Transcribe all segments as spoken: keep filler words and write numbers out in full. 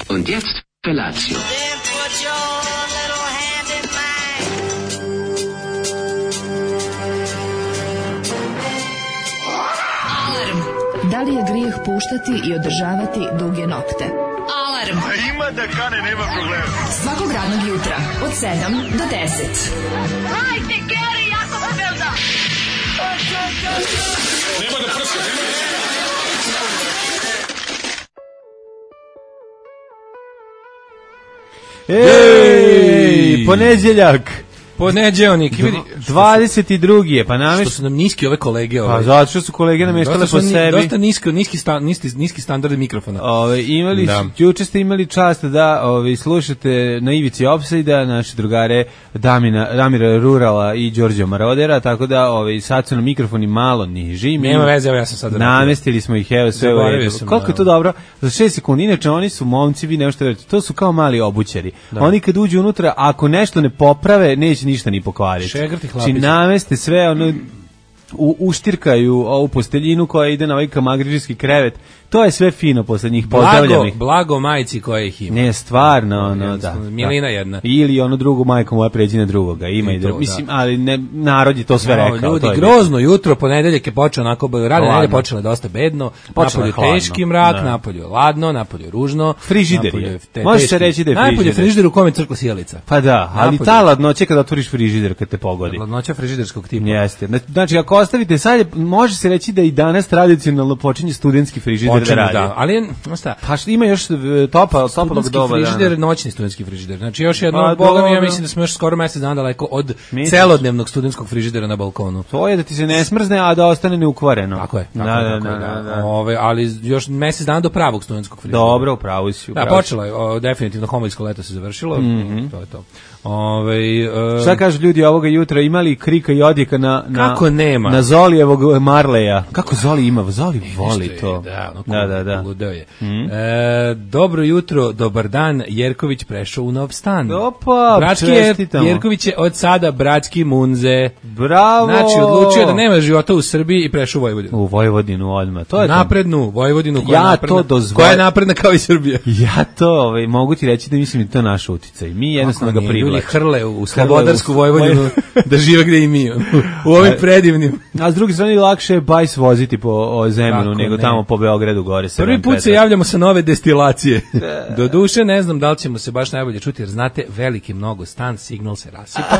Und jetzt Felatio. Da li je grijeh puštati i održavati duge nokte? Alarm! A ima da kane, nema problema. Svakog radnog jutra, od sedam do deset. Hajde, Geri, jako se velda! Nema da prska, nema da Ej, ponedjeljak. Ponedjeljak, vidi. dvadeset drugi je, pa namješ... Što su nam niski ove kolege. Ove. Pa zato što su kolege namještale po sebi. Dosta niski, niski, sta, niski, niski standard mikrofona. Ove, imali, da. Juče ste imali čast da ove, slušate na ivici Opsajda, naše drugare Damina, Damira Rurala i Đorđe Marodera, tako da ove, sad su na mikrofoni malo niži. Nema veze, evo ja sam sad rekao. Namestili smo ih, evo sve u redu. Koliko je to dobro? Za šest sekundi, inače oni su momci, vi nešto verujete, to su kao mali obućari. Da. Oni kad uđu unutra, ako nešto ne poprave, neće ništa ni pokvariti. Šegrti hlapići. Či nameste sve, ono, u, uštirkaju ovu posteljinu koja ide na ovaj kamagrižijski krevet. To je sve fino posle njih, pozdravljam ih. Blago majci koje ih ima. Ne, stvarno, ono, da. Milina jedna. Ili ono drugo, majko moja pređi na drugoga, ima i, i drugo. Mislim, ali ne, narod je to sve no, rekao. Ljudi, grozno jutro, ponedeljak je počeo onako, radne nedelje počele dosta bedno, napolju teški mrak, da. Napolju je ladno, napolju je ružno. Frižider je. Može se reći da je frižider. Napolju je frižider u kome crkla sjelica. Pa da, ali napolju. Ta ladnoća kada otvoriš frižider kad te pogodi. Ladnoća frižiderskog tipa. Jeste. Znači, ako ostavite sad, može se reći da i danas tradicionalno počinje studentski frižider da radi. Da, ali šta? Pa što ima još topa, topalog doba. Frižider, da. Noćni studentski frižider. Znači još jedno, pa, boga mi, ja mislim da smo još skoro mesec dana daleko od Misliš? celodnevnog studentskog frižidera na balkonu. To je da ti se ne smrzne, a da ostane neukvareno. Tako je. Tako da, je, tako da, da, da. Ove, ali još mesec dana do pravog studentskog frižidera. Dobro, upravo si. Da, počelo je, o, definitivno homojsko leto se završilo. Mm-hmm. To je to. Ove, uh, šta kažu ljudi ovoga jutra, imali krika i odjeka na, na, kako nema? Na Zolijevog Marleja. Kako Zoli ima? Zoli voli to. Da, ono, da, da, da. Ludeo je. Mm-hmm. E, dobro jutro, dobar dan, Jerković prešao u nov stan. Opa, bratski čestitamo. Jerković je od sada bratski Munze. Bravo! Znači, odlučio da nema života u Srbiji i prešao u Vojvodinu. U Vojvodinu odmah. To je naprednu to. Vojvodinu koja, ja je napredna, to dozvol... koja je napredna kao i Srbija. Ja to ovaj, mogu ti reći da mislim da to naš uticaj. Mi jednostavno ga privlačimo. Ljudi hrle u slobodarsku Vojvodinu da žive gde i mi. U ovim predivnim. A s druge strane lakše je bajs voziti po Zemunu nego ne. Tamo po Beogradu gore. Prvi put se javljamo sa nove destilacije. Do duše ne znam da li ćemo se baš najbolje čuti, jer znate, veliki mnogo stan, signal se rasipa.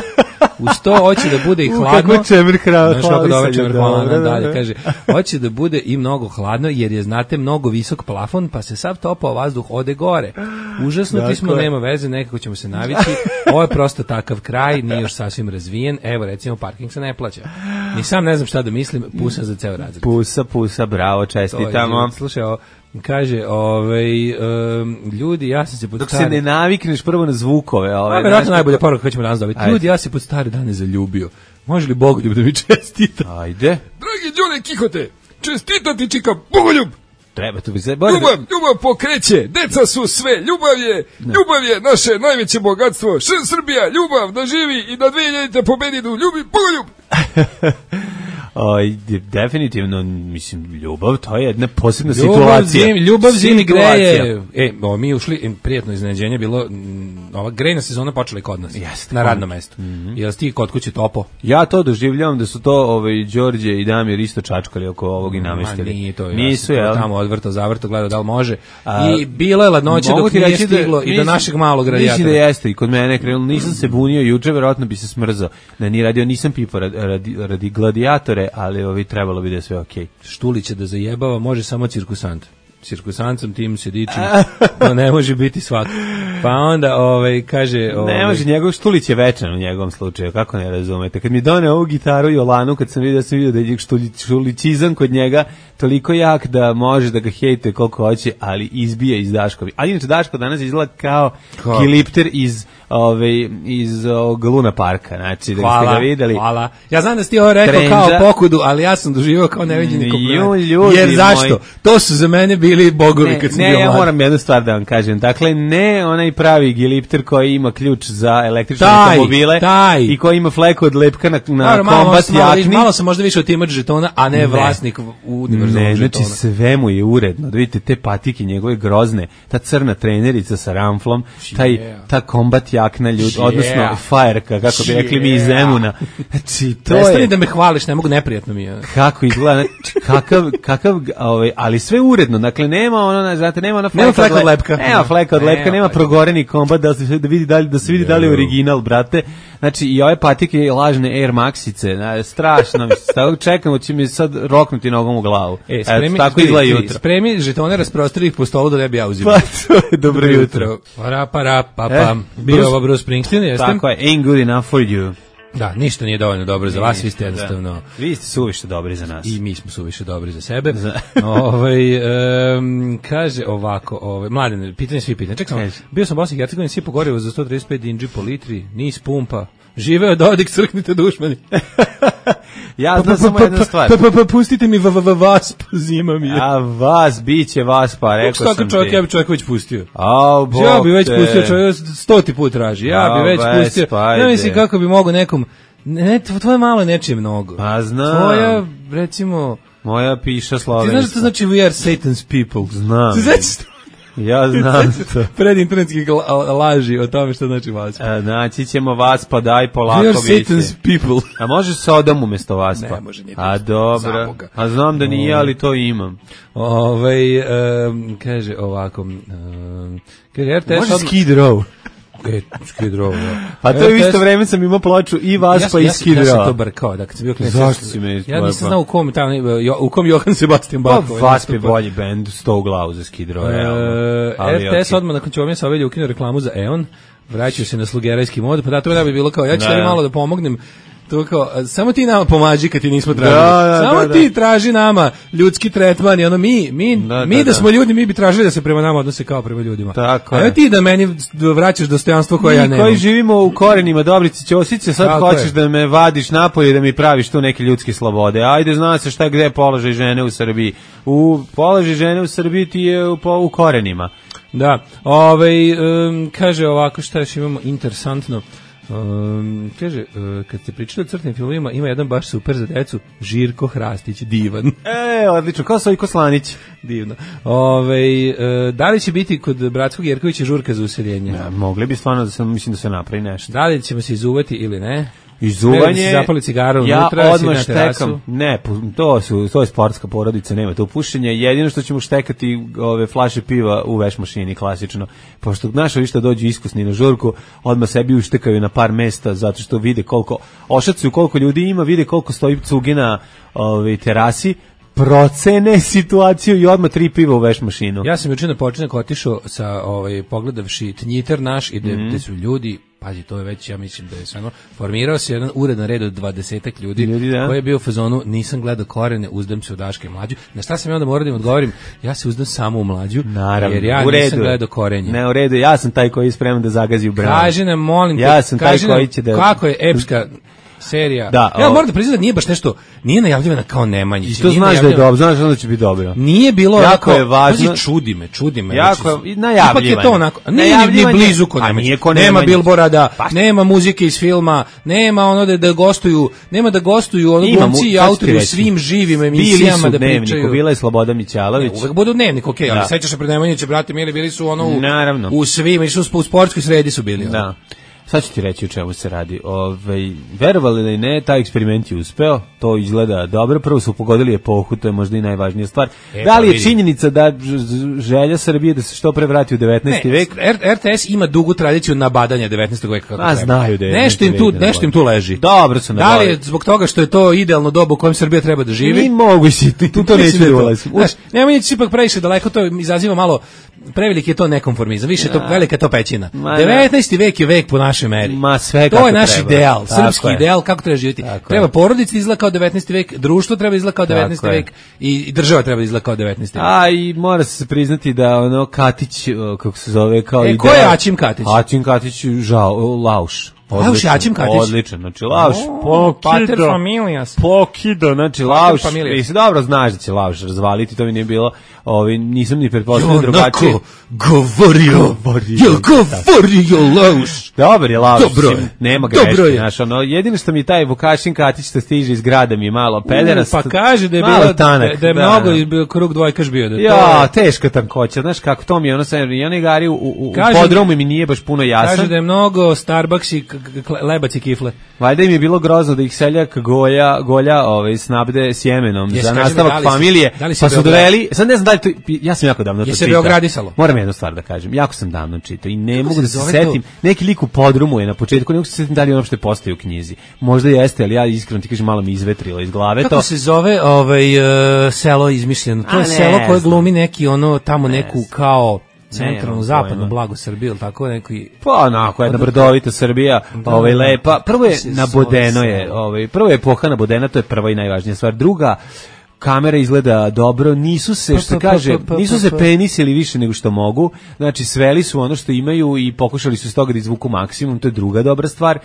Uz to hoće da bude i hladno. Kako čemer hladno. Znaš kako dobro čemer hladno dalje, kaže. Hoće da bude i mnogo hladno, jer je, znate, mnogo visok plafon, pa se sav topao vazduh ode gore. Užasno ti smo, nema veze, nekako ćemo se navići. Ovo je prosto takav kraj, nije još sasvim razvijen. Evo, recimo, parking se ne plaća. Ni sam ne znam šta da mislim, pusa za ceo razred. Pusa, pusa, bravo, čestitamo. Slušaj, ovo, kaže, ovaj, um, ljudi, ja sam se pod dok stari... se ne navikneš prvo na zvukove. Ove, a, verovatno najbolja poruka koju ćemo danas dobiti. Ljudi, ja se pod stare dane zaljubio. Može li Bogoljub da mi čestita? Ajde. Dragi Đone Kihote, čestitati čika Bogoljub. Treba to bi se... Ljubav, ljubav pokreće, deca su sve, ljubav je, ne. ljubav je naše najveće bogatstvo. Š Srbija, ljubav, da živi i da dve hiljadite pobedinu, ljubi Bogoljub. O, definitivno, mislim, ljubav, to je jedna posebna ljubav, situacija. Zim, ljubav zimi greje. E, o, mi ušli, prijetno iznenađenje bilo, m, ova grejna sezona počela i kod nas. Jeste. Na radnom mestu. Mm-hmm. Jel ti kod kuće topo? Ja to doživljavam da su to ovaj, Đorđe i Damir isto čačkali oko ovog i namestili. Nije to, nisu, ja tamo odvrto, zavrto, gledao da li može. A, I bilo je ladnoće dok nije stiglo da, i do našeg malog radijatora. Mislim da jeste i kod mene krenulo, nisam se bunio juče, verovatno bi se smrzao. Da nije radio, nisam pipo radi, radi, radi gladiatore, ali ovi trebalo bi da je sve okej. Okay. Štulića da zajebava može samo cirkusant. Cirkusancom tim se dičim, no ne može biti svako. Pa onda ovaj, kaže... Ovaj, ne može, njegov Štulić je večan u njegovom slučaju, kako ne razumete. Kad mi doneo ovu gitaru Jolanu, kad sam vidio, sam vidio da je štulićizam kod njega toliko jak da može da ga hejte koliko hoće, ali izbije iz Daškovi. Ali inače Daško danas izgleda kao Kilipter iz ovaj, iz ovog Luna Parka, znači, da hvala, ste ga videli. Hvala, ja znam da si ti ovo rekao Trendža. kao pokudu, ali ja sam doživio kao neviđeni kompliment. Ljudi Jer zašto? moji. To su za mene bili bogovi Ne, kad sam ne, bio ja mlad. moram jednu stvar da vam kažem. Dakle, ne onaj pravi gilipter koji ima ključ za električne Taj, automobile taj. i koji ima fleku od lepka na, na Dobro, malo, kombat malo, jakni. malo sam možda više otimač žetona, a ne, Ne. vlasnik univerzalnog Ne, žetona. znači sve mu je uredno. Da vidite te patike njegove grozne, ta crna trenerica sa ramflom, taj, Yeah. ta kombat jakna ljud, Yeah. odnosno fajerka, kako bi rekli mi iz Yeah. Zemuna. Znači, to Prestani je... da me hvališ, ne mogu, neprijatno mi je. Kako izgleda, znači, kakav, kakav, ovaj, ali sve uredno, dakle, nema ono, znate, nema ona fleka, Nema fleka od le- lepka. Nema fleka od Nema lepka, nema fleka. progoreni kombat, da se, da vidi da, li, da se vidi da li je original, brate. Znači, i ove patike lažne Air Maxice, na, strašno, mislim, tako čekamo, će mi sad roknuti nogom u glavu. E, Eto, spremi, tako izgleda jutro. Spremi žetone rasprostri ih po stolu da ne bi ja uzimao. Pa, to je dobro jutro. Para, para, pa, E, pa. Bio Bruce- ovo Bruce Springsteen, jeste? Tako je, ain't good enough for you. Da, ništa nije dovoljno dobro za vas, vi ste jednostavno... Da. Vi ste suviše dobri za nas. I mi smo suviše dobri za sebe. Za- ovaj, em, kaže ovako, ovaj, mladen, pitanje svi pitanje. Čekaj, samo, Kaži. bio sam u Bosni i Hercegovini, sipao gorivo za sto trideset pet dinđi po litri, nis pumpa. Živeo Dodik, crknite dušmani. Ja znam samo jednu stvar. Pa, pa, pa, pustite mi v- v- v- vas, zima mi je. A vas, bit će vas, pa rekao Kako sam čovjek, ti. ja bi čovjek već pustio. Au, Bog Ja bi već te. pustio, čovjek stoti put traži. Ja bi A, već već, pustio. pa Ja ajde. mislim kako bi mogo nekom, ne, tvoje malo nečije mnogo. Pa znam. Tvoja, recimo, Moja piša ti slovenska. znaš što to znači we are Satan's people? Znam. Ti znaš što? Ja znam to. Pred internetskih la- laži o tome što znači vas. E, Naći ćemo vas, pa daj polako We are biće. Satan's people. A može Sodom umjesto vas, pa? Ne može, nije A to. dobro. Zaboga. A znam da nije, ali to imam. Ovaj em, kaže ovako, em, kaže R T S Može odmah- Skid Row. E, Skid Row, da. Pa to je u R T S isto vreme sam imao ploču i vas, ja, pa i ja, Skid ja sam to Row. brkao, da kad sam bio klinac. Zašto si me Ja ispojao? nisam znao u kom, tamo, jo, u kom Johan Sebastian Pa Bach. vas je bolji bend, sto u glavu za Skid Row, realno. E, Ali R T S okej. odmah nakon čovjeka Savelja ukinuo reklamu za E O N, vraćaju se na slugerajski mod, pa da, to da bi bilo kao, ja ću Da. tebi malo da pomognem, to kao, a, samo ti nama pomaži kad ti nismo tražili. Da, da, samo da, ti da. traži nama ljudski tretman i ono mi, mi, Da, mi da, da, da. smo ljudi, mi bi tražili da se prema nama odnose kao prema ljudima. Tako a je. ne ti da meni vraćaš dostojanstvo koje ja Mi nemam. koji živimo u korenima Dobrice Ćosiće, sad Tako hoćeš je. da me vadiš napolje i da mi praviš tu neke ljudske slobode. Ajde, zna se šta gde je položaj žene u Srbiji. U položaj žene u Srbiji ti je u, po, u korenima. Da, ovaj, um, kaže ovako, šta još imamo interesantno. Um, kaže, uh, kad ste pričali o crtnim filmovima, ima jedan baš super za decu, Žirko Hrastić, divan. E, odlično, kao Sojko Slanić. Divno. Ove, uh, da li će biti kod Bratskog Jerkovića žurka za useljenje? Ja, mogli bi stvarno da se, mislim da se napravi nešto. Da li ćemo se izuvati ili ne? Treba da Izuvanje, se zapali cigaru ja unutra, si odmah na terasu. štekam, ne, pu- to su, to je sportska porodica, nema to pušenja, jedino što ćemo štekati ove flaše piva u veš mašini, klasično, pošto naša višta dođu iskusni na žurku, odmah sebi uštekaju na par mesta, zato što vide koliko, ošacuju koliko ljudi ima, vide koliko stoji cugi na ove, terasi, procene situaciju i odmah tri piva u veš mašinu. Ja sam juče na počinak otišao sa ovaj pogledavši Tnjiter naš i gde, Mhm. gde su ljudi, pazi, to je već, ja mislim da je stvarno, formirao se jedan uredan red od dvadesetak ljudi, Ljudi, da. koji je bio u fazonu, nisam gledao korene, uzdam se u Daška i Mlađu. Na šta sam ja onda morao da im odgovorim? Ja se uzdam samo u Mlađu, Naravno, jer ja u redu nisam je. gledao korenje. Ne, u redu, ja sam taj koji je spreman da zagazi u branu. Kaži nam, molim te, Ja sam taj kaži nam koji će da- kako je epska serija. Da, ja o- moram da priznam da nije baš nešto, nije najavljivana kao Nemanjić. I to nije znaš da je najavljivana- dobro, znaš da će biti dobro. Nije bilo Jako onako, je važno- pazi, čudi me, čudi me. Jako znači, je- i najavljivanje. Ipak je to onako, a nije ni, ni Najavljivanje- blizu ko a Nemanjić. nije ko Nema Nemanjić. bilborada, Pa- nema muzike iz filma, nema ono da, da gostuju, nema da gostuju ono Ima mu- glumci i sad ću ti autori u reći. svim živim Bili emisijama su da Dnevniku, pričaju. bila je Sloboda Mićalović. Ne, uvek budu dnevnik, okej, ali Da. sećaš se pred Nemanjića, brate mili, bili su ono u, Naravno. u svim, išli su u sportskoj sredi su bili. ono. Da. Sad ću ti reći o čemu se radi. Ove, verovali da i ne, taj eksperiment je uspeo, to izgleda dobro, prvo su pogodili epohu, to je možda i najvažnija stvar. E, da pa li je vidi. činjenica da ž- ž- želja Srbije da se što pre vrati u devetnaesti vek? R- RTS ima dugu tradiciju nabadanja devetnaestog veka kako A, treba. znaju da je nešto im tu, devetnaesti vek nešto im tu leži. Dobro su Da li nabavili. je zbog toga što je to idealno doba u kojem Srbija treba da živi? Ni mogu si, tu, tu to neću Mislim da je da to. ulazim. Znaš, Nemanjić ipak previše daleko, to izaziva malo, preveliki je to nekonformizam, više je to, velika je to pećina. Ma, da. devetnaesti vek je vek po našem našoj meri. Ma sve to je naš treba. ideal, Tako srpski je. ideal kako treba živjeti. Tako treba je. porodica da izgleda kao devetnaesti vek, društvo treba da izgleda kao devetnaesti Tako je. vek i država treba da izgleda kao devetnaesti vek. A i mora se priznati da ono Katić, o, kako se zove, kao E, ideal. ko je Aćim Katić? Aćim Katić, žao, Lauš. Lauš je Aćim Katić? Odličan, znači Lauš. O, pater Pokido, familijas. pokido, znači Lauš. familijas. Mislim, dobro znaš da će Lauš razvaliti, to mi nije bilo, ovi, nisam ni pretpostavio drugačije. govorio, jel govorio Lauš? Dobar je Lauš, Dobro je. mislim, nema Dobro greške, je. znaš, ono, jedino što mi taj Vukašin Katić što stiže iz grada mi je malo pederast. Pa kaže da je malo bilo, tanak, da, da je da. mnogo bio krug dvojkaš bio. Da to Ja, je, teška tankoća, znaš kako to mi je, ono sam, i onaj gari u, u, u Kaže- podromu mi nije baš puno jasan. kaže da je mnogo Starbucks i k- k- lebac i kifle. Valjda im je bilo grozno da ih seljak golja, golja ovaj, snabde sjemenom Jesi, za kaži mi, nastavak da li si- familije, da li si pa su Beograd- doveli, sad ne znam da li to, ja sam jako davno to Jesi čitao. beogradisalo? Moram jednu stvar da kažem, jako sam davno čitao i ne Kako mogu se da se zove setim, to? neki lik u podrumu je na početku, ne mogu se setim da li on uopšte postoji u knjizi. Možda jeste, ali ja iskreno ti kažem malo mi izvetrilo iz glave Kako to. se zove ovaj uh, selo izmišljeno? To A, je ne selo koje znam. glumi neki ono tamo neku znam. kao Nemam centralnu zapadnu pojma. blago Srbiju ili tako neki. Pa onako, jedna brdovita Srbija, ovaj, lepa. Prvo je Kako se nabodeno zove je, selo? ovaj, prvo je epoha nabodena, to je prva i najvažnija stvar. Druga, kamera izgleda dobro, nisu se, Pa, što pa, kaže, pa, pa, nisu pa, se pa. penisili više nego što mogu, znači sveli su ono što imaju i pokušali su iz toga da izvuku maksimum, to je druga dobra stvar.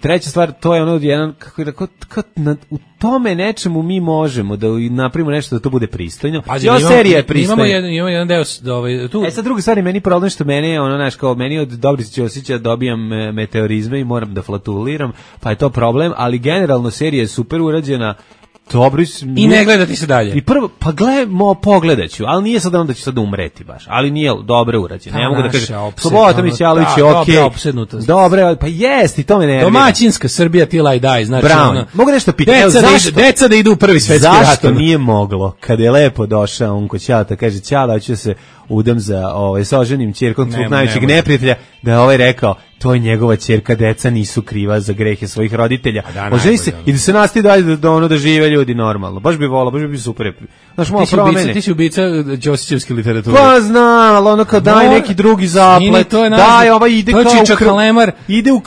Treća stvar, to je ono jedan, kako je rekao, kako na- u tome nečemu mi možemo da napravimo nešto da to bude pristojno. Pazi, I ova mi imamo- serija je mi pristojna. Imamo jedan, imamo jedan deo s- da, ovaj, tu. E sad druga stvar je meni problem što mene je ono, znaš, kao meni od dobrih osjeća dobijam e, meteorizme i moram da flatuliram, pa je to problem, ali generalno serija je super urađena, dobro s- I ne gledati se dalje. I prvo, pa gledamo, pogledaću, ali nije sad onda da ću sad umreti baš, ali nije dobro urađeno. Ta Ne mogu da naša kažem, opsed- Slobodan ono, Mićalović ta je okej. dobra opsednutost. Dobre, pa jest, i to me nervira. Domaćinska Srbija till I die, znači Brown. ono, Mogu nešto pitati, evo, Deca da, zašto? idu, deca da idu u prvi svetski rat. Zašto ono. nije moglo, kada je lepo došao on kod Ćalata, kaže Ćala, hoću da se udam za ovaj, sa oženim ćerkom tvog Ne, najvećeg ne može. neprijatelja, da je ovaj rekao, to je njegova ćerka, deca nisu kriva za grehe svojih roditelja. da, Oženi se najbolje, i da se nastavi dalje da, da, ono, da žive ljudi normalno. Baš bi volao, baš bi bio super. Znaš, malo Ti si ubica, promene. ti si ubica Ćosićevske literature. Pa znam, ali ono kao daj Mora- neki drugi Nini, zaplet, to je naš- daj, ovaj ide to je kao Čiča kr- Kalemar. ide u,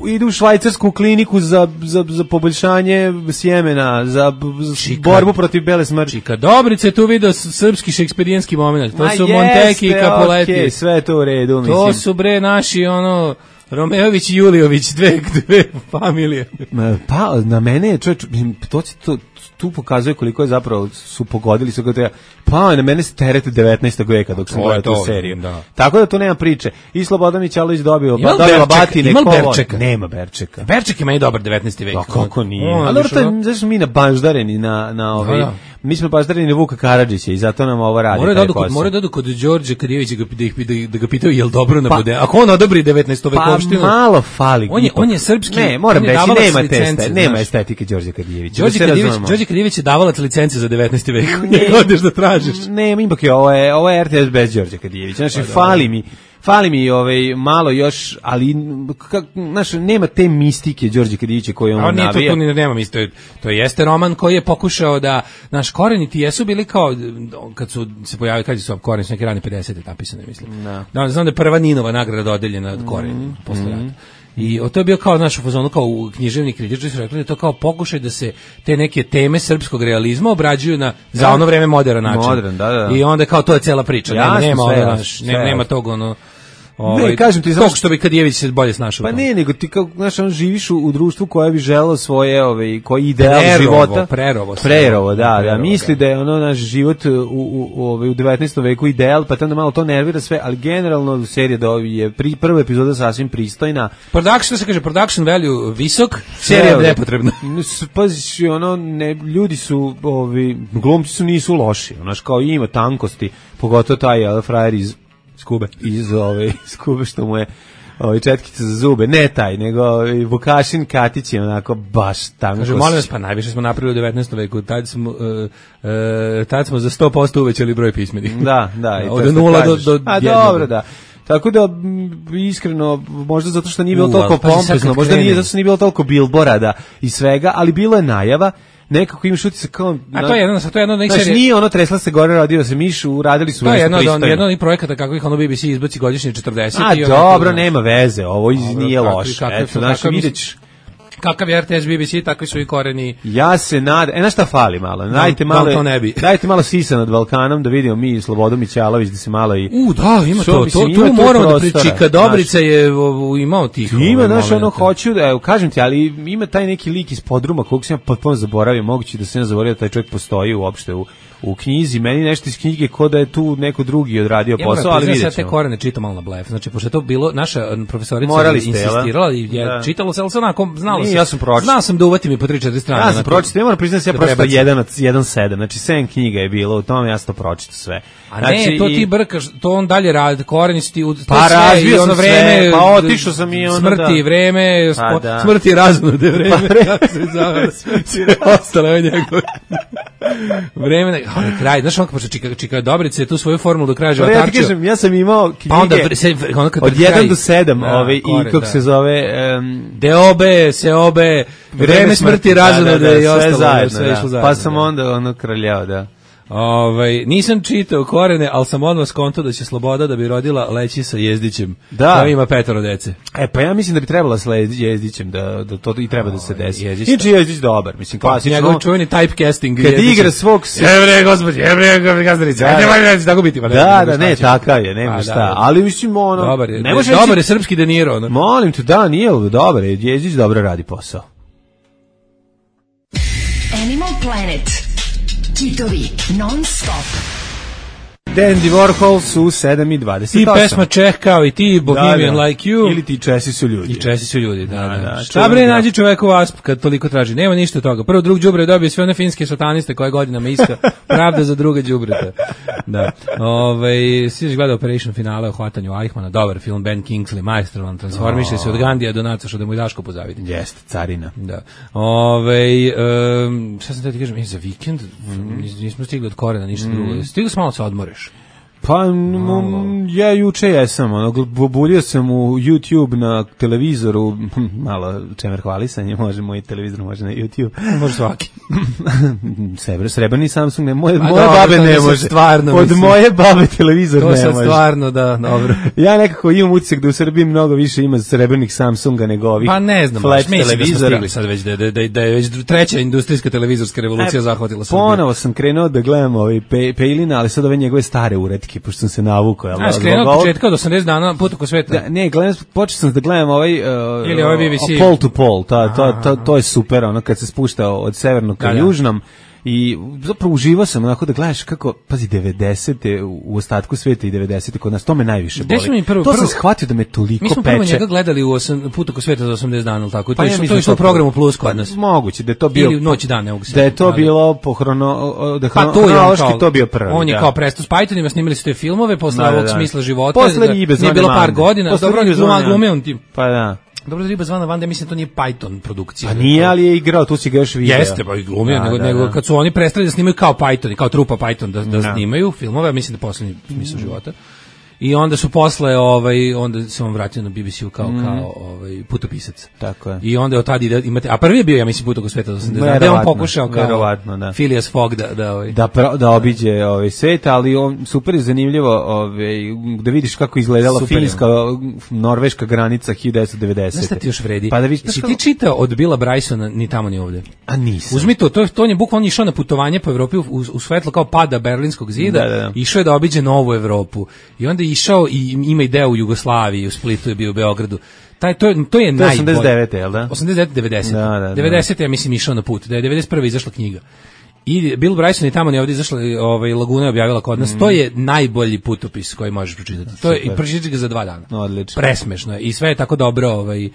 ide u švajcarsku kliniku za, za, za poboljšanje sjemena, za, za Čika. borbu protiv bele smrti. Čika Dobrice tu video s- srpski šekspirijanski moment. To Ma su jeste, Monteki i Capuletti. okej, sve je to u redu, mislim. To su bre naši ono Romeović i Juliović, dve, dve familije. Ma, pa, na mene je, čovječ, mislim, to, će- to, tu pokazuje koliko je zapravo su pogodili su ga treba. Pa, na mene se teret devetnaestog veka dok sam To je gledao tu to, seriju. da. Tako da to nema priče. I Slobodan Mićalović dobio, Ima li dobila Berčeka? batine, Ima li kovo- Berčeka? Nema Berčeka. Berček je meni dobar devetnaesti vek. Pa kako nije? On, Ali dobro, znaš, to je, ono, zašto smo mi na baždareni na, na ovaj, Da, da. mi smo baždareni na Vuka Karadžića i zato nam ovo radi. Moraju da taj odu kod, posao. moraju da odu kod Đorđe Kadijevića da, da, ih- da, ih- da ga pitaju jel dobro Pa- nabude. Ako on odobri devetnaestu Pa vekovštinu, malo fali. On je- ipak. on je srpski- Ne, moram on je reći, davalac nema licence, testa, nema znaš. estetike Đorđe Kadijevića. Đorđe da se Kadijević, razumemo. Đorđe Kadijević je davalac licence za devetnaesti vek. Njega odeš da tražiš. Ne, ipak je ovo je ovo je R T S bez Đorđe Kadijevića. Znači Pa fali mi fali mi ovaj malo još, ali kak, znaš, nema te mistike Đorđe Kadijevića koju A on nije to, navija. to ni nema isto. To jeste roman koji je pokušao da naš koreni ti jesu bili kao kad su se pojavili kad su koreni su neke rane pedesete napisane mislim. Da. Da, znam da je prva Ninova nagrada dodeljena od koreni Mhm. posle rata. I o to je bio kao naš u fazonu kao u književni kritičari su rekli da je to kao pokušaj da se te neke teme srpskog realizma obrađuju na za Da. ono vreme modern način. Modern, da, da. I onda kao to je cela priča. Nema, Jasno, nema, sve ono, jasno, naš, sve nema, nema jasno. tog ono ovaj, kažem ti, tog znaš- što bi Kadijević se bolje snašao. u Pa tome. ne, nego ti kao, znaš, on živiš u, u društvu koje bi želelo svoje, ovaj, koji ideal Prerovo, života. prerovo se. Prerovo, da, da, Prerovo, misli da. da je ono naš život u, u, u, ovaj, u devetnaestom veku ideal, pa te onda malo to nervira sve, ali generalno serija da je pri, prva epizoda sasvim pristojna. Production, što se kaže, production value visok, serija Sve, nepotrebna. s- Pazi, ono, ne, ljudi su, ovi, glumci su nisu loši, znaš, kao ima tankosti, pogotovo taj jel, frajer iz Skube. iz ove iz Kube što mu je ovaj četkica za zube, ne taj, nego ovaj, Vukašin Katić je onako baš tanko. Kaže, molim vas, pa najviše smo napravili u devetnaestom veku, tad smo, uh, uh, tad smo za sto posto uvećali broj pismenih. Da, da. i to Od što nula do, kažeš. do A jednog. dobro, da. Tako da, m, iskreno, možda zato što nije bilo U, toliko ali pazi sad pompezno, kad možda nije krene. zato što nije bilo toliko bilborada i svega, ali bilo je najava. nekako imaš utisak kao... A to je jedno, to je jedno od nekih serija... Znaš, nije ono tresla se gore, radio se miš, uradili su nešto pristojno. To je jedno, jedno od projekata kako ih ono B B C izbaci godišnje četrdeset. A dobro, nema veze, ovo nije loše. Eto, znaš, videć... Kakav je R T S B B C, takvi su i koreni. Ja se nadam, e, na šta fali malo? Dajte malo, to ne bi. Dajte malo sisa nad Balkanom da vidimo mi Slobodu Mićalović da se malo i... U, da, ima to, to, tu moramo da pričika, Dobrica je imao tih. Ima, znaš, ono, hoću da, kažem ti, ali ima taj neki lik iz podruma kog sam ja potpuno zaboravio, moguće da se ne zaboravio da taj čovjek postoji uopšte u u knjizi, meni nešto iz knjige ko da je tu neko drugi odradio ja posao, ali vidjet ćemo. Ja te korene čitam malo na blef, znači, pošto je to bilo, naša profesorica je insistirala i je da. Čitalo se, ali se onako, znalo se, ja sam znao sam da uvatim i po tri četiri strane. Ja sam pročitao, ja moram priznati da ja pročitao jedan sedam, znači sedam knjiga je bilo, u tome ja sam to pročitao sve. A znači, ne, to ti brkaš, to on dalje radi, koreni su ti u pa razvio sam vreme, sve, pa otišao sam i ono smrti, da. vreme, pa da. smrti i razonude vreme, kako se zove, ostalo je njegove. Vreme, na kraj, znaš on pošto čika, čika Dobrice tu svoju formulu do kraja života. Ja ti kažem, ja sam imao knjige pa onda, se, onda od jedan do sedam, da, ove, i kako da. se zove... Um, Deobe, Seobe, vreme smrti, razonude da, da, i ostalo. Zajedno, sve da. zajedno, pa sam da. onda ono kraljao, da. Ovaj nisam čitao korene, al sam odmah skonto da će Sloboda da bi rodila leći sa Jezdićem. Da, koja ima petoro dece. E pa ja mislim da bi trebala sa Jezdićem da da to i treba da se desi. Inače Jezdić dobar, mislim klasično. Njegov čuveni typecasting. Kad igra svog Evre gospod, evre gazdarica. Ne može tako biti, pa ne. Da, da, ne, takav je, nema šta. Ali mislim ono, dobar je. Ne može dobar je srpski De Niro, ono. Molim te, da, nije dobar je, Jezdić dobro radi posao. Animal Planet. Hitovi non stop. Dandy Warhol su sedam i dvadeset osam. I pesma Čeh kao i ti, Bohemian da, da. Like You. Ili ti Česi su ljudi. I Česi su ljudi, da, da. da. Šta bre nađi čoveku vasp kad toliko traži? Nema ništa od toga. Prvo drug đubre dobio sve one finske sataniste koje godinama iska. Pravda za druga đubreta. Da. Ovaj si gledao Operation finale o hvatanju Eichmana, dobar film, Ben Kingsley, majstrovan, transformiše se od Gandija do Naca što da mu i Daško pozavidi. Jeste, carina. Da. Ovaj um, šta sam da ti kažem, je za vikend mm. nismo stigli od korena ništa mm. drugo. Stigli smo malo se odmoriš. Pa m, ja juče jesam, ono, bulio sam u YouTube na televizoru, malo čemer hvalisanje, može moj televizor, može na YouTube. Može svaki. Srebrni, srebrni Samsung, ne, moje, A moje dobro, babe ne može. Stvarno, od moje babe televizor to ne može. To sad stvarno, da, dobro. Ja nekako imam utisak da u Srbiji mnogo više ima srebrnih Samsunga nego ovih pa ne znam, flat televizora. Da sad već da, da, da, da je već treća industrijska televizorska revolucija e, zahvatila Srbiju. Ponovo sam krenuo da gledam ovaj pe, Pejlina, ali sad ove njegove stare uretke, pošto sam se navukao. Ja, a skrenuo od početka od osamdeset dana put oko sveta. Da, ne, gledam, počeo sam da gledam ovaj uh, ili ovaj B B C. Pole to Pole, ta, to, to, to je super, ono kad se spušta od severnog ka da, južnom. I zapravo uživao sam onako da gledaš kako, pazi, devedesete u ostatku sveta i devedesete kod nas, to me najviše boli. Prvo, to prvo, sam shvatio da me toliko peče. Mi smo prvo peče. njega gledali u osam, put oko sveta za osamdeset dana, tako? Pa to, ja, to je išlo u programu Plus kod nas. Moguće, da je to bio... Ili noć i dan, ne mogu se. Da je to ali, bilo po hrono... Da pa to je on kao, to bio prvi. On je da. kao prestao s Pythonima, snimali su te filmove, posle ovog da, da. smisla života. Posle Ribe zvane Nije bilo par godina, posle dobro, on glumio on tim. Pa da. Dobro, Riba zvana Vanda, mislim to nije Python produkcija. A nije, ali je igrao, tu si ga još video. Jeste, pa i glumio, da, nego, da, nego da. Kad su oni prestali da snimaju kao Python, kao trupa Python da, da, da. snimaju filmove, mislim da poslednji smisao života. I onda su posle ovaj onda se on vratio na B B C-u kao mm. kao ovaj putopisac. Tako je. I onda od tada ide, imate, a prvi je bio ja mislim put oko sveta osamdeset. Da on pokušao kao verovatno, da. Phileas Fogg da da ovaj da pra, da obiđe ovaj svet, ali on super je zanimljivo, ovaj da vidiš kako izgledala super finska norveška granica hiljadu devetsto devedesete. Šta ti još vredi? Pa da vidiš, si ti čitao od Billa Brysona ni tamo ni ovde. A nisam. Uzmi to, to, to on je bukvalno išao na putovanje po Evropi u, u svetlo kao pada Berlinskog zida, da, da, da. Išao je da obiđe novu Evropu. I onda je išao i ima i deo u Jugoslaviji, u Splitu je bio, u Beogradu. Taj, to je, to je najbolje. osamdeset devete, jel da? osamdeset devete, devedeset. Da, da, da. devedesete ja mislim išao na put. Da je devedeset prve izašla knjiga. I Bill Bryson i tamo ne ovdje izašla, ovaj, Laguna je objavila kod nas. Mm. To je najbolji putopis koji možeš pročitati. To je, i pročitati ga za dva dana. Odlično. Presmešno je. I sve je tako dobro, ovaj,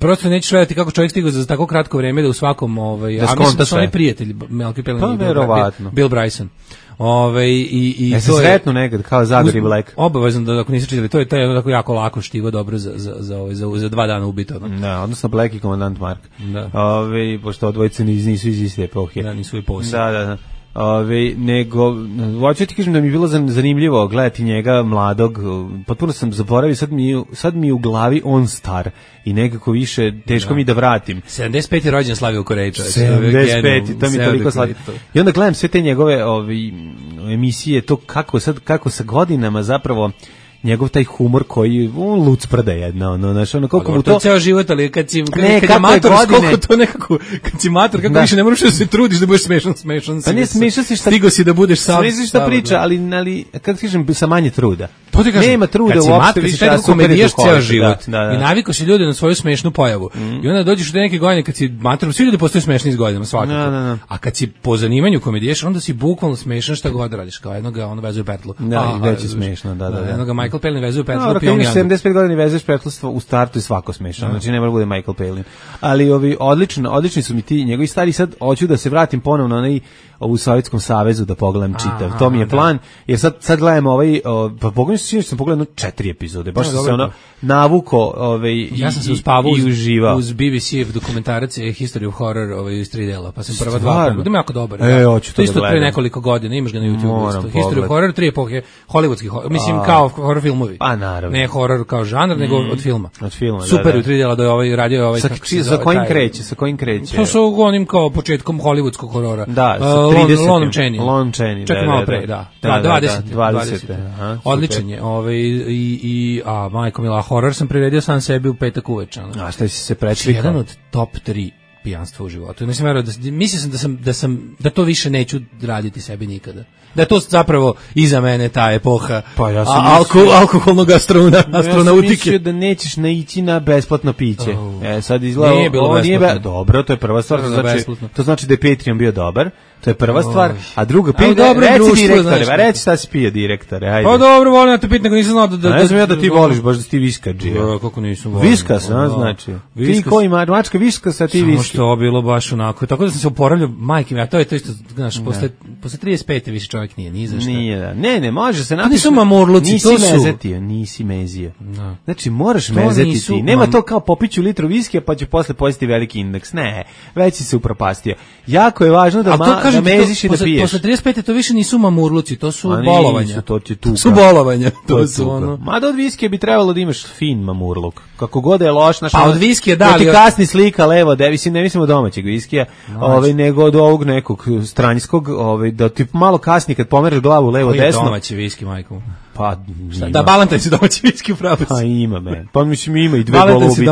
prosto nećeš vedati kako čovjek stigao za tako kratko vreme da u svakom, ovaj, da a mislim da su oni prijatelji, Melky Pelin pa, i Bill, Bill Bryson. Ove, i i ja to je sretno nekad kao Zagor i Black. Obavezno da ako niste čitali, to je to je tako jako lako štivo dobro za za za ovaj za, za dva dana ubito. No? Da, odnosno Black i Komandant Mark. Da. Ove, pošto odvojice nisu iz iste epohe. Da, nisu i posle. Da, da, da. Ove, nego, hoću ti kažem da mi je bilo zanimljivo gledati njega mladog, potpuno sam zaboravio, sad mi, sad mi je u glavi on star i nekako više teško da. mi da vratim. sedamdeset peti rođen Slavio u Koreji, čovječ. sedamdeset peti to mi je toliko slavio. I onda gledam sve te njegove ove, emisije, to kako sad, kako sa godinama zapravo njegov taj humor koji on luc prda jedna, ono, znaš, ono, koliko mu to... To ceo život, ali kad si, kad, ne, kad je mator, koliko to nekako, kad si mator, kako da. više ne moraš da se trudiš da budeš smešan, smešan si. Pa ne smešan si šta... Stigo si da budeš sam. Smešan si šta priča, ali, ali, kako kažem, sa manje truda. To ti kažem, nema truda uopšte mator, više, a super je to ceo život. Da, da, da. I navikao si ljude na svoju smešnu pojavu. Mm. I onda dođeš u neke godine kad si mator, svi ljudi postaju smešni s godinama, svakako. Da, da, da. A kad si po zanimanju komedijaš, onda si bukvalno smešan šta god radiš, kao jednoga on vezuje petlu. Da, i već je smešno, da, da. da. Jednoga Michael Palin vezuje petlu. Ako imaš sedamdeset pet godina i vezuješ petlostvo, u startu je svako smešno, znači ne mora bude Michael Palin. Ali ovi odlično, odlični su mi ti njegovi stari, sad hoću da se vratim ponovno na onaj u Sovjetskom savezu da pogledam čitav. Aha, to mi je plan, jer sad sad gledamo ovaj o, pa pogledam se sam pogledao četiri epizode. Baš sam se ono navuko, ovaj ja sam se uspavao i uživao uz B B C-ev dokumentarac History of Horror, ovaj iz tri dela, pa sam prva dva pogledao. Da jako dobar. E, hoću to isto pre nekoliko godina, imaš ga na YouTubeu isto. History of Horror, tri epohe, hollywoodski, mislim A, kao horror filmovi. Pa naravno. Ne horor kao žanr, nego mm, od filma. Od filma, super, da, da. U tri dela da je ovaj radio ovaj sa, či, sa kojim kreće, sa kojim kreće. To su onim kao početkom hollywoodskog horora. Da, sa trideset Lon Chaney, čekaj malo pre, da. Da, dvadeset, dvadeset. Aha, odličan je. Ovaj i i a majko mila, horor sam priredio sam sebi u petak uveče. A šta si se prečvikao? Jedan od top tri pijanstva u životu. Mislim verujem da mislio sam da sam da sam da to više neću raditi sebi nikada. Da je to zapravo iza mene ta epoha. Pa ja sam a, alko, mislio, alkoholnog astrona, astronautike. Ja mislio da nećeš naići na besplatno piće. Oh. E sad izgleda nije bilo ovo nije be, dobro, to je prva stvar, to znači, to znači da je Patreon bio dobar. To je prva stvar, a druga pije, reci direktore, ba reci šta si pije direktore, ajde. Pa dobro, volim da te piti, nego nisam znao da... da ne znam ja da ti voliš, baš da si ti viskađija. Kako nisam volim. Viskas, a, znači. Ti koji mačka viskas, a ti viski. Samo što bilo baš onako, tako da sam se oporavljao, majke mi, a to je to isto, znaš, posle, posle trideset pete više čovjek nije, ni za šta. Nije, da. Ne, ne, može se napiši. Nisu mamurluci, to su. Nisi mezetio, nisi mezio. Znači, moraš mezeti ti. Nema to kao popiću litru viskija, pa će posle pojesti veliki indeks. Ne, već si se upropastio. Jako je važno da meziš i da piješ. Posle trideset pete to više nisu mamurluci, to su bolovanja. To ti tuka. Su bolovanja, to su ono. Mada od viskija bi trebalo da imaš fin mamurluk. Kako god je loš, naš. Pa od viskija da, ali ti kasni slika levo, da mislim ne mislimo domaćeg viskija, ovaj nego od ovog nekog stranjskog, ovaj da ti malo kasni kad pomereš glavu levo desno. Koji domaći viski, majko? Pa šta, da Balantaj se domaći viski upravo. Pa ima men. Pa mislim ima i dve golubice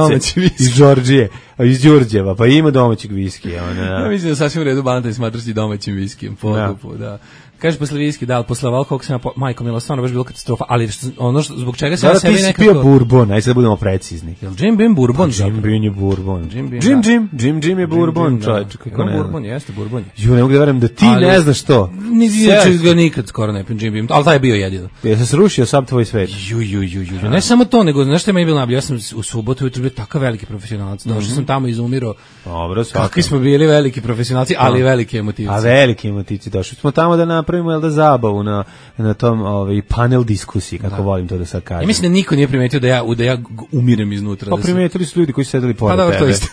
iz Đorđije, iz Đurđeva, pa ima domaćeg viskija, ona. Ja mislim da sasvim u redu Balantaj smatra se domaćim viskijem, pokupu, da. Kaže posle viski, da, posle alkohola sam ja, majko mila, stvarno baš bilo katastrofa, ali što, ono što, zbog čega se ja sebi nekako... Da, ti si pio bourbon, ajde sad da budemo precizni. Jel Jim Beam bourbon? Pa, Jim Beam je bourbon. Jim Beam, Jim, Jim, Jim, Jim je bourbon, čovječ, kako ne. Bourbon, jeste, bourbon. Ju, ne mogu da verujem da ti ali, ne znaš to. Neću ga nikad skoro ne pijem Jim Beam, ali taj je bio jedino. Je se srušio sam tvoj svet. Ju, ju, ju, ju. Ne samo to, nego, znaš što je meni bilo najbolje, ja sam u subotu ujutru bio takav veliki profesionalac, došao sam tamo izumirao. Dobro, svakako. Kakvi smo bili veliki profesionalci, ali veliki emotivci. A veliki emotivci, došli smo tamo da napravimo, jel da zabavu na na tom ovaj panel diskusiji, kako da. Volim to da sad kažem. Ja mislim da niko nije primetio da ja da ja umirem iznutra. Pa da primetili su ljudi koji su sedeli pored pa, tebe. To isto.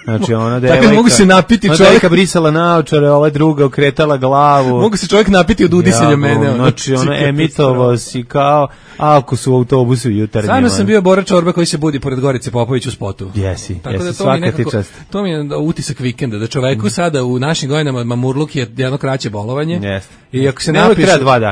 Znači ona devojka. Tako mogu se napiti čovjek. Devojka brisala naočare, ova druga okretala glavu. Mogu se čovjek napiti od udisanja ja, mene. Znači ona emitovao si kao ako su u autobusu jutarnji. Samo sam bio Bora Čorba koji se budi pored Gorice Popović u spotu. Jesi, tako jesi, da to svaka nekako, ti čast. To mi je utisak vikenda, da čoveku mm. sada u našim godinama mamurluk je jedno kraće bolovanje. Jeste. I ako se napiš,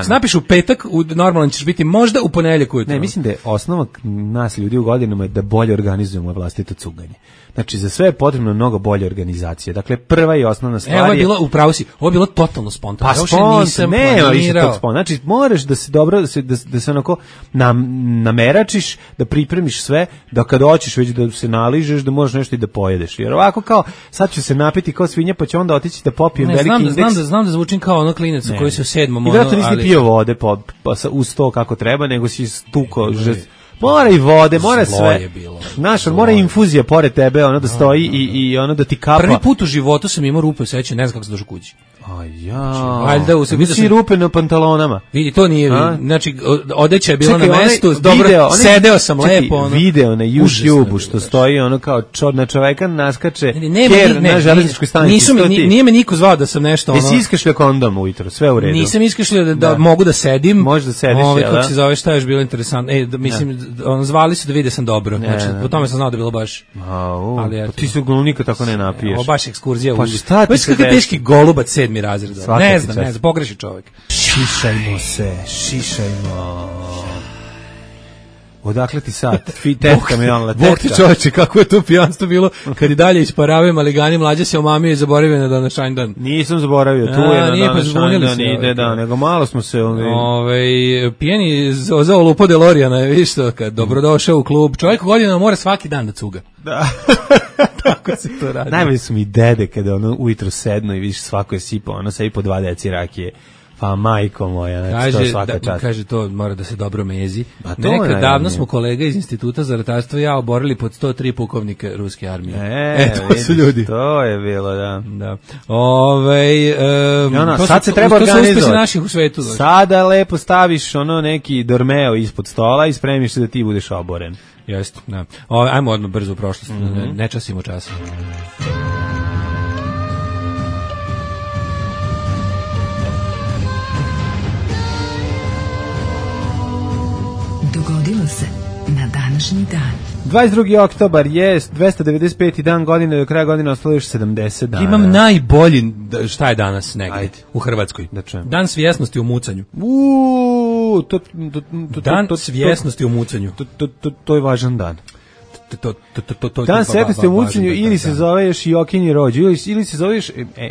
se napiš u petak, u normalan ćeš biti možda u ponedeljak ujutro. Ne, mislim da je osnova nas ljudi u godinama je da bolje organizujemo vlastito cuganje. Znači, za sve je potrebno mnogo bolje organizacije. Dakle, prva i osnovna stvar je... Evo je bilo, upravo si, ovo je bilo totalno spontano. Pa spontano, nema više tog spontano. Znači, moraš da se dobro, da se, da, da se onako nam, nameračiš, da pripremiš sve, da kad hoćeš već da se naližeš, da možeš nešto i da pojedeš. Jer ovako kao, sad ću se napiti kao svinja, pa će onda otići da popijem ne, veliki znam, indeks. Znam da, znam da zvučim kao ono klinac koji se u sedmom... I vjerojatno nisi ali... pio vode pa, pa, uz to kako treba, nego si stuko... Žest... Mora i vode, mora zlo sve. Je bilo, Naš, mora infuzija pored tebe, ono da stoji i, i ono da ti kapa. Prvi put u životu sam imao rupe u sećanju, ne znam kako sam došao kući. A ja. Valjda u sebi si rupe na pantalonama. Vidi, to nije, a? Znači odeća je bila Čekaj, na mestu, onaj, dobro, video, onaj, sedeo sam čekaj, lepo. Ono. Video na YouTubeu što stoji ono kao čor na čoveka naskače ne, ker ne, na železničkoj stanici. Nisu mi, nije, nije me niko zvao da sam nešto ono. Jesi iskašljao kondom ujutro, sve u redu. Nisam iskašljao da, da, da mogu da sedim. Možeš da sediš, Ove, jel da? Kako se zove, šta je još bilo interesantno. E, da, mislim, da. On, zvali su da vide sam dobro. Ne, znači, ne, po tome sam znao da je bilo baš. Au, pa ti se glunika tako ne napiješ. Ovo baš ekskurzija. Pa šta ti se desi? Teški golubac sedmi razred. Ne znam, ne znam, pogreši čovjek. Šišajmo se, šišajmo. Odakle ti sad? Tetka mi on Bog ti čovječe, kako je to pijanstvo bilo kad i dalje isparavaju maligani, mlađe se omamio i zaboravio na današnji dan. Nisam zaboravio, tu je na današnji dan, ide da, nego malo smo se... Ove, pijeni za olupo DeLoreana je, viš to, kad dobrodošao u klub, čovjek godina mora svaki dan da cuga. Da. Tako se to radi. Najbolje su mi dede kada ono ujutro sedno i vidiš svako je sipao, ono sebi po dva deci rakije. Pa majko moja, znači kaže, to svaka da, čast. Kaže to mora da se dobro mezi. Nekad davno smo kolega iz Instituta za ratarstvo i ja oborili pod sto tri pukovnike ruske armije. E, e to vidiš, su ljudi. To je bilo, da. Da. Ove, um, ono, to sad su, se treba organizovati. Naših u svetu. Znači. Sada lepo staviš ono neki dormeo ispod stola i spremiš se da ti budeš oboren. Jeste, da. Ove, ajmo odmah brzo u prošlost, mm -hmm. ne, ne časimo časa. Dogodilo se na današnji dan. dvadeset drugi oktobar je dvesta devedeset peti dan godine, do kraja godine ostalo još sedamdeset dana. Imam najbolji, šta je danas negdje Ajde. u Hrvatskoj? Da čujem. Dan svjesnosti u mucanju. Uuu, to, to, to, dan to, svjesnosti u mucanju. To, to, to, to je važan dan. To, to, to, to, to, dan svjesnosti u mucanju ili se dan. zove još i okinji rođu, ili, ili se zove još e, e,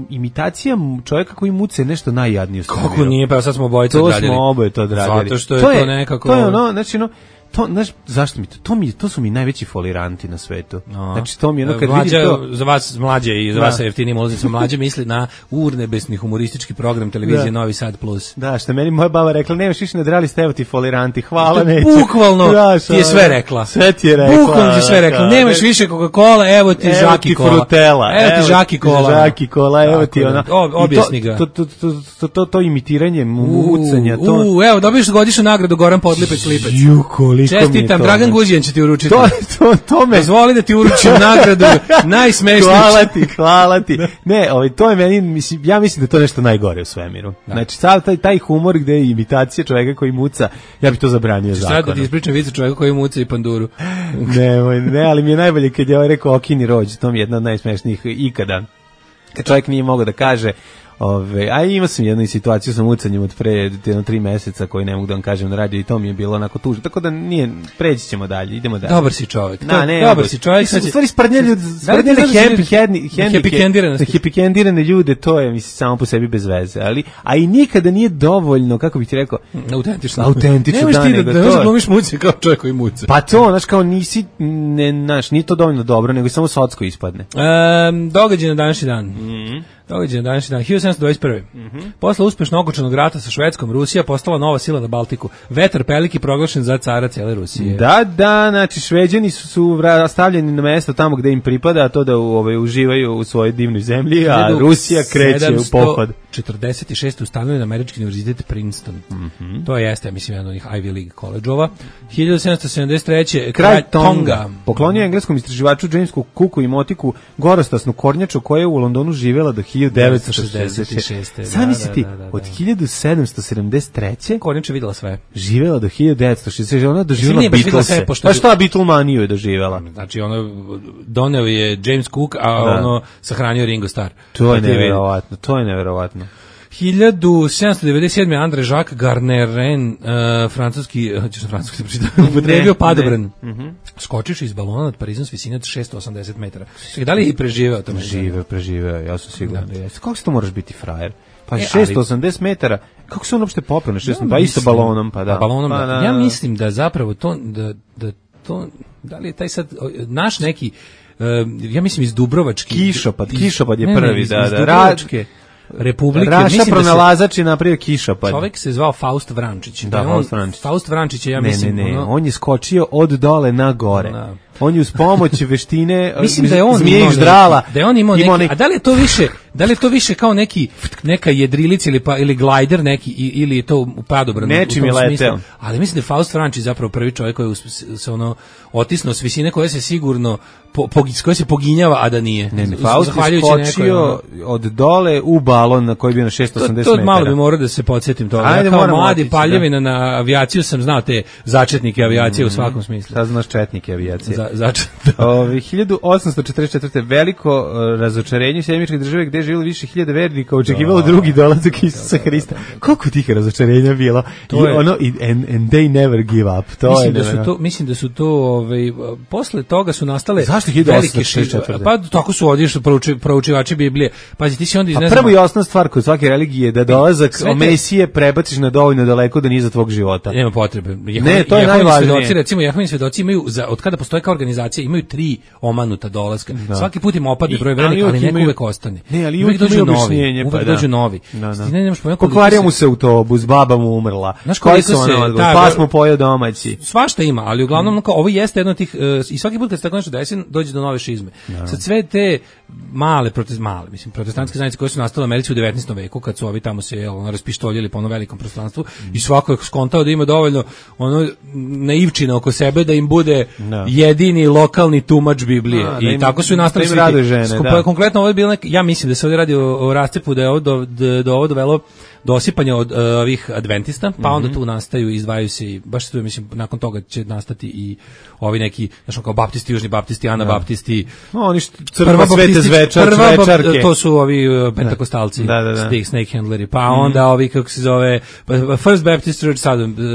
imitacija čovjeka koji muca je nešto najjadnije u svemiru. Kako nije, pa sad smo obojica odradili. To smo oboje to odradili. Zato što je to, to je, nekako... To je ono, znači ono, to, znaš, zašto mi to? To, mi, to su mi najveći foliranti na svetu. No. Znači, to mi je ono, kad mlađa, vidim to... Za vas mlađe i za da. vas sa jeftinim ulaznicom mlađe misli na urnebesni humoristički program televizije da. Novi Sad Plus. Da, što meni moja baba rekla, nemaš više nadrealisti, evo ti foliranti, hvala, neće. Bukvalno da, ti je sve rekla. Sve ti je rekla. Bukvalno ti je sve rekla. Nemaš više Coca-Cola, evo ti evo žaki ti kola. Frutela. Evo ti žaki kola. Žaki kola, evo ti ona. Objasni ga. To, to, to, to, to, to imitiranje mucanja. To... U, evo, dobiješ godišnju nagradu Goran Podlipec Lipec. Ju, koliko čestitam, Dragan Guđijan će ti uručiti. To, to, to me... Dozvoli da ti uručim nagradu najsmešniji. Hvala ti, hvala ti. Ne, ovaj, to je meni, mislim, ja mislim da je to nešto najgore u svemiru. Da. Znači, sav taj, taj humor gde je imitacija čoveka koji muca, ja bih to zabranio zakonom. Sad da ti ispričam vicu čoveka koji muca i panduru. ne, ne, ali mi je najbolje kad je ovaj rekao okini rođ, to mi je jedna od najsmešnijih ikada. Kad čovjek nije mogao da kaže, ove, a imao sam jednu situaciju sa mucanjem od pre jedno tri meseca koji ne mogu da vam kažem na radiju i to mi je bilo onako tužno, tako da nije, preći ćemo dalje, idemo dalje. Dobar si čovjek, Na, ne, dobar si čovjek. U stvari sprdnjeli happy-kendirane ljude, to je mislim samo po sebi bez veze, ali, a i nikada nije dovoljno, kako bih ti rekao, autentično. Autentično, nemaš da, ti nego da, to. Da glumiš muci kao čovjek koji muca. Pa to, znaš, kao nisi, ne, znaš, nije to dovoljno dobro, nego samo socko ispadne. Um, događaj na današnji dan. Mhm. Događaj na današnji dan, hiljadu sedamsto dvadeset prve. Mm-hmm. Posle uspešno okončanog rata sa Švedskom, Rusija postala nova sila na Baltiku. Vetar peliki proglašen za cara cele Rusije. Da, da, znači Šveđani su, su stavljeni na mesto tamo gde im pripada, a to da u, ovaj, uživaju u svojoj divnoj zemlji, a Rusija kreće u pohod. četrdeset šeste ustanovljen američki univerzitet Princeton. Mm-hmm. To jeste, ja mislim, jedan od onih Ivy League koleđova. hiljadu sedamsto sedamdeset treće. Kralj Tonga. Poklonio engleskom istraživaču Jamesu Cooku i motiku gorostasnu kornjaču koja je u Londonu živela do hiljadu devetsto šezdeset šeste. Sami si ti, od hiljadu sedamsto sedamdeset treće. Kornjača videla sve. Živela do hiljadu devetsto šezdeset šeste. Ona je doživjela Beatlese. Pa šta Beatlemaniju je doživjela? Znači, ono, doneo je James Cook, a da. ono sahranio Ringo Starr. To je neverovatno, to je neverovatno. hiljadu sedamsto devedeset sedme. André Jacques Garnerin, uh, francuski, ćeš na francuski pročitati, upotrebio padobran. Mm -hmm. Skočiš iz balona nad Parizom s visine od šesto osamdeset metara. Čekaj, da li je i preživeo to? Preživeo, preživeo, ja sam siguran da jeste. Kako se to moraš biti frajer? Pa e, šesto osamdeset metara, kako se on uopšte popeo na šesto, ja pa isto balonom, pa da. Pa balonom, pa, da. da. Ja mislim da zapravo to, da, da to, da li je taj sad, naš neki, uh, ja mislim iz Dubrovački. Kišopad, Kišopad je ne, prvi, ne, iz, da, iz da. Dubrovačke. Republike. Raša pronalazač je napravio kišapad. Čovjek se zvao Faust Vrančić. Da, on, Faust Vrančić. Faust Vrančić je, ja ne, mislim... Ne, ne, ono, on je skočio od dole na gore. Da. On je uz pomoć veštine mislim da je on zmije ždrala. Da je on imao neki, neki, a da li je to više, da li je to više kao neki neka jedrilica ili pa ili glider neki ili je to u padobranu u tom smislu. Ali mislim da je Faust Vrančić zapravo prvi čovjek koji se ono otisnuo s visine koje se sigurno po, po, koje se poginjava, a da nije. Ne, ne, Faust je skočio od dole u balon na koji je bio na šesto osamdeset to, to metara. Malo bi morao da se podsjetim toga. Ajde, ja kao mladi otići, paljevina da. Na avijaciju sam znao te začetnike avijacije mm, u svakom smislu. Sad znaš četnike avijacije. Za, začet. Ove, hiljadu osamsto četrdeset četvrte veliko uh, razočarenje u Sjedinjeničke države gde je živjelo više hiljada vernika očekivalo drugi dolazak Isusa Hrista. Koliko tih razočarenja bilo? To I je, ono, and, and they never give up. To mislim, je, da su to, mislim da su to ovaj, posle toga su nastale zašto velike šišće. Pa tako su odišli prouči, proučivači Biblije. Pazi, ti si onda izneznamo. A prvo i osnovna stvar kod svake religije je da dolazak te... Mesije prebaciš na dovoljno daleko da nije za tvog života. Nema potrebe. Jehova, ne, to je najvažnije. Svedoci, recimo, Jehovini svedoci imaju, za, od kada postoje kao organizacija, imaju tri omanuta dolaska. Da. Svaki put im opadne broj velik, ali neko uvek ostane. Ne, ali uvek dođu novi. Uvek dođu novi. Pokvario mu se autobus, baba mu umrla. Znaš koliko se... Pa smo pojeo domaći. Svašta ima, ali uglavnom ovo jeste jedno od tih... I svaki put kad se tako nešto desi, dođe do nove šizme. Sad sve te male, protest, male mislim, protestantske zajednice koje su nastale u Americi u devetnaestom veku, kad su ovi tamo se ono, raspištoljili po ono velikom prostranstvu mm. i svako je skontao da ima dovoljno ono, naivčina oko sebe da im bude no. jedini lokalni tumač Biblije. A, I im, tako su i nastali svi ti. Žene, Skupa, da. Konkretno ovo je bilo nek, ja mislim da se ovdje radi o, o rascepu, da je ovo do, do, do ovo dovelo do osipanja od uh, ovih adventista, pa onda tu nastaju i izdvajaju se i baš tu mislim nakon toga će nastati i ovi neki znači kao baptisti, južni baptisti, anabaptisti. No, oni što crkva svete zvečar, zvečarke. To su ovi uh, pentakostalci, da, da, da. snake, snake handleri, pa mm. onda ovi kako se zove First Baptist Church,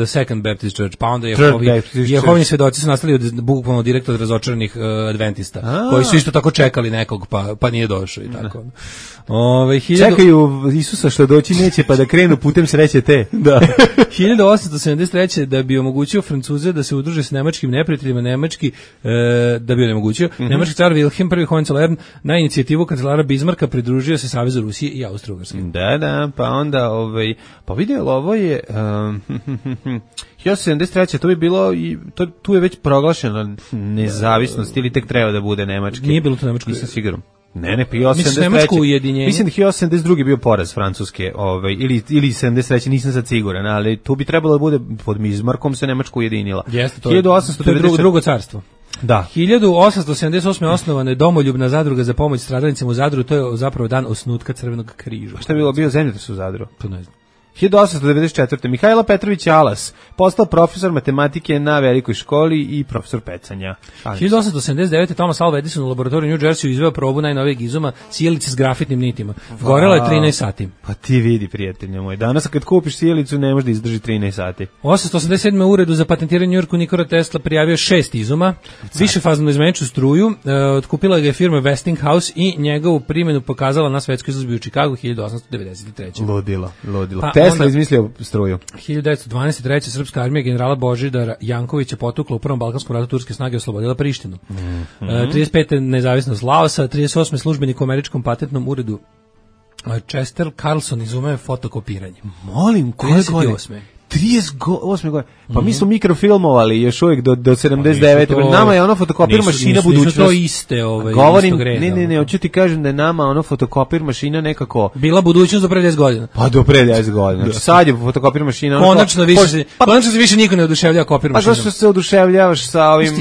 Second Baptist Church, pa onda je ovi Jehovini svedoci su nastali od bukvalno direkt od razočaranih uh, adventista, A. koji su isto tako čekali nekog pa pa nije došao i tako. Ove, hiljadu... Čekaju Isusa što doći neće pa da krenu putem sreće te. Da. hiljadu osamsto sedamdeset treće da bi omogućio Francuze da se udruže s nemačkim neprijateljima, nemački e, da bi onemogućio. Mm-hmm. Nemački car Wilhelm prvi Hohenzollern na inicijativu kancelara Bismarcka pridružio se Savezu Rusije i Austro-Ugarske. Da, da, pa onda ovaj pa vidjelo ovo je um, hiljadu sedamdeset treće to bi bilo i to tu je već proglašena nezavisnost ili tek treba da bude nemački. Nije bilo to nemački. Nisam siguran. Ne, ne, hiljadu sedamdeset treće Mislim da hiljadu sedamdeset druge bio poraz Francuske, ovaj ili ili sedamdeset treće nisam sad siguran, ali tu bi trebalo da bude pod Bismarckom se Nemačka ujedinila. Jeste, to hiljadu osamsto devedeset četvrte. Drugo carstvo. Da. hiljadu osamsto sedamdeset osme osnovana je domoljubna zadruga za pomoć stradalnicima u Zadru, to je zapravo dan osnutka Crvenog križa. Šta je bilo bio zemljotres u Zadru? To ne znam. hiljadu osamsto devedeset četvrte Mihajlo Petrović Alas postao profesor matematike na velikoj školi i profesor pecanja. hiljadu osamsto sedamdeset devete Thomas Alva Edison u laboratoriju u New Jersey izveo probu najnovijeg izuma sijalice s grafitnim nitima. Gorela je trinaest sati. Pa ti vidi, prijatelj moj. Danas kad kupiš sijalicu ne može da izdrži trinaest sati. osamsto osamdeset sedme uredu za patentiranje u Njujorku Nikola Tesla prijavio šest izuma, višefaznu izmeničnu struju, e, otkupila ga je firma Westinghouse i njegovu primjenu pokazala na svetskoj izložbi u Čikagu hiljadu osamsto devedeset treće Ludilo, ludilo. Pa, Tesla izmislio struju. hiljadu devetsto dvanaest treće srpska armija generala Božidara Jankovića potukla u Prvom balkanskom ratu, turske snage oslobodila Prištinu. Mm-hmm. E, trideset pete nezavisnost Laosa, trideset osme službenik u američkom patentnom uredu Chester Carlson izumeo fotokopiranje. Molim, koje godine? trideset osme godine. Pa mm-hmm. mi smo mikrofilmovali još uvijek do, do sedamdeset devete Pa to, nama je ono fotokopir mašina nisu, budućnost. Nisu to iste, ovaj, Govorim, ne, ne, ne, hoću ti kažem da je nama ono fotokopir mašina nekako... Bila budućnost do pre deset godina. Pa do pre deset godina. Znači sad je fotokopir mašina... Ono konačno, više se, pa, konačno se više niko ne oduševljava kopir mašinom. Pa zašto se oduševljavaš sa ovim...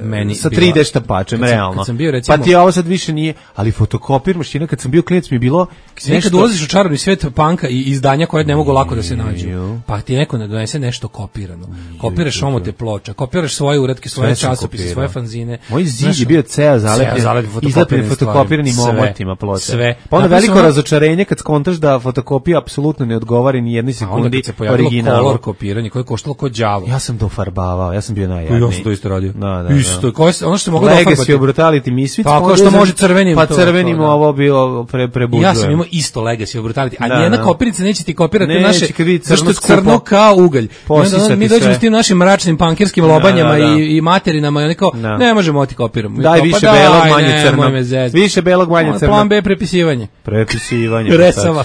Meni sa tri D štampačem, realno. Kad sam bio, recimo, pa ti ovo sad više nije... Ali fotokopir mašina, kad sam bio klinac mi je bilo... Nekad ulaziš u čarobni svijet panka i izdanja koje ne mogu lako da se nađu. Pa ti neko ne donese nešto kopirano. Kopiraš omote ploča, kopiraš svoje uratke, svoje časopise, svoje fanzine. Moj zid je bio ceo zalepljen, izlepljen fotokopiranim omotima ploča. Sve. Pa onda veliko ono... razočarenje kad skontaš da fotokopija apsolutno ne odgovara ni jednoj sekundi originalu. Kolor kopiranje koje je koštalo kod đavo. Ja sam to farbavao, ja sam bio najjadniji. Ja sam to isto radio. Da, da, isto, koje, ono što mogu da ofarbati. Legacy of Brutality Misfits. Pa kao što može crvenim. Pa crvenim to, ovo bilo pre, prebuđujem. Ja sam imao isto Legacy of Brutality, a nijedna kopirnica neće ti kopirati naše, zašto je crno kao kao ugalj. Posisati mi dođemo sve. s tim našim mračnim pankerskim lobanjama Da, da, da. i, i materinama i oni kao, Da. ne možemo ti kopiramo. Daj kao, više pa belog, daj, manje ne, crno. moj me zezati. Više belog, manje crno. Plan B prepisivanje. Prepisivanje. Resava.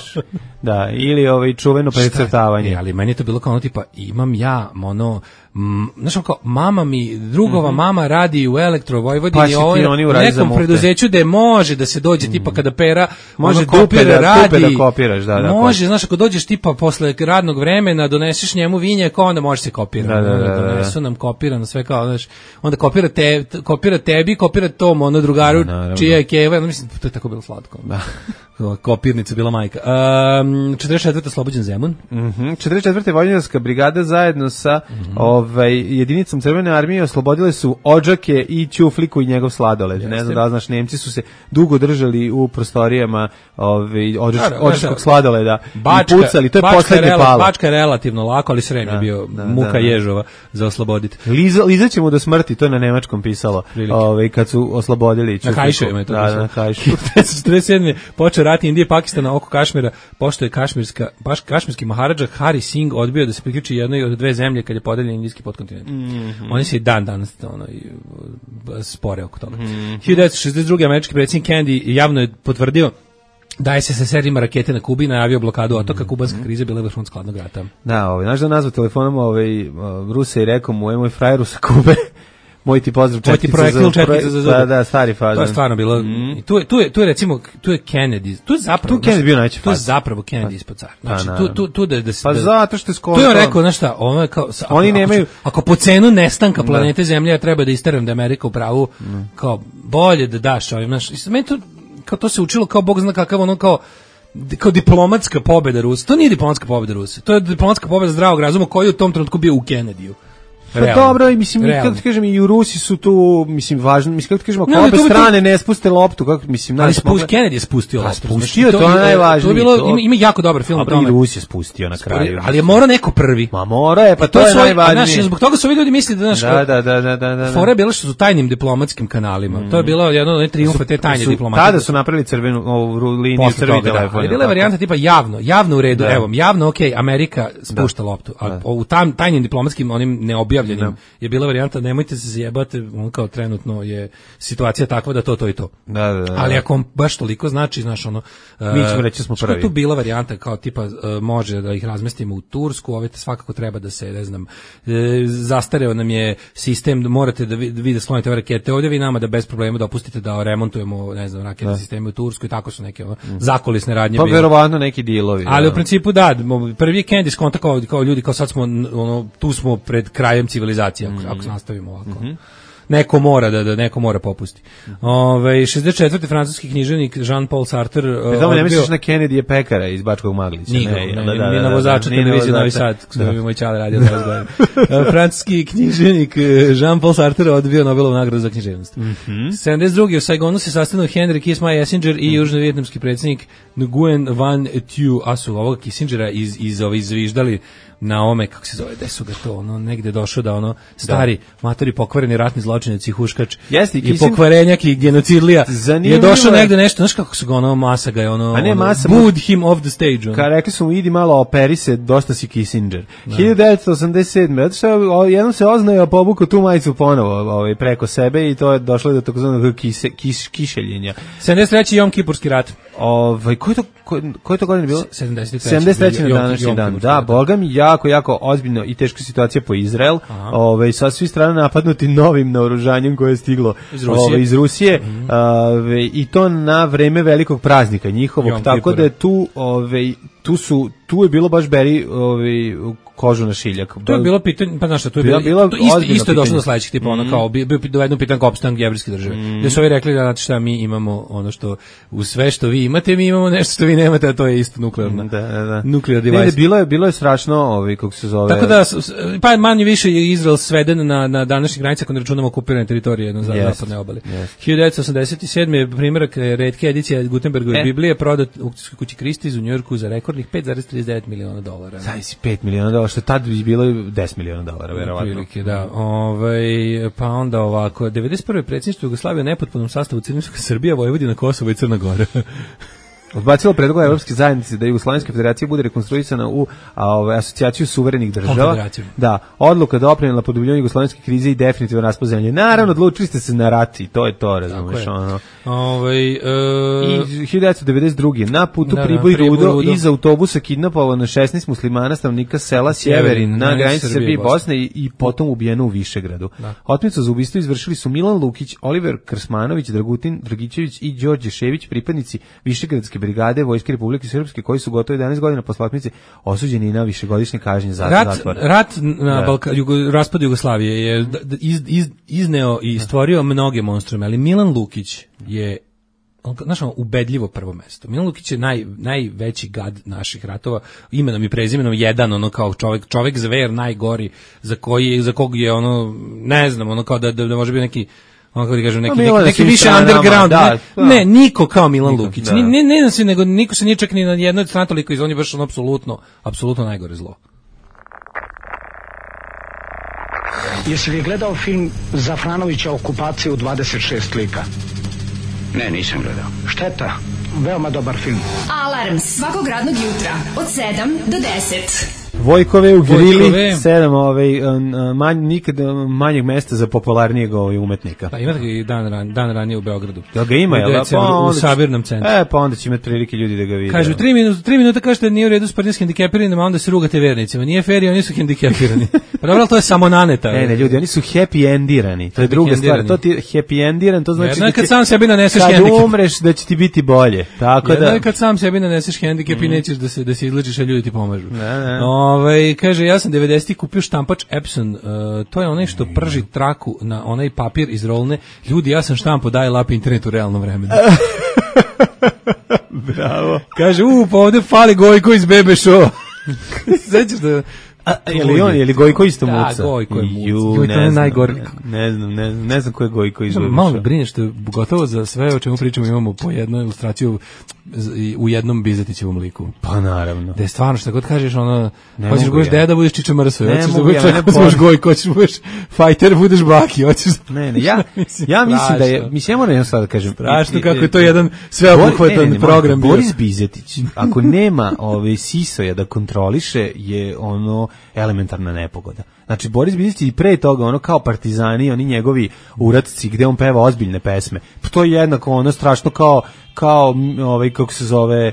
Da, ili ovaj čuveno precrtavanje. E, ali meni je to bilo kao ono tipa, imam ja, ono, m, znaš ono kao, mama mi, drugova Mhm. mama radi u Elektro Vojvodini, Pa si ti ovo, oni u uradi za nekom mukte. preduzeću da može da se dođe tipa kada pera, Može ono, dupe kopira, da- radi, dupe da kopiraš, da, da, može, znaš, ako dođeš tipa posle radnog vremena, doneseš njemu vinjak, onda može se kopira, Da, da, da, da. donesu nam kopirano sve kao, znaš, onda kopira, te, kopira tebi, kopira tom, ono drugaru, Da, naravno. čija je keva, ono, mislim, to je tako bilo slatko. Da. Kopirnica bila majka. Um, četrdeset četvrta Slobođen Zemun. Mhm. četrdeset četvrta Vojvođanska brigada zajedno sa Mhm. ovaj jedinicom Crvene armije oslobodile su Odžake i Ćufliku i njegov sladoled. Ne znam da li znaš, Nemci su se dugo držali u prostorijama ovaj Odžač, Da, da, Odžačkog da. sladoleda Bačka, i pucali. To je Bačka poslednje rela- palo. Bačka je relativno lako, ali Srem je Da, bio da, muka da, da. ježova za osloboditi. Liza, Liza ćemo do smrti, to je na nemačkom pisalo. Prilike. Ovaj kad su oslobodili Na Ćufliku. Kajševima je to Da, pisalo. na Kajšu. četrdeset sedme počeo rat Indije i Pakistana oko Kašmira, pošto je kašmirska, baš kašmirski maharadža Hari Singh odbio da se priključi jednoj od dve zemlje kad je podeljen indijski podkontinent. Mhm. Oni se i dan danas ono, i, uh, spore oko toga. Mhm. hiljadu devetsto šezdeset druge američki predsjednik Kennedy javno je potvrdio da je se S S R ima rakete na Kubi i najavio blokadu otoka. Mhm. Kubanska kriza je bila vrhunac hladnog rata. Da, ovaj, znaš da nazvao telefonom ovaj, uh, Ruse i rekao mu, je moj frajeru sa Kube, moj ti pozdrav Moj ti četkica projektil za, četkica za zube. Da, da, stari fazon. To je stvarno bilo. I tu je tu je tu je recimo tu je Kennedy. Tu je zapravo Tu je Kennedy bio najveći Tu je faz. zapravo Kennedy ispod cara. Pa, Znači tu naravno. tu tu da da se Pa da- zato što je skoro Tu je on to- rekao, znaš šta, ono je kao sa- Oni ako, nemaju- ako, ako po cenu nestanka planete Zemlje ja treba da isteram da je Amerika u pravu, kao bolje da daš ovim, znaš, i sad meni to kao to se učilo kao bog zna kakav ono kao kao diplomatska pobeda Rusa. To nije diplomatska pobeda Rusa. To je diplomatska pobeda zdravog razuma koji je u tom trenutku bio u Kennedyju. Pa Realno. dobro, i mislim, i Realno. kako ti kažem, i u Rusi su tu, mislim, važno, mislim, kako ti kažem, ako Ne, ali obe to bi to- strane ne spuste loptu, kako, mislim, Ali znaš, spust, mogu- Kennedy je spustio Pa, loptu. spustio, Znači, to je i- najvažnije, To je bilo, to- ima, ima jako dobar film o Dobro, i tome. Rus je spustio na kraju. Ali je morao neko prvi. Ma mora je, pa to, To je su ovi- a, najvažnije. znaš, zbog toga su ovi ljudi mislili da, znaš, Da, da, da, da, da, da. fora je bila što su tajnim diplomatskim kanalima. To je bilo jedno od onih triumfa te tajne Su- diplomatije. Tada su napravili crvenu ovu ru- liniju Posle crvi toga, da. telefon. Ali jel bila je tako? varijanta tipa javno, javno u redu, Da. evo, javno, ok, Amerika spušta loptu, a u tam, tajnim diplomatskim, onim neobjavljenim, je bila varijanta, nemojte se zjebati, on kao trenutno je situacija takva da to, to i to. Da, da, da. Ali ako vam baš toliko znači, znaš, ono... Mi ćemo reći da smo što je prvi. tu bila varijanta kao tipa uh, može da ih razmestimo u Tursku, ove svakako treba da se, ne znam, e, zastareo nam je sistem, da morate da vi, vi da sklonite ove rakete ovdje, vi nama da bez problema dopustite da remontujemo, ne znam, raketne sisteme u Tursku i tako su neke ono, zakulisne radnje Pa bile. verovatno neki dilovi. Ali da. u principu da, mo- prvi je Kennedy skonta kao, kao ljudi, kao sad smo, n- ono, tu smo pred krajem civilizacije, ako, ako nastavimo ovako. Neko mora da, da neko mora popusti. Ove, šezdeset četvrti francuski književnik Jean-Paul Sartre Pri tome ne odbio- misliš na Kennedy je pekara iz Bačkog Maglića. Nije, ne, ne, da, ne, da, ni da, na da, vozača ni na televizije Novi vozača. Sad, što bi moj čale radio dvadeset godina. Francuski književnik eh, Jean-Paul Sartre odbio Nobelovu nagradu za književnost. sedamdeset druge u Saigonu se sastanuo Henry Kissinger Kissinger i južno-vijetnamski predsjednik Nguyen Van Thieu, a su ovog Kissingera iz, iz, iz, izviždali na ome, kako se zove, gde su ga to, ono, negde došao da ono, stari, matori pokvareni ratni zločinac i huškač, Jeste, i i Kissinger- pokvarenjak i genocidlija, Zanimljivo je došao je. negde nešto, znaš kako su ga ono, masa ga je ono, A ne, ono, masa, booed him off the stage, ono. Ka rekli su mu, idi malo operi se, dosta si Kissinger. hiljadu devetsto osamdeset sedme Zato što o, jednom se oznaje, a pobuko tu majicu ponovo ovaj, preko sebe i to je došlo do takozvanog kise, kiš, kišeljenja. sedamdeset treći Jom Kipurski rat. Ovaj, koji to, koji, koji to godine bilo? sedamdeset treći sedamdeset treći na Jom- današnji Jom dan. Kipurski Da, rat. boga mi, jako, jako ozbiljno i teška situacija po Izrael. Ovaj, sa svih strana napadnuti novim naoružanjem koje je stiglo Iz Rusije. ovaj, iz Rusije ovaj, i to na vreme velikog praznika njihovog, Jom tako Kipura. da je tu, ovaj, tu su, tu je bilo baš beri ovaj, kožu na šiljak. To je bilo pitanje, pa znaš šta, to je Bila- bilo, bila to isto, ozbiljno isto je došlo pitanje. do sledećih tipa, ono kao, bio, bio dovedeno pitanje kao opstanak jevrijske države. Gde su ovi rekli da, znate šta, mi imamo ono što, u sve što vi imate, mi imamo nešto što vi nemate, a to je isto nuklearna. Da, da, da. Nuclear Ne, ne, device. bilo je, bilo je strašno, ovaj, kako se zove. Tako da, s- s- pa manje više je Izrael sveden na, na današnjih granicama ako ne računamo okupirane teritorije na Jest. zapadne obale. hiljadu devetsto osamdeset sedme je primjerak eh, retke edicije Gutenbergove E. Biblije prodat u aukcijskoj kući Christie's u Njujorku za rekordnih pet zarez trideset devet miliona dolara. Zajsi pet miliona dolara, što je tad bi bilo deset miliona dolara, verovatno. Prilike, da. Ovaj, pa onda ovako, devedeset prve predsjedništvo Jugoslavije u nepotpunom sastavu Crnogorska Srbija, Vojvodina, Kosovo i Crna Gora. odbacilo predlog Evropske zajednice da Jugoslovenska federacija bude rekonstruisana u a, ove, asocijaciju suverenih država. Da, odluka doprinela produbljenju jugoslovenske krize i definitivno raspad zemlje. Naravno, odlučili ste se na rat i to je to, razumeš, ono. Ovaj e... I hiljadu devetsto devedeset druge na putu da, Priboj da, Rudo, Rudo iz autobusa kidnapovano šesnaest muslimana stanovnika sela Sjeverin na granici Srbije i Bosne i, i potom ubijeno u Višegradu. Da. Otmicu za ubistvo izvršili su Milan Lukić, Oliver Krsmanović, Dragutin Dragićević i Đorđe Šević, pripadnici Višegradske brigade Vojske Republike Srpske, koji su gotovo jedanaest godina posle otmice osuđeni na višegodišnje kažnje zatvora. Rat na Balka, jugo, raspad Jugoslavije je iz, iz, izneo i stvorio mnoge monstrume, ali Milan Lukić je znaš, ubedljivo prvo mesto. Milan Lukić je naj, najveći gad naših ratova, imenom i prezimenom jedan, ono kao čovjek, čovjek zver najgori, za koji, za kog je ono, ne znam, ono kao da, da, da može biti neki ono kako ti kažem, neki, neki, neki više underground, da, ne, ne, niko kao Milan niko, Lukić, da. ne, ne, ne, ne, nego niko se nije čak ni na jednoj strani toliko iz, on je baš ono apsolutno, apsolutno najgore zlo. Jesi li gledao film Zafranovića Okupacija u dvadeset šest lika? Ne, nisam gledao. Šteta, veoma dobar film. Alarm svakog radnog jutra od sedam do deset. Vojkove u Grili, sedam ovaj, manj, nikad manjeg mesta za popularnijeg ovaj, umetnika. Pa imate ga i dan, ran, dan ranije u Beogradu. Da ga ima, jel? Pa onda, u Sabirnom centru. E, pa onda će imati prilike ljudi da ga vide. Kažu, tri minuta, tri minuta kažete nije u redu s partijskim hendikepiranima, a onda se rugate vernicima. Nije fair i oni su hendikepirani. Pa dobro, to je samo naneta. Ne, ne, ljudi, oni su happy endirani. To je druga stvar. To ti happy endiran, to znači jedno je kad sam sebi naneseš kad hendikep. Kad umreš da će ti biti bolje. Tako jedno da. je kad sam sebi naneseš hendikep mm. i nećeš da se, da se izlečiš, a ljudi ti pomažu. Ne, ne. Ovaj, kaže, ja sam devedesetih kupio štampač Epson, uh, to je onaj što prži traku na onaj papir iz rolne. Ljudi, ja sam štampo, daj lap internet u realnom vremenu. Bravo. Kaže, u, pa ovde fali Gojko iz Bebe Show. Sećaš da... A, je li on, je li Gojko isto muca? Da, Gojko je muca. Ju, Gojko je najgori. Ne znam, ne znam, ne znam ko je Gojko iz Bebe Show. Malo me brineš što gotovo za sve o čemu pričamo imamo po jednu ilustraciju u jednom Bizetićevom liku. Pa naravno. Da je stvarno što god kažeš, ono, hoćeš da budeš deda, budeš Čiča Mrso, hoćeš da budeš ja, budeš Gojko, hoćeš da budeš fajter, budeš Baki, hoćeš. Ne, ne, ja ja mislim da je, mislim ja moram sad da kažem, strašno kako je to jedan sveobuhvatan program bio. Boris Bizetić, ako nema ove sisoja da kontroliše, je ono elementarna nepogoda. Znači Boris Bizetić i pre toga ono kao partizani, oni njegovi uratci gde on peva ozbiljne pesme. Pa to je jednako ono strašno kao kao ovaj kako se zove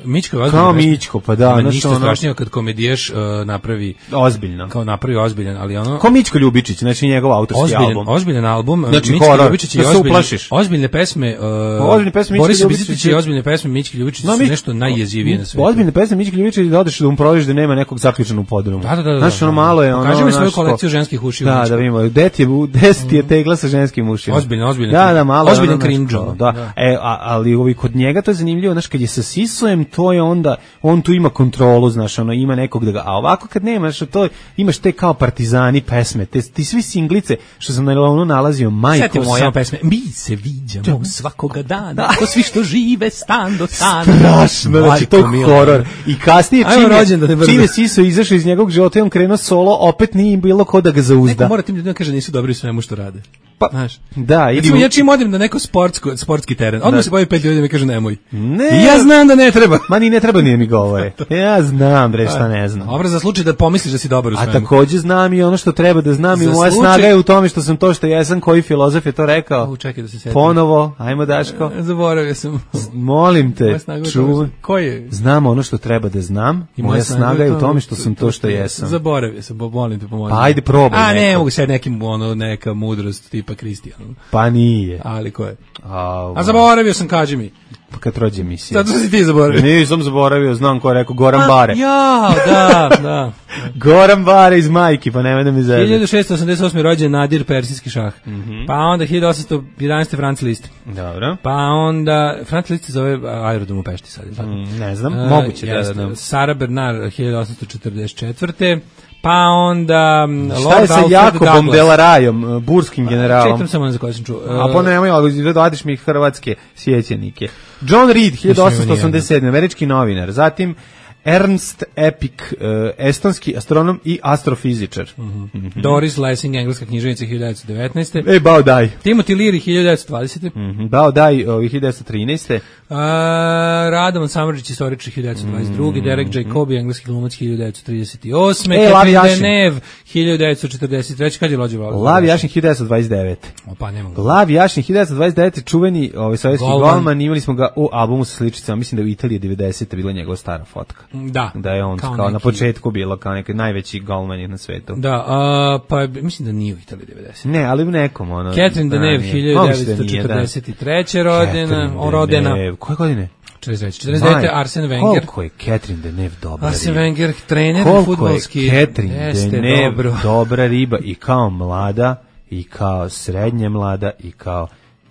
Mićko je kao Mićko, pa da, ono što strašnije kad komedijaš uh, napravi ozbiljno. Kao napravi ozbiljan, ali ono kao Mićko Ljubičić, znači njegov autorski ozbiljan, album. Ozbiljan album, znači, Mićko horror, Ljubičić je ozbiljne, ozbiljne pesme, uh, ozbiljne pesme Boris Bizetić i ozbiljne pesme Mićko Ljubičić su nešto najjezivije na svetu. Ozbiljne pesme Mićko Ljubičić da odeš da mu proveriš da nema nekog zaključenog podruma. Da, da, da. Znači ono malo je ono. Pokaži mi svoju kolekciju ženskih ušiju. Da, da vidimo. deset je deset je tegla sa ženskim ušima. Ozbiljno, ozbiljno. Da, da, malo. Ozbiljan cringe. Da. E, ali ovi kod njega to je zanimljivo, znači kad je sa Sisujem, to je onda on tu ima kontrolu, znaš, ono ima nekog da ga, a ovako kad nemaš to, imaš te kao partizani pesme, te ti svi singlice što sam na ono nalazio, majko Sjetimo moja sam pesme, mi se viđamo svakoga dana, ko svi što žive stan do stana. Strašno, znači to horor. I kasnije čime, čime Siso izašao iz njegovog života i on krenuo solo, opet nije bilo ko da ga zauzda. Neko mora tim ljudima kaže nisu dobri u svemu što rade. Pa, znaš, da, recimo, ja čim odem na neko sportsko, sportski teren, odmah se pojavi pet ljudi i mi kaže nemoj. Ne. I ja znam da ne treba. Ma ni ne treba nije mi govore. Ja znam, bre, šta ne znam. Dobro, za slučaj da pomisliš da si dobar u svemu. A takođe znam i ono što treba da znam i moja slučaj... snaga je u tome što sam to što jesam, koji filozof je to rekao. U, čekaj da se sjetim. Ponovo, ajmo Daško. Zaboravio sam. Molim te, čuj. Ko je? Znam ono što treba da znam, i moja snaga je u tome što sam to što jesam. Zaboravio sam, molim te pomozi. Pa ajde probaj. A ne, mogu se nekim ono neka mudrost tipa Kristijan. Pa nije. Ali ko je? A, A zaboravio sam, kaži mi. Pa kad rođe emisija. Zato si ti zaboravio. Nisam zaboravio, znam ko je rekao, Goran Bare. Ja, da, da. Goran Bare iz Majki, pa nemoj da mi zezati. hiljadu šeststo osamdeset osme rođen Nadir, persijski šah. Mm -hmm. Pa onda hiljadu osamsto jedanaeste Franz Liszt. Dobro. Pa onda, Franz Liszt se zove aerodrom u Pešti sad. Mm, ne znam, uh, moguće da, da, da. Sara Bernard, hiljadu osamsto četrdeset četvrte Pa onda šta je sa Jakobom Delarajom, burskim generalom? Čitam samo za koje sam čuo. A pa nemoj, ali dodiš mi hrvatske sjećenike. John Reed, hiljadu osamsto osamdeset sedme američki novinar. Zatim Ernst Epik, uh, estonski astronom i astrofizičar. Mm-hmm. Mm-hmm. Doris Lessing, engleska književnica hiljadu devetsto devetnaeste. E, Bao Dai. Timothy Leary, hiljadu devetsto dvadesete. Mm-hmm. Bao Dai, hiljadu devetsto trinaeste. Uh, Radovan Samardžić, istoričar, hiljadu devetsto dvadeset druge. Mm-hmm. Derek Jacobi, engleski glumac, hiljadu devetsto trideset osme. E, Lav Jašin. Deneuve, hiljadu devetsto četrdeset treće. Kad je lođe Lav? Lav Jašin, hiljadu devetsto dvadeset devete. Opa, nemam ga. Lav Jašin, hiljadu devetsto dvadeset devete. Čuveni ovaj, sovjetski golman, imali smo ga u albumu sa sličicama. Mislim da u Italiji devedesete bila njegova stara fotka. Da. Da je on kao, kao neki, na početku bilo kao neki najveći golman na svetu. Da, a, pa mislim da nije u Italiji devedesete. Ne, ali u nekom ono. Catherine Deneuve, hiljadu devetsto četrdeset treće rodena, rodena. Koje godine? četrdeset treće četrdeset devete. Arsene Wenger. Koliko je Catherine Deneuve dobra Arsene riba. Wenger, trener fudbalski. Koliko je Catherine Deneuve dobra riba i kao mlada, i kao srednje mlada, i kao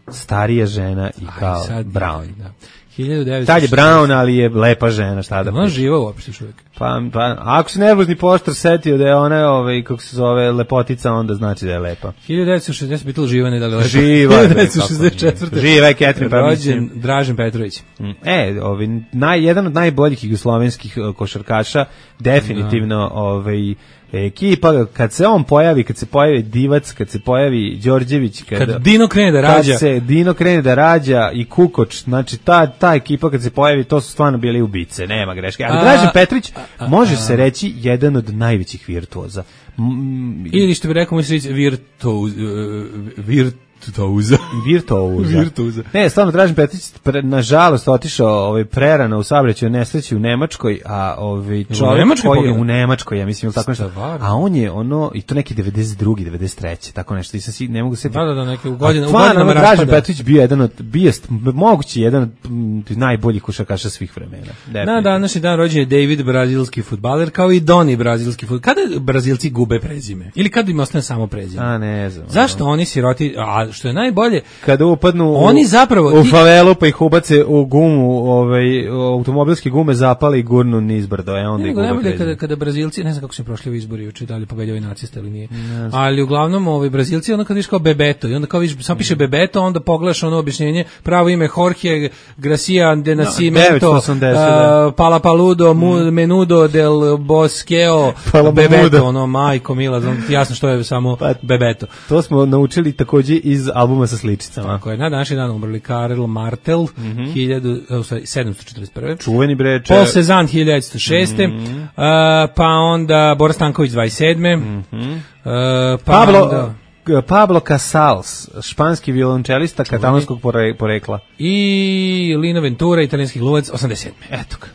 starija žena, i kao Aj, Brown. Da. hiljadu devetsto Tad je Brown, ali je lepa žena, šta da. Ona živa uopšte još uvijek. Pa, pa, ako se nervozni poštar setio da je ona, ovaj, kako se zove, lepotica, onda znači da je lepa. hiljadu devetsto šezdeset bitilo živa, ne da li lepa. Živa. hiljadu devetsto šezdeset četvrte. Živa je Catherine, pa rođen Dražen Petrović. E, ovaj, naj, jedan od najboljih jugoslovenskih košarkaša, definitivno, da. ovaj, ekipa, kad se on pojavi, kad se pojavi Divac, kad se pojavi Đorđević, kad, kad Dino krene da rađa, kad se Dino krene da rađa i Kukoč, znači ta, ta ekipa kad se pojavi, to su stvarno bili ubice, nema greške. Ali Dražen Petrović a, a, može a, se reći jedan od najvećih virtuoza. Mm, ili što bi rekao mi se reći virtuoz, virt Virtuoza. Virtuoza. Virtuoza. Ne, stvarno Dražen Petrić pre, nažalost otišao ovaj prerano u saobraćaju nesreći u Nemačkoj, a ovaj čovjek koji je u Nemačkoj, ja mislim tako nešto. A on je ono i to neki devedeset drugi, devedeset treći, tako nešto. I sad ne mogu se Da, da, da, neke u godine, u godinama Dražen Petrić bio jedan od bio moguće jedan od najboljih košarkaša svih vremena. Na današnji dan rođen je David, brazilski fudbaler, kao i Doni, brazilski fudbaler. Kada Brazilci gube prezime? Ili kad im ostane samo prezime? A ne znam. Zašto oni siroti, a što je najbolje, kada upadnu oni zapravo u, u favelu pa ih ubace u gumu, ovaj automobilske gume zapali i gurnu nizbrdo, e onda ih najbolje kada kada Brazilci, ne znam kako su prošli u izbori juče, da li pobeđali naciste ili nije. Ali uglavnom ovaj Brazilci onda kad vidiš kao Bebeto i onda kao vidiš samo piše Bebeto, onda pogledaš ono objašnjenje, pravo ime Jorge Gracia de Nascimento, no, uh, Palapaludo, mm. Menudo del Bosqueo, Bebeto, ono majko mila, znam ti jasno što je samo pa, Bebeto. To smo naučili takođe iz albuma sa sličicama. Tako je, na današnji dan umrli Karel Martel, mm-hmm. sedamsto četrdeset prve. Čuveni bre. Paul Cezanne, hiljadu devetsto šeste. Mm-hmm. Uh, pa onda Boris Stanković, dvadeset sedme. Mm-hmm. Uh, pa Pablo, onda... Pablo Casals, španski violončelista katalonskog porekla. I Lino Ventura, italijanski glumac, osamdeset sedme. Eto ga.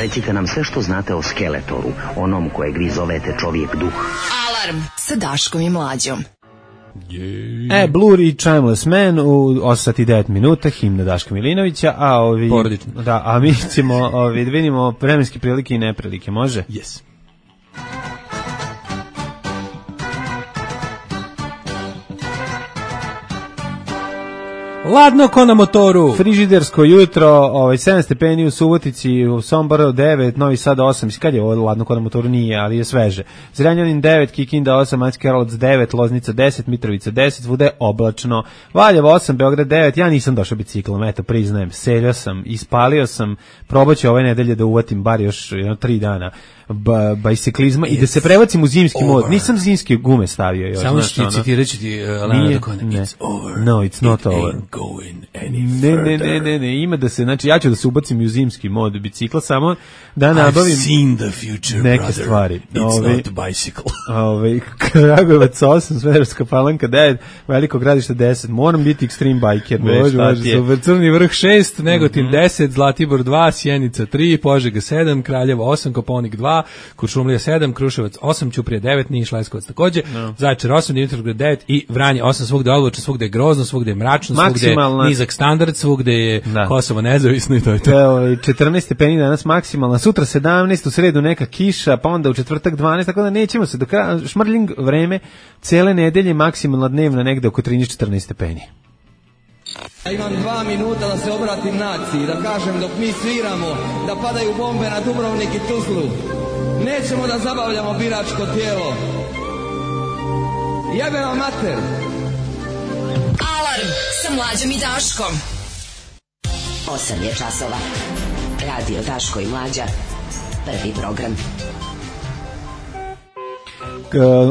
Recite nam sve što znate o Skeletoru, onom kojeg vi zovete čovjek duh. Alarm sa Daškom i Mlađom. E, Blur i Timeless Man u osam sati i devet minuta, himna Daška Milinovića, a ovi... Porodično. Da, a mi ćemo ovi, da vidimo vremenske prilike i neprilike, može? Yes. Ladno ko na motoru. Frižidersko jutro, ovaj sedam stepeni u Subotici, u Somboru devet, Novi Sad osam. Mislim kad je ovo ladno ko na motoru nije, ali je sveže. Zrenjanin devet, Kikinda osam, Banjski Karlovac devet, Loznica deset, Mitrovica deset, svuda je oblačno. Valjevo osam, Beograd devet. Ja nisam došao biciklom, eto priznajem. Seljao sam, ispalio sam. Probaću ove nedelje da uvatim bar još jedno tri dana ba, bajsiklizma i da se prebacim u zimski over. Mod. Nisam zimske gume stavio još. Samo što ti citirat ću ti uh, Leonardo Cohen. It's over. No, it's not It over. Going any ne, ne, ne, ne, ne, ima da se, znači ja ću da se ubacim u zimski mod bicikla samo da nabavim I've seen the future, neke brother. stvari. It's Ove, not bicycle. Ove, Kragujevac osam, Smederevska Palanka devet, Veliko Gradište deset, moram biti extreme biker. Može, može, super. Crni vrh šest, Negotin mm-hmm. deset, Zlatibor dva, Sjenica tri, Požega sedam, Kraljevo osam, Koponik dva, Kuršumlija sedam, Kruševac osam, Ćuprija devet, Niš, Leskovac takođe, no. Zaječar osam, Dimitrovgrad devet i Vranje osam, svugde je odlučno, svugde je grozno, svugde je mračno, svugde je nizak standard, svugde je da. Kosovo nezavisno i to je to. Evo, četrnaest stepeni danas maksimalna, sutra sedamnaest, u sredu neka kiša, pa onda u četvrtak dvanaest, tako da nećemo se do kraja, šmrljing vreme, cele nedelje maksimalna dnevna negde oko trinaest četrnaest stepeni. Ja imam dva minuta da se obratim naciji, da kažem dok mi sviramo, da padaju bombe na Dubrovnik i Tuzlu. Nećemo da zabavljamo biračko tijelo. Jebe vam mater. Alarm sa Mlađom i Daškom. Osam je časova. Radio Daško i Mlađa. Prvi program.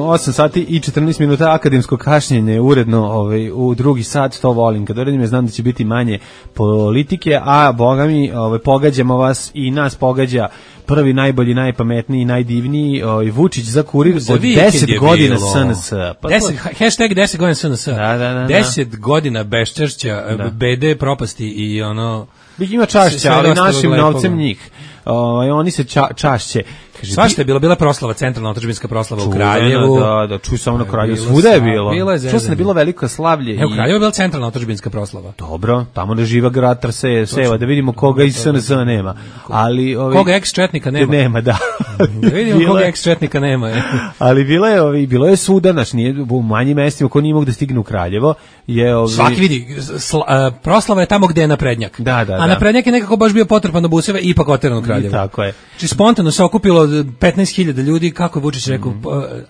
osam sati i četrnaest minuta akademsko kašnjenje uredno ovaj, u drugi sat, to volim. Kad uredim, ja znam da će biti manje politike, a boga mi, ovaj, pogađamo vas i nas pogađa prvi, najbolji, najpametniji, najdivniji ovaj, Vučić za kurir od deset godina S N S. Pa deset, hashtag deset godina S N S. Da, da, da, deset godina beščašća, da. Bede, propasti i ono... Ima čašća, ali našim novcem njih. Ovaj oni se ča, čašće. Kaže, svašta je bilo, bila proslava, centralna otadžbinska proslava u Kraljevu. Da, da, čuj samo na Kraljevu. Svuda je bilo. Čuo se da je bilo veliko slavlje. E, u Kraljevu je bila centralna otadžbinska proslava. Dobro, tamo ne živa grad Trse, Seva, da vidimo koga iz S N S nema. Ali ovi koga ex-četnika nema. Nema, da. Da vidimo bila, koga ex-četnika nema. Je. Ali bilo je, ovi, bilo je svuda, naš, nije u manjim mestima ko nije mogu da stigne u Kraljevo. Je, ovi... Svaki vidi, sla, uh, proslava je tamo gde je naprednjak. Da, da, a naprednjak je nekako baš bio potrpan do buseve i ipak oteran u Kraljevo. Tako je. Znači spontano se okupilo petnaest hiljada ljudi, kako je Vučić rekao, mm.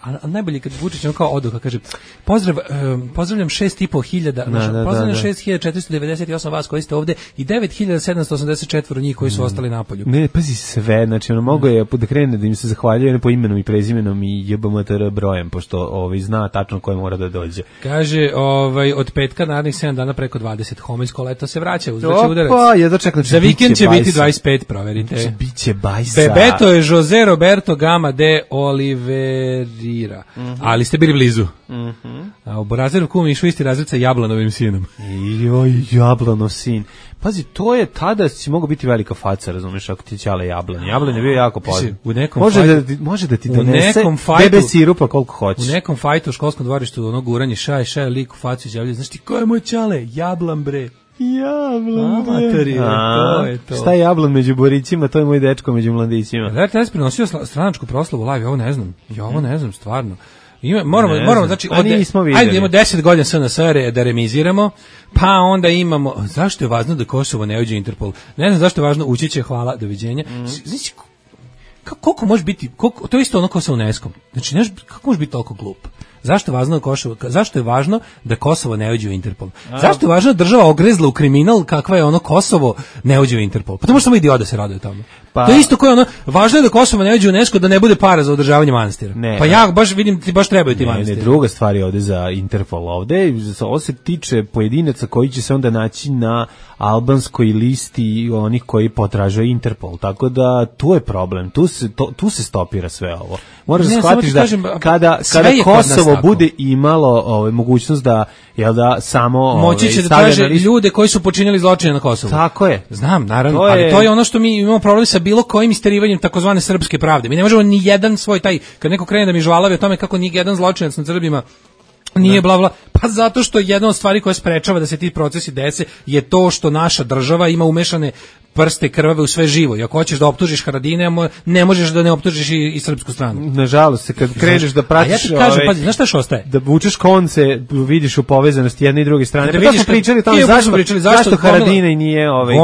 a, a najbolje kad Vučić kao oduka, kaže, pozdrav, um, pozdravljam šest i po hiljada, pozdravljam šest hiljada četiristo devedeset osam vas koji ste ovde i devet hiljada sedamsto osamdeset četiri njih koji su mm. ostali na polju. Ne, pazi sve, znači ono mogo je da krene da im se zahvaljuje po imenom i prezimenom i J B M T R brojem, pošto ovaj zna tačno ko mora da dođe. Kaže, ovaj od petka narednih sedam dana preko dvadeset homoljsko leto se vraća, uzdaće udarac. Opa, ja dočekam, za vikend će biti dvadeset pet, proverite. Biće bajsa. Bebeto je Jose Roberto Gama de Oliveira. Mm -hmm. Ali ste bili blizu. Mm -hmm. A u Borazeru kum išao isti razred sa Jablanovim sinom. Joj, Jablanov sin. Pazi, to je tada si mogao biti velika faca, razumiješ, ako ti ćale Jablan. Jablan je bio jako poznat. Može fajtu, da ti, može da ti donese bebe sirupa koliko hoćeš. U nekom fajtu u školskom dvorištu, ono guranje šaj, šaj, lik u facu izjavljaju, znaš ti, ko je moj ćale? Jablan, bre. Jablan, bre. To je to. Šta je Jablan među borićima, to je moj dečko među mladićima. Da, taj je prenosio stranačku proslavu live, ja ovo ne znam. Ja ovo ne znam, stvarno. Ima, moramo, ne moramo, znači, od, ajde imamo deset godina S N S R da remiziramo, pa onda imamo, zašto je važno da Kosovo ne uđe u Interpol? Ne znam zašto je važno, ući će, hvala, doviđenja. Mm. Znači, koliko može biti, koliko, to je isto ono kao sa UNESCO-om. Znači, ne, kako može biti toliko glup? Zašto je važno da Kosovo, zašto je važno da Kosovo ne uđe u Interpol? Zašto je važno da država ogrezla u kriminal kakva je ono Kosovo ne uđe u Interpol? Pa to može samo idiot da se raduje tamo. Pa, to je isto koje ono, važno je da Kosovo ne uđe u UNESCO da ne bude para za održavanje manastira. Ne, pa ja baš vidim ti baš trebaju ti manastiri. Ne, druga stvar je ovde za Interpol. Ovde ovo se tiče pojedinaca koji će se onda naći na albanskoj listi onih koji potražuju Interpol. Tako da tu je problem. Tu se to, tu se stopira sve ovo. Moraš da shvatiš da kažem, kada kada Kosovo bude imalo ovaj mogućnost da jel da samo moći će ovaj, da traže ljude koji su počinili zločine na Kosovu. Tako je. Znam, naravno, to ali je... to je ono što mi imamo problem sa bilo kojim isterivanjem takozvane srpske pravde. Mi ne možemo ni jedan svoj taj, kad neko krene da mi žvalavi o tome kako ni jedan zločinac nad Srbima nije bla bla, pa zato što jedna od stvari koja sprečava da se ti procesi dese je to što naša država ima umešane prste krvave u sve živo. I ako hoćeš da optužiš Haradine, ne možeš da ne optužiš i, i srpsku stranu. Nažalost, se kad kreneš da pratiš, ja ti kažem, ove, pazi, znaš šta još ostaje? Da vučeš konce, vidiš u povezanosti jedne i druge strane. Da pa to smo pričali o tome zašto, pričali, zašto, zašto Haradine nije ovaj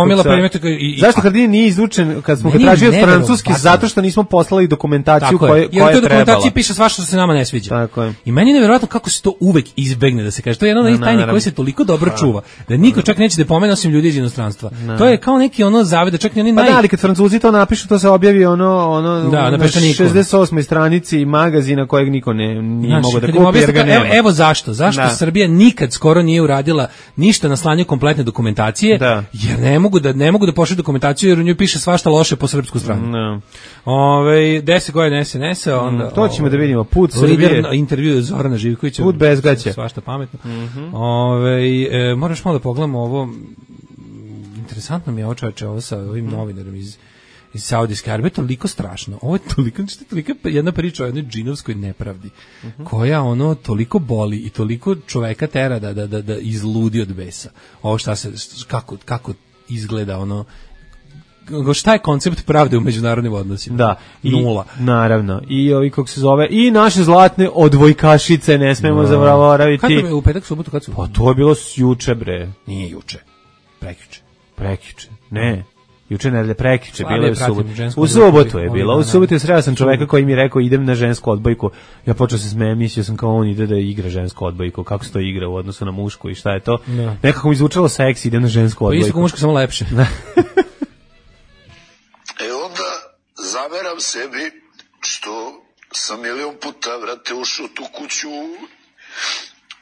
i, zašto Haradine nije izvučen kad smo ga tražili od francuski, zato što nismo poslali dokumentaciju koja je trebala. Jer u toj dokumentaciji piše svašta što se nama ne sviđa. Tako je. I meni je neverovatno kako se to uvek izbegne da se kaže. To je jedna od onih tajni koji se toliko dobro čuva da niko čak neće da pomene osim ljudi iz inostranstva. To je kao neki ono zaveda, čak i oni Pa da, ali kad Francuzi to napišu, to se objavi ono, ono da, na šezdeset osmoj stranici magazina kojeg niko ne nije znači, mogao da kupi jer ga nema. Evo, evo zašto. Zašto da. Srbija nikad skoro nije uradila ništa na slanju kompletne dokumentacije, da. Jer ne mogu da ne mogu da pošalju dokumentaciju jer u njoj piše svašta loše po srpsku stranu. Da. Ovaj deset godina S N S-a, onda mm, to ćemo da vidimo put Srbije. Intervju Zorana Živkovića. Put bez gaće. Svašta pametno. Mm -hmm. Ovaj e, moraš malo da pogledamo ovo. Interesantno mi je ovo čoveče, ovo sa ovim mm. novinarom iz, iz Saudijske Arabije, toliko strašno. Ovo je toliko, što je toliko jedna priča o jednoj džinovskoj nepravdi, mm -hmm. koja ono toliko boli i toliko čoveka tera da, da, da, da izludi od besa. Ovo šta se, kako, kako izgleda ono, šta je koncept pravde u međunarodnim odnosima? Da, nula. I, naravno. I ovi kako se zove, i naše zlatne odvojkašice ne smemo no. zaboraviti. Kako je u petak, subotu, kad su? Pa to je bilo juče, bre. Nije juče. Prekjuče. Prekjuče. Ne. Juče ne, prekjuče, bilo je u subotu. U subotu je bilo. U subotu je sreo sam čoveka koji mi je rekao idem na žensku odbojku. Ja počeo se smejem, mislio sam kao on ide da igra žensku odbojku. Kako se to igra u odnosu na mušku i šta je to? No. Nekako mi zvučalo seksi, idem na žensku odbojku. Pa isto kao muško, samo lepše. zameram sebi što sam milion puta, vrate, ušao u tu kuću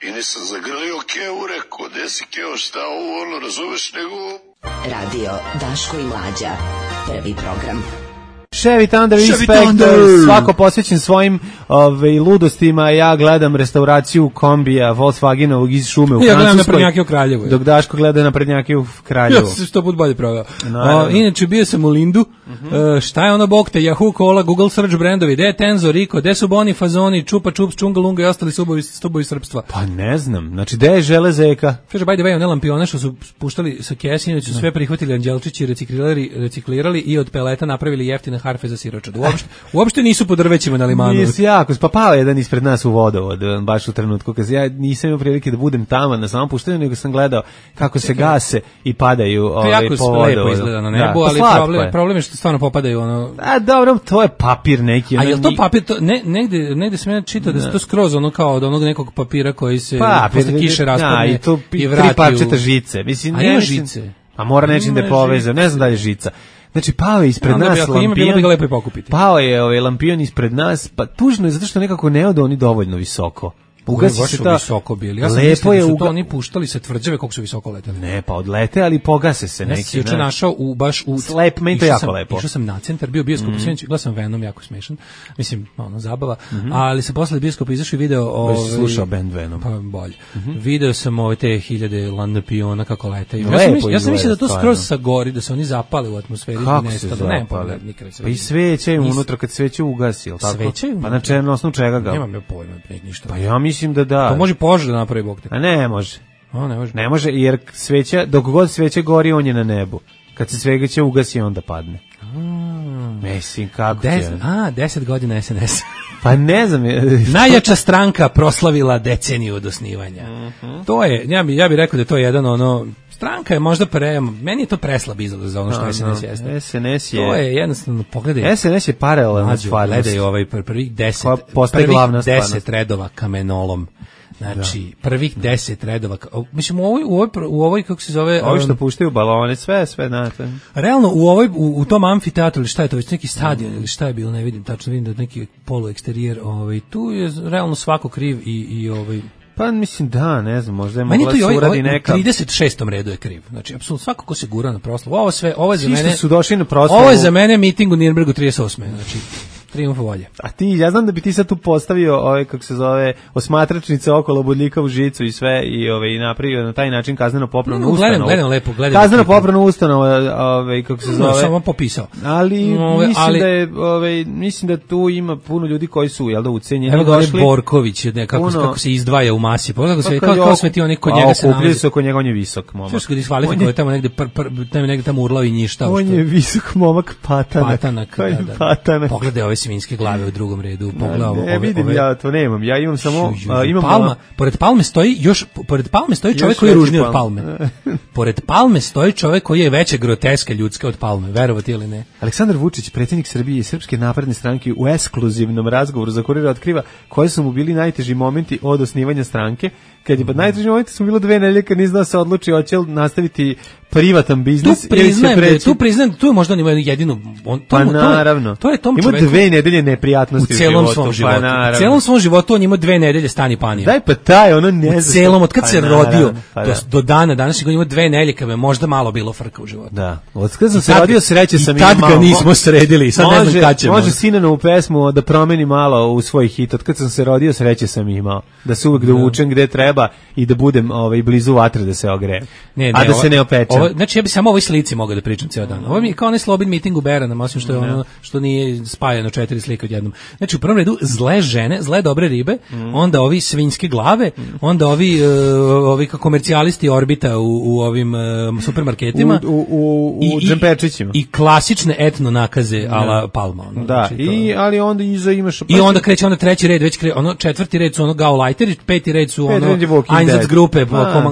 i nisam zagrlio Kevu, rekao, gde si Keo, šta ovo, ono, razumeš, nego... Radio Daško i Mlađa, prvi program. Chevy Thunder Inspector, svako posvećen svojim ove, ludostima. Ja gledam restauraciju kombija Volkswagenovog iz šume u ja Francuskoj. Ja gledam naprednjake u Kraljevu. Dok Daško gleda naprednjake u Kraljevu. Ja sam sto put bolje proveo. O, inače, bio sam u Lindu. Uh-huh. Uh, šta je ono bog te? Yahoo, Cola, Google Search brandovi. Gde je Tenzo, Rico, gde su Boni, Fazoni, Čupa Čups, Čungalunga i ostali stubovi, stubovi srpstva? Pa ne znam. Znači, gde je Železeka? Kaže, by the way, one lampione što su puštali sa kesi, su sve prihvatili anđelčići, reciklirali, reciklirali i od peleta napravili jeftine harfe za siročad. Uopšte, uopšte nisu po drvećima na limanu. Nisi jako, pa pao jedan ispred nas u vodovod, baš u trenutku kad ja nisam imao prilike da budem tamo na samom puštenju, nego sam gledao kako se gase i padaju ovaj, po vodovodu. Jako lepo izgleda na nebu, da, ali problem je. problem je što stvarno popadaju ono... A dobro, to je papir neki. A je li to papir? To, ne, negde, negde sam ja čitao da se to skroz ono kao od onog nekog papira koji se papir, posle kiše raspadne i, to, i vrati tri parčeta žice. Mislim, a ne, ima mislim, žice? A mora nečim da je povezao, ne znam da je žica. Znači, pao je ispred nas ako lampion, ima, ga lepo i pokupiti. Pao je ovaj lampion ispred nas, pa tužno je zato što nekako ne ode oni dovoljno visoko. Ugasi se ta visoko bili. Ja sam mislio da su uga... to oni puštali sa tvrđave kako su visoko leteli. Ne, pa odlete, ali pogase se neki. Ja sam juče našao u baš u Slep, meni to jako sam, lepo. Išao sam na centar, bio bioskop mm-hmm. u Sjenici, gledao sam Venom, jako smešan. Mislim, ono zabava, mm-hmm. ali sam posle bioskopa izašao i video ovaj slušao band Venom. Pa bolje. Mm-hmm. Video sam ove te hiljade lampiona kako lete. Ja sam mislio, ja sam mislio da to skroz sa gori, da se oni zapale u atmosferi i nestalo. Ne, pa nikad se. Pa i sveće im unutra kad sveće ugasi, al tako? Pa na čemu osnovu čega ga? Nemam ja pojma, ništa. Pa ja mislim da da. Požar da napravi Bog te. A ne može. A ne može. Ne može jer sveća, dok god sveća gori, on je na nebu. Kad se sveća ugasi, onda padne. A, mislim, kako Des, će? A, deset godina S N S. Pa ne znam. Najjača stranka proslavila deceniju od osnivanja. Uh-huh. To je, ja bi, ja bi rekao da to je jedan ono, stranka je možda pre, meni je to preslab izgled za ono što no, S N S jeste. S N S je... To je jednostavno, pogledaj. S N S je paralelna stvarnost. Gledaj ovaj prvih deset, prvih deset redova kamenolom. Znači, da. prvih deset redova, mislim, u ovoj, u ovoj, u ovoj kako se zove... Ovi što puštaju balone, sve, sve, znate. Realno, u ovoj, u, u tom amfiteatru, ili šta je to, već neki stadion, ili šta je bilo, ne vidim, tačno vidim da neki polueksterijer, ovaj, tu je realno svako kriv i, i ovaj... Pa mislim da, ne znam, možda je mogla se uradi neka... U trideset šestom redu je kriv. Znači, apsolutno svako ko se gura na proslavu. Ovo sve, ovo je za mene... su došli na proslavu... Ovo je za mene miting u Nirnbergu trideset osme Znači, trijumf volje. A ti, ja znam da bi ti sad tu postavio ove, kako se zove, osmatračnice okolo bodljika u žicu i sve i ove i napravio na taj način kazneno popravnu ustanovu. Gledam, gledam lepo, gledam. Kazneno popravnu ustanovu, ove, kako se zove. No, samo popisao. Ali ove, mislim ali, da je, ove, mislim da tu ima puno ljudi koji su, jel da, ucenjeni. Evo ga Borković, ne, kako, puno, kako se izdvaja u masi. Kako se, kako, kako sve ti oni kod njega se nalazi. Se oko njega, on je visok momak. Što se ga diskvalifikuje, tamo negde, pr, pr, tamo negde tamo urlao i njišta. On je visok momak patanak. Patanak, da, da. Patanak. Pogledaj ove svinjske glave u drugom redu. Pogledaj ove. Ne vidim, ja to nemam. Ja imam samo... Imam Palma. Pored Palme stoji još, pored Palme stoji čovjek koji je ružniji od Palme. Pored Palme stoji čovjek koji je veće groteska ljudska od Palme, verovati ili ne. Aleksandar Vučić, predsjednik Srbije i Srpske napredne stranke, u ekskluzivnom razgovoru za Kurir otkriva koji su mu bili najteži momenti od osnivanja stranke. Kad je mm. najteži momenti su bilo dve nedelje kad nije znao se odluči hoće li nastaviti privatan biznis tu priznajem, ili će preći. Tu priznajem, tu je možda on ima jedinu... On, pa tomu, naravno. To je, to je tom ima čoveku, dve nedelje neprijatnosti u celom životu. Svom životu. Pa u celom svom životu on ima dve nedelje stani panija. Daj pa taj, ono ne u zna. Celom, od kad pa se naravno, rodio pa do, do dana danas on ima dve nedelje kad me možda malo bilo frka u životu. Da. Od kad sam se rodio sreće sam imao. I tad ga nismo sredili, sad može, ne znam kad ćemo. Može Sinanovu pesmu da promeni malo u svoj hit. Od kad sam se rodio sreće sam imao. Da se uvek dovučem gde treba i da budem ovaj, blizu vatre da se ogrejem. Ne, ne, a da ovo, se ne opečem. Ovo, znači ja bi samo o ovoj slici mogao da pričam ceo dan. Ovo mi je kao onaj Slobin miting u Beranama, osim što je ono što nije spajano četiri slike odjednom. Znači u prvom redu zle žene, zle dobre ribe, mm. onda ovi svinjske glave, mm. onda ovi uh, ovi komercijalisti Orbita u, u ovim uh, supermarketima u u u džemperčićima i, i klasične etno nakaze ala Palma. Ono, da, znači, i ali onda iza imaš i onda kreće onda treći red, već kre, ono četvrti red su ono Gauleiter, peti red su ono Einsatz grupe,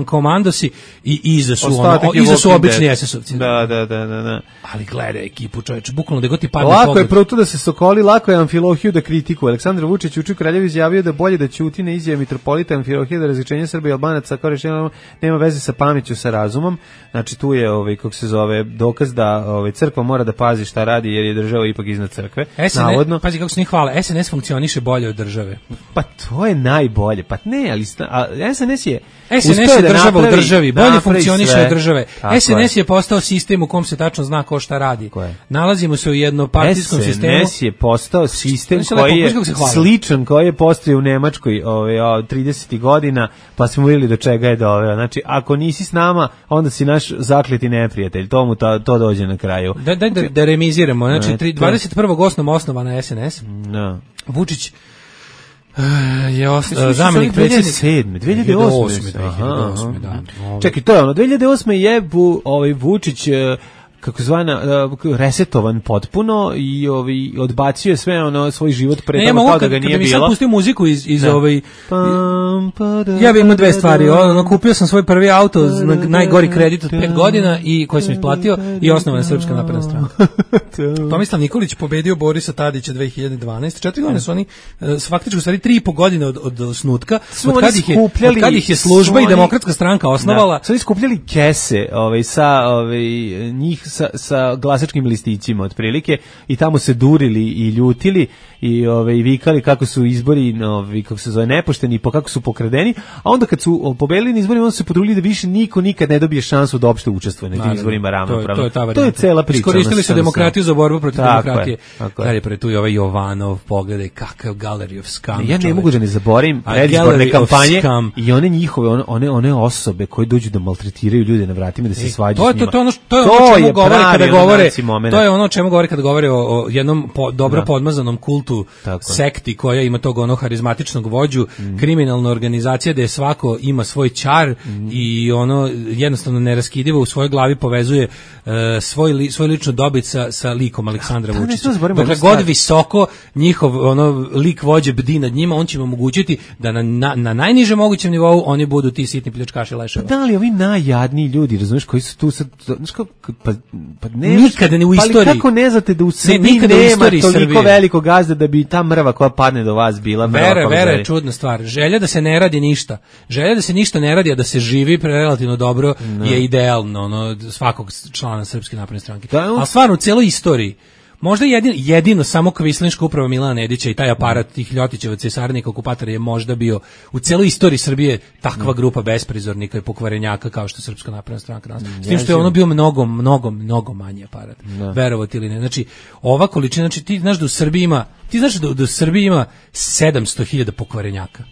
komandosi i iza su ono, iza su obični es esovci. Da, da, da, da, da. Ali gledaj ekipu, čoveče, bukvalno da god ti padne pogled. Lako je prvo da se Sokoli voli lako je Amfilohiju da kritikuje. Aleksandar Vučić juče u Kraljevu izjavio da bolje da ćuti na izjave mitropolita Amfilohija da različenje Srba i Albanaca kao rešenje nema veze sa pameću, sa razumom. Znači tu je ovaj kako se zove dokaz da ovaj crkva mora da pazi šta radi jer je država ipak iznad crkve. S N S, navodno. Pazi kako se njih hvale. S N S funkcioniše bolje od države. Pa to je najbolje. Pa ne, ali a, S N S je S N S je država napravi, u državi, bolje funkcioniše od države. S N S je postao sistem u kom se tačno zna ko šta radi. Nalazimo se u jednopartijskom sistemu. S N S je postao sistem koji je sličan koji je postojao u Nemačkoj ove tridesetih godina, pa smo vidjeli do čega je doveo. Znači, ako nisi s nama, onda si naš zakleti neprijatelj. To mu ta, to dođe na kraju. Da, da, da, da remiziramo. Znači, dvadeset prvog osnova osnovana S N S. No. Vučić je osnovno zamenik predsjednika dve hiljade osme Aha, da. Čekaj, to je ono dve hiljade osme je bu, ovaj Vučić kako zvana uh, resetovan potpuno i ovaj odbacio je sve ono svoj život pre toga kao da ga nije bilo. Ja mogu pustio muziku iz iz ovaj ja bih imao dve stvari. Ono kupio sam svoj prvi auto na najgori kredit od pet godina i koji sam isplatio i osnovana Srpska napredna stranka. Tomislav Nikolić pobedio Borisa Tadića dve hiljade dvanaeste. Četiri godine su oni faktički u stvari tri i po godine od od osnutka. Od kad ih je od kad ih je služba i demokratska stranka osnovala. Su skupljali kese, ovaj sa ovaj njih sa, sa glasačkim listićima otprilike i tamo se durili i ljutili i ovaj vikali kako su izbori novi kako se zove nepošteni i po kako su pokradeni, a onda kad su pobedili na izborima onda su se potrudili da više niko nikad ne dobije šansu da uopšte učestvuje na tim izborima ravnopravno. To, to, je to je cela priča. Iskoristili su demokratiju za borbu protiv tako demokratije. Dalje pre tu je ovaj Jovanov, pogledaj kakav gallery of scum. Ja ne čoveč. Mogu da ne zaboravim predizborne kampanje i one njihove one, one one osobe koje dođu da maltretiraju ljude na vratima da se svađaju s njima. To je to to je ono čemu govore kada govore. To je ono čemu govore kada govore o, o jednom po, dobro da. podmazanom kultu tako. sekti koja ima tog ono harizmatičnog vođu, mm. kriminalna organizacija gde svako ima svoj ćar mm. i ono jednostavno neraskidivo u svojoj glavi povezuje uh, svoj li, svoj lično dobit sa, sa likom Aleksandra ja, Vučića. Dokle god visoko njihov ono lik vođe bdi nad njima, on će im omogućiti da na, na, na najnižem mogućem nivou oni budu ti sitni pljačkaši leševa. Pa da li ovi najjadniji ljudi, razumeš, koji su tu sad, znaš kako, pa, pa ne nikada ne u istoriji. Ali kako ne znate da u Srbiji ne, nema toliko Srbije. Velikog gazda da bi ta mrva koja padne do vas bila mrva. Vera, vera je čudna stvar. Želja da se ne radi ništa. Želja da se ništa ne radi, a da se živi relativno dobro no. je idealno ono, svakog člana Srpske napredne stranke. Da, on... Ali stvarno u celoj istoriji možda jedino, jedino samo kvislinška uprava Milana Nedića i taj aparat tih Ljotićevaca i saradnika okupatora je možda bio u celoj istoriji Srbije takva mm. grupa besprizornika i pokvarenjaka kao što Srpska napredna stranka danas. S tim što je ono bio mnogo, mnogo, mnogo manji aparat. No. Verovati ili ne. Znači, ova količina, znači ti znaš da u Srbiji ima, ti znaš da, da u Srbiji ima sedamsto hiljada pokvarenjaka.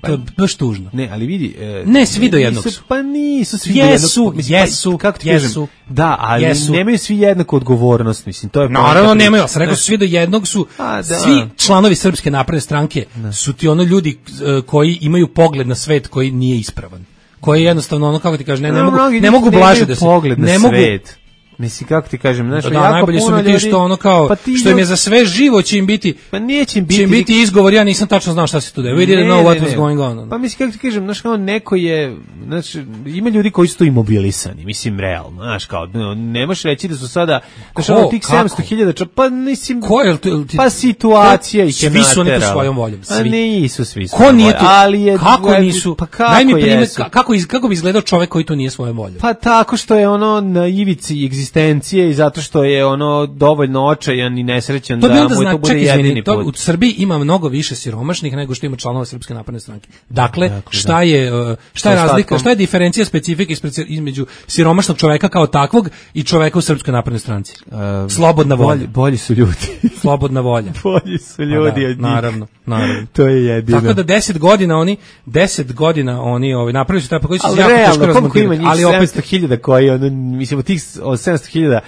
Pa, to je baš tužno. Ne, ali vidi... E, ne, svi do jednog su. Pa nisu svi jesu, do jednog. Jesu, jesu, kako ti jesu. Kažem, da, ali jesu. Nemaju svi jednaku odgovornost, mislim. To je naravno nemaju, ja sam rekao svi do jednog su, A, da. svi članovi Srpske napredne stranke da. su ti ono ljudi uh, koji imaju pogled na svet koji nije ispravan. Koji jednostavno, ono kako ti kažeš, ne, ne, no, mogu, ne mogu blaže da se... Pogled na ne mogu, svet. Mislim, kako ti kažem, znaš, da, jako najbolje puno su mi ti što ono kao, pa što im je za sve živo će im biti, pa neće im biti, će im biti izgovor, ja nisam tačno znao šta se tu da, we didn't know what was going on. Pa mislim, kako ti kažem, znaš, kao neko je, znači, ima ljudi koji su tu imobilisani, mislim, realno, znaš, kao, ne možeš reći da su sada, znaš, ono, tih sedamsto hiljada, pa mislim, ko je, pa situacija ih je naterala. Svi su oni po svojom voljom, svi. A nisu svi Ko nije tu, ali je, kako nisu, pa kako daj mi primjer, kako, kako bi izgledao čovek koji tu nije svojom voljom? Pa tako što je ono na ivici egzistencije i zato što je ono dovoljno očajan i nesrećan to da mu zna, to bude ček, jedini izmeni, to, put. U Srbiji ima mnogo više siromašnih nego što ima članova Srpske napredne stranke. Dakle, dakle šta je šta je razlika, šta je diferencija specifika između siromašnog čoveka kao takvog i čoveka u Srpskoj naprednoj stranci? Um, Slobodna volja. Bolji, bolji su ljudi. Slobodna volja. Bolji su ljudi da, od njih. Naravno, naravno. To je jedino. Tako da deset godina oni, deset godina oni ovaj napravili su taj pa koji su jako teško razmontirati. Ali opet sedamsto hiljada koji ono mislim od tih sedamsto hiljada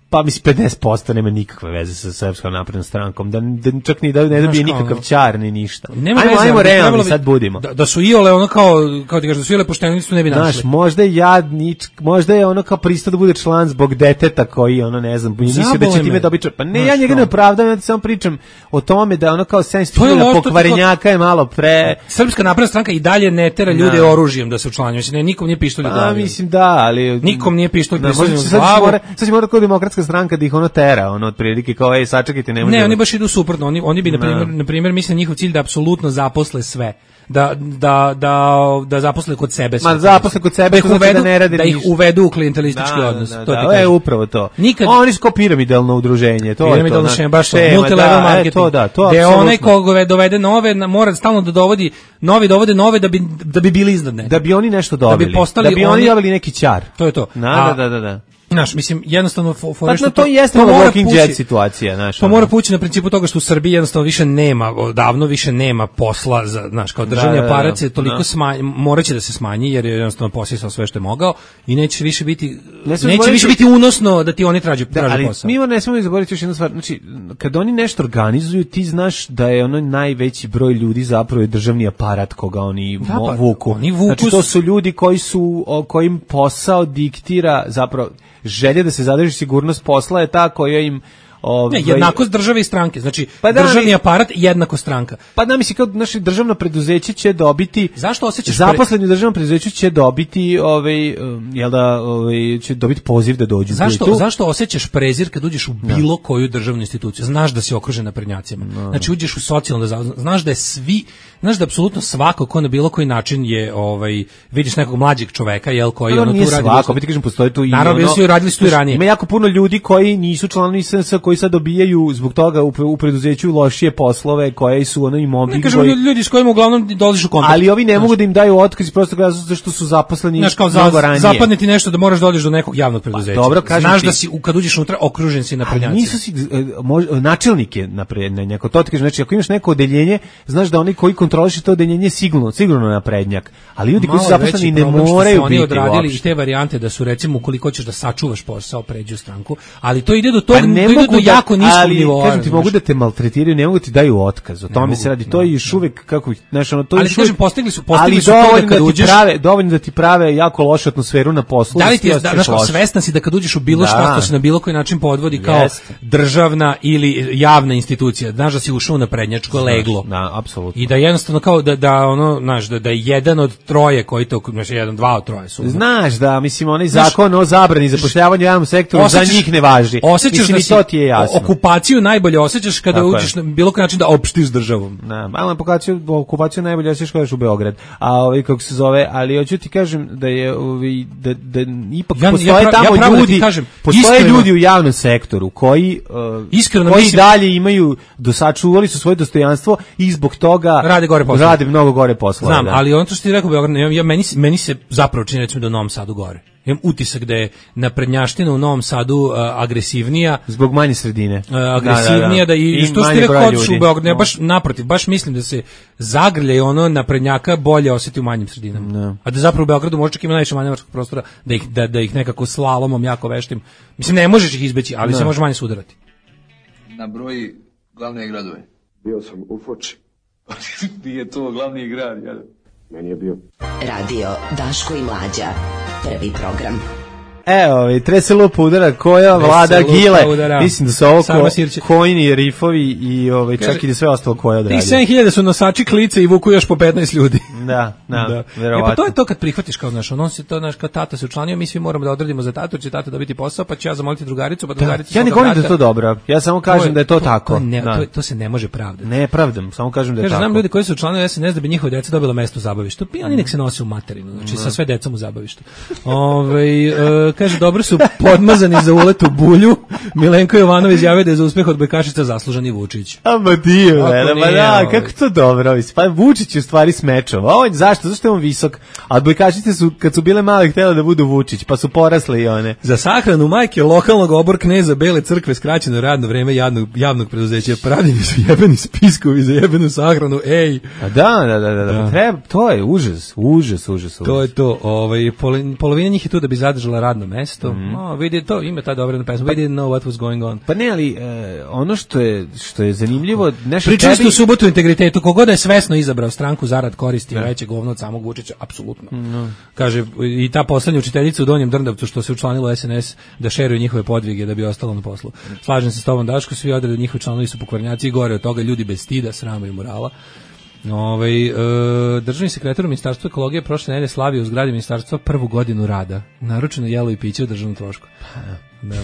pa mislim pedeset posto nema nikakve veze sa Srpskom naprednom strankom, da, da čak ni da ne dobije nikakav ćar ni ništa. Nema ajmo, veze, ajmo realni sad budimo. Da, da su iole ono kao, kao ti kažeš, da su iole pošteni su ne bi našli. Znaš, možda je jadnič, možda je ono kao pristao da bude član zbog deteta koji, ono ne znam, mislio da će time dobiti. Pa ne, ja njega ne opravdam, ja samo pričam o tome da ono kao sedamsto hiljada pokvarenjaka je malo pre... Srpska napredna stranka i dalje ne tera ljude da. oružjem da se učlanjuju. Ne, nikom nije pištolj u glavi. A mislim da, ali... Nikom nije pištolj u glavi. Sad će mora kod demokratska demokratska stranka da ih ono tera, ono otprilike kao ej sačekajte, ne može. Ne, oni baš idu suprotno. Oni oni bi na primjer na primjer mislim njihov cilj da apsolutno zaposle sve. Da, da, da, da zaposle kod sebe sve. Ma zaposle kod sebe, da ih uvedu, da, ne rade da ih uvedu u klijentelistički da, odnos. Da, to da, da, je upravo to. Nikad... Oni su kao piramidalno udruženje. To piramidalno je to. Baš multilevel da, marketing. To, da, to gde onaj koga dovede nove, mora stalno da dovodi, novi dovode nove da bi, da bi bili iznad ne. Da bi oni nešto dobili. Da bi, postali da bi oni dobili neki ćar. To je to. Da, da, da, da. Znaš, mislim, jednostavno for, for pa, što no, to, to jeste to Walking Dead situacija, znaš. To mora pući na principu toga što u Srbiji jednostavno više nema, davno više nema posla za, znaš, kao državni da, aparat se toliko da. smanji, moraće da se smanji jer je jednostavno posisao sve što je mogao i neće više biti ne neće zboriti, više biti unosno da ti oni traže da, traže ali posao. Mi ne smemo zaboraviti još jednu stvar, znači kad oni nešto organizuju, ti znaš da je ono najveći broj ljudi zapravo je državni aparat koga oni da, pa, vuku. Oni vuku. Znači to su ljudi koji su o, kojim posao diktira zapravo želja da se zadrži sigurnost posla je ta koja im Ovaj, ne, jednakost države i stranke. Znači, pa da, državni aparat jednako stranka. Pa da, misli, kao naše državno preduzeće će dobiti... Zašto osjećaš... Zaposleni u državnom preduzeću će dobiti, ovaj, jel da, ovaj, će dobiti poziv da dođu. Zašto, tu? zašto osjećaš prezir kad uđeš u bilo no. koju državnu instituciju? Znaš da si okružen naprednjacima. No. Znači, uđeš u socijalno da znaš da je svi... Znaš da apsolutno svako ko na bilo koji način je, ovaj, vidiš nekog mlađeg čoveka, jel, koji ono tu radi... Svako, ti kažem, postoji tu i... Naravno, ono, radili su tu i ranije. Ima jako puno ljudi koji nisu članovi S N S, koji sad dobijaju zbog toga u, u preduzeću lošije poslove koje su ono i mobbing. Ne kažem koji... ljudi s kojima uglavnom dolaziš u kontakt. Ali ovi ne znaš, mogu da im daju otkaz prosto zato što su zaposleni znaš, kao mnogo za, ranije. Zapadne ti nešto da moraš da odeš do nekog javnog preduzeća. Pa, dobro, kažem znaš ti, da si kad uđeš unutra okružen si naprednjacima. Nisu si mož, načelnik je naprednjak. To ti kažem, znači ako imaš neko odeljenje, znaš da oni koji kontrolišu to odeljenje sigurno, sigurno naprednjak. Ali ljudi koji su zaposleni ne moraju biti. Oni odradili i te varijante da su recimo ukoliko hoćeš da sačuvaš posao, pređi u stranku, ali to ide do toga, to ide do jako niskog nivoa. Kažem ti, mogu da te maltretiraju, ne mogu ti daju otkaz. O tome se radi. To je još uvek kako, znaš, ono to je. Ali kažem, postigli su, postigli su to da kad uđeš, prave, dovoljno da ti prave jako lošu atmosferu na poslu. Da li ti je, znaš, svestan si da kad uđeš u bilo šta što se na bilo koji način podvodi kao državna ili javna institucija, znaš da si ušao na prednjačko leglo. Da, apsolutno. I da jednostavno kao da da ono, znaš, da da je jedan od troje koji to, znači jedan, dva od troje su. Znaš da, mislim, onaj zakon o zabrani zapošljavanja u javnom sektoru za njih ne važi. Osjećaš da to ti je jasno. Okupaciju najbolje osjećaš kada tako uđeš je. Na bilo koji način da opštiš državom. Da, malo okupaciju, okupaciju najbolje osjećaš kada ješ u Beograd. A ovaj kako se zove, ali hoću ti kažem da je ovaj da da ipak ja, postoje ja, tamo ja ljudi, da kažem, postoje iskreno, ljudi u javnom sektoru koji uh, iskreno koji mislim, dalje imaju dosačuvali su svoje dostojanstvo i zbog toga rade gore posao. Rade mnogo gore poslove. Znam, da. ali ono što ti rekao Beograd, ja, ja meni meni se zapravo čini recimo da u Novom Sadu gore. Imam utisak da je naprednjaština u Novom Sadu uh, agresivnija zbog manje sredine. Uh, agresivnija da, da, da. da i, I što ste rekao u Beogradu, ne, baš naprotiv, baš mislim da se zagrlje ono naprednjaka bolje osjeti u manjim sredinama. No. A da zapravo u Beogradu možda čak ima najviše manevarskog prostora da ih da, da ih nekako slalomom jako veštim. Mislim ne možeš ih izbeći, ali no. se može manje sudarati. Na broji glavne gradove. Bio sam u Foči. Nije to glavni grad, jel? Meni je bio. Radio Daško i Mlađa. Prvi program. Evo, trese lupa udara koja vlada gile. Udara. Mislim da su ovo ko, kojni rifovi i ovaj, čak i da sve ostalo koje odradi. Tih sedam hiljada su nosači klice i vuku još po petnaest ljudi. Da, da, da. Verovatno. E pa to je to kad prihvatiš kao naš, on se to naš kao tata se učlanio, mi svi moramo da odradimo za tatu, će tata dobiti posao, pa će ja zamoliti drugaricu, pa drugarica. Ja ne govorim da je to dobro. Ja samo kažem to je, da je to, to tako. To, ne, da. to, to se ne može pravdati. Ne pravdam, samo kažem da je Kaže, tako. Znam ljudi koji su učlanili S N S da bi njihova deca dobila mesto u zabavištu. Pa oni nek se nose u materinu, znači sa sve decom u zabavištu. Ovaj uh, kaže dobro su podmazani za ulet u bulju. Milenko Jovanov izjavio da je za uspeh odbojkašica zaslužan i Vučić. A ma dio, ma da, kako to dobro. Pa Vučić je u stvari smečova. On zašto? Zašto je on visok? A odbojkašice su kad su bile male htjele da budu Vučić, pa su porasle i one. Za sahranu majke lokalnog obor kneza Bele crkve skraćeno radno vreme javnog javnog preduzeća. Pravljeni su jebeni spiskovi za jebenu sahranu. Ej. A da, da, da, da, da. Treba, to je užas, užas, užas. To je to. Ovaj polovina njih je tu da bi zadržala radno mesto. Mm. No, vidi to, ima ta dobra pesma. We didn't know what was going on. Pa ne, ali e, ono što je što je zanimljivo, nešto pričali ste u subotu o integritetu, kogod je svesno izabrao stranku zarad koristi ne. veće govno od samog Vučića, apsolutno. No. Kaže i ta poslednja učiteljica u Donjem Drndavcu što se učlanilo u S N S da šeruje njihove podvige da bi ostalo na poslu. Slažem se s tobom Daško, svi odredi njihovi članovi su pokvarnjaci i gore od toga ljudi bez stida, srama i morala. Ovaj e, državni sekretar u Ministarstvu ekologije prošle nedelje slavio u zgradi ministarstva prvu godinu rada. Naručeno jelo i piće u državnom trošku. Da.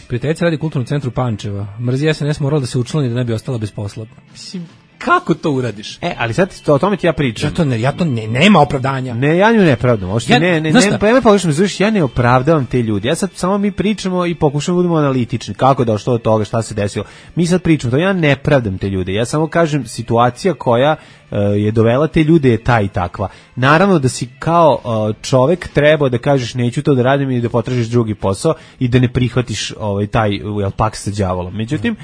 Prijateljica radi u kulturnom centru Pančeva. Mrzi es en es morala da se učlani da ne bi ostala bez posla. Mislim, kako to uradiš? E, ali sad to, o tome ti ja pričam. Ja to ne, ja to ne, nema opravdanja. Ne, ja nju ne opravdam. Ja, ne, ne, ne, pa ja me pogrešno zvučiš, ja ne opravdavam te ljudi. Ja sad samo mi pričamo i pokušamo da budemo analitični. Kako da što od toga, šta se desilo. Mi sad pričamo, to ja ne pravdam te ljude. Ja samo kažem situacija koja uh, je dovela te ljude je ta i takva. Naravno da si kao uh, čovek trebao da kažeš neću to da radim i da potražiš drugi posao i da ne prihvatiš ovaj taj jel, pakt sa đavolom. Međutim,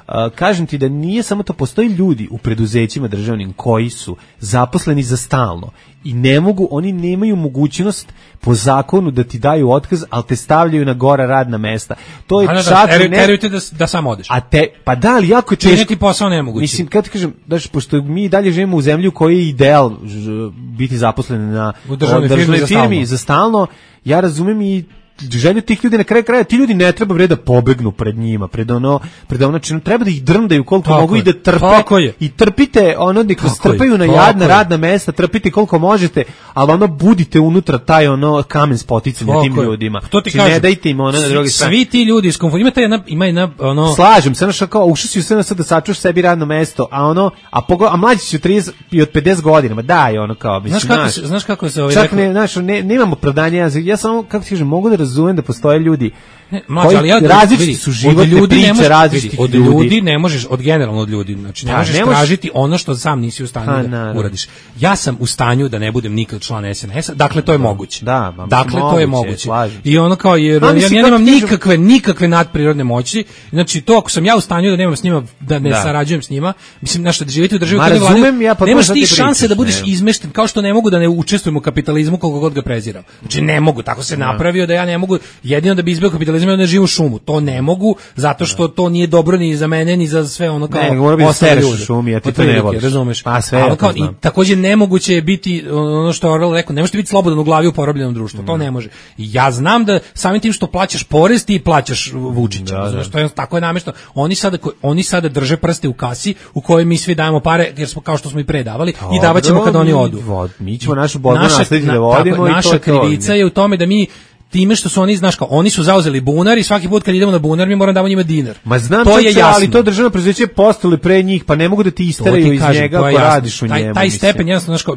Uh, kažem ti da nije samo to, postoji ljudi u preduzećima državnim koji su zaposleni za stalno i ne mogu, oni nemaju mogućnost po zakonu da ti daju otkaz, ali te stavljaju na gora radna mesta. To je čak da, ne... Terujte da, da sam odeš. A te, pa da, ali jako je teško. Činiti posao nemoguće. Mislim, kad ti kažem, daš, pošto mi dalje živimo u zemlju koji je ideal ž, biti zaposlen na u državnoj firmi, firmi, firmi za stalno, ja razumem i želju tih ljudi na kraju kraja, ti ljudi ne treba bre da pobegnu pred njima, pred ono, pred ono činu, treba da ih drndaju koliko tako mogu je, i da trpe i trpite ono da ih strpaju na jadna radna mesta, trpite koliko možete, ali ono budite unutra taj ono kamen spoticanja tim je. ljudima. To ti kažem, ne dajte im ono na drugi strani. Svi ti ljudi iz konfuzije, ima taj jedna, ima jedna ono slažem se, znači kao ušao si u sve da sačuvaš sebi radno mesto, a ono a pogo, a mlađi su trideset i od pedeset godina, ma daj ono kao mislim. Znaš kako se, znaš kako se ovaj čak ne, znaš, ne, nemamo opravdanja, ja, ja samo kako ti kažem, mogu da razumem da postoje ljudi ne, mlađe, ali ja različiti su životne priče različitih od ljudi. ljudi ne možeš, od generalno od ljudi, znači ne pa, možeš ne tražiti možeš... ono što sam nisi u stanju ha, da na, uradiš. Ja sam u stanju da ne budem nikad član es en es-a, dakle to je moguće. Da, ma, dakle moguće, to je moguće. Slažem. I ono kao jer ja, ja nemam nikakve nikakve nadprirodne moći. Znači to ako sam ja u stanju da nemam s njima da ne da. sarađujem s njima, mislim nešto da živite u državi koja razumem, ja pa nemaš ti šanse da budeš izmešten, kao što ne mogu da ne učestvujem u kapitalizmu koliko god ga preziram. Znači ne mogu, tako se napravio da ja ne mogu jedino da bi izbegao kapitalizam da ne živim u šumu. To ne mogu, zato što to nije dobro ni za mene, ni za sve ono kao ne, mora bi da sereš u šumi, a ti to ne voliš. Razumeš? Pa sve ali kao, i takođe nemoguće je biti, ono što je Orwell rekao, ne možete biti slobodan u glavi u porobljenom društvu, mm. to ne može. I ja znam da samim tim što plaćaš porez, ti plaćaš Vučića, da, razumeš? To je, tako je namešteno. Oni sada, oni sada drže prste u kasi u kojoj mi svi dajemo pare, jer smo kao što smo i predavali, i davaćemo kad oni odu. Vod, mi ćemo našu borbu naslediti da vodimo tako, i naša to krivica je u tome da mi time što su oni, znaš kao, oni su zauzeli bunar i svaki put kad idemo na bunar mi moramo davamo njima dinar. Ma znam to je jasno, ali to državno preduzeće postali pre njih, pa ne mogu da ti isteraju iz kažem, njega ako radiš u taj, njemu. Taj stepen, jednostavno, znaš kao,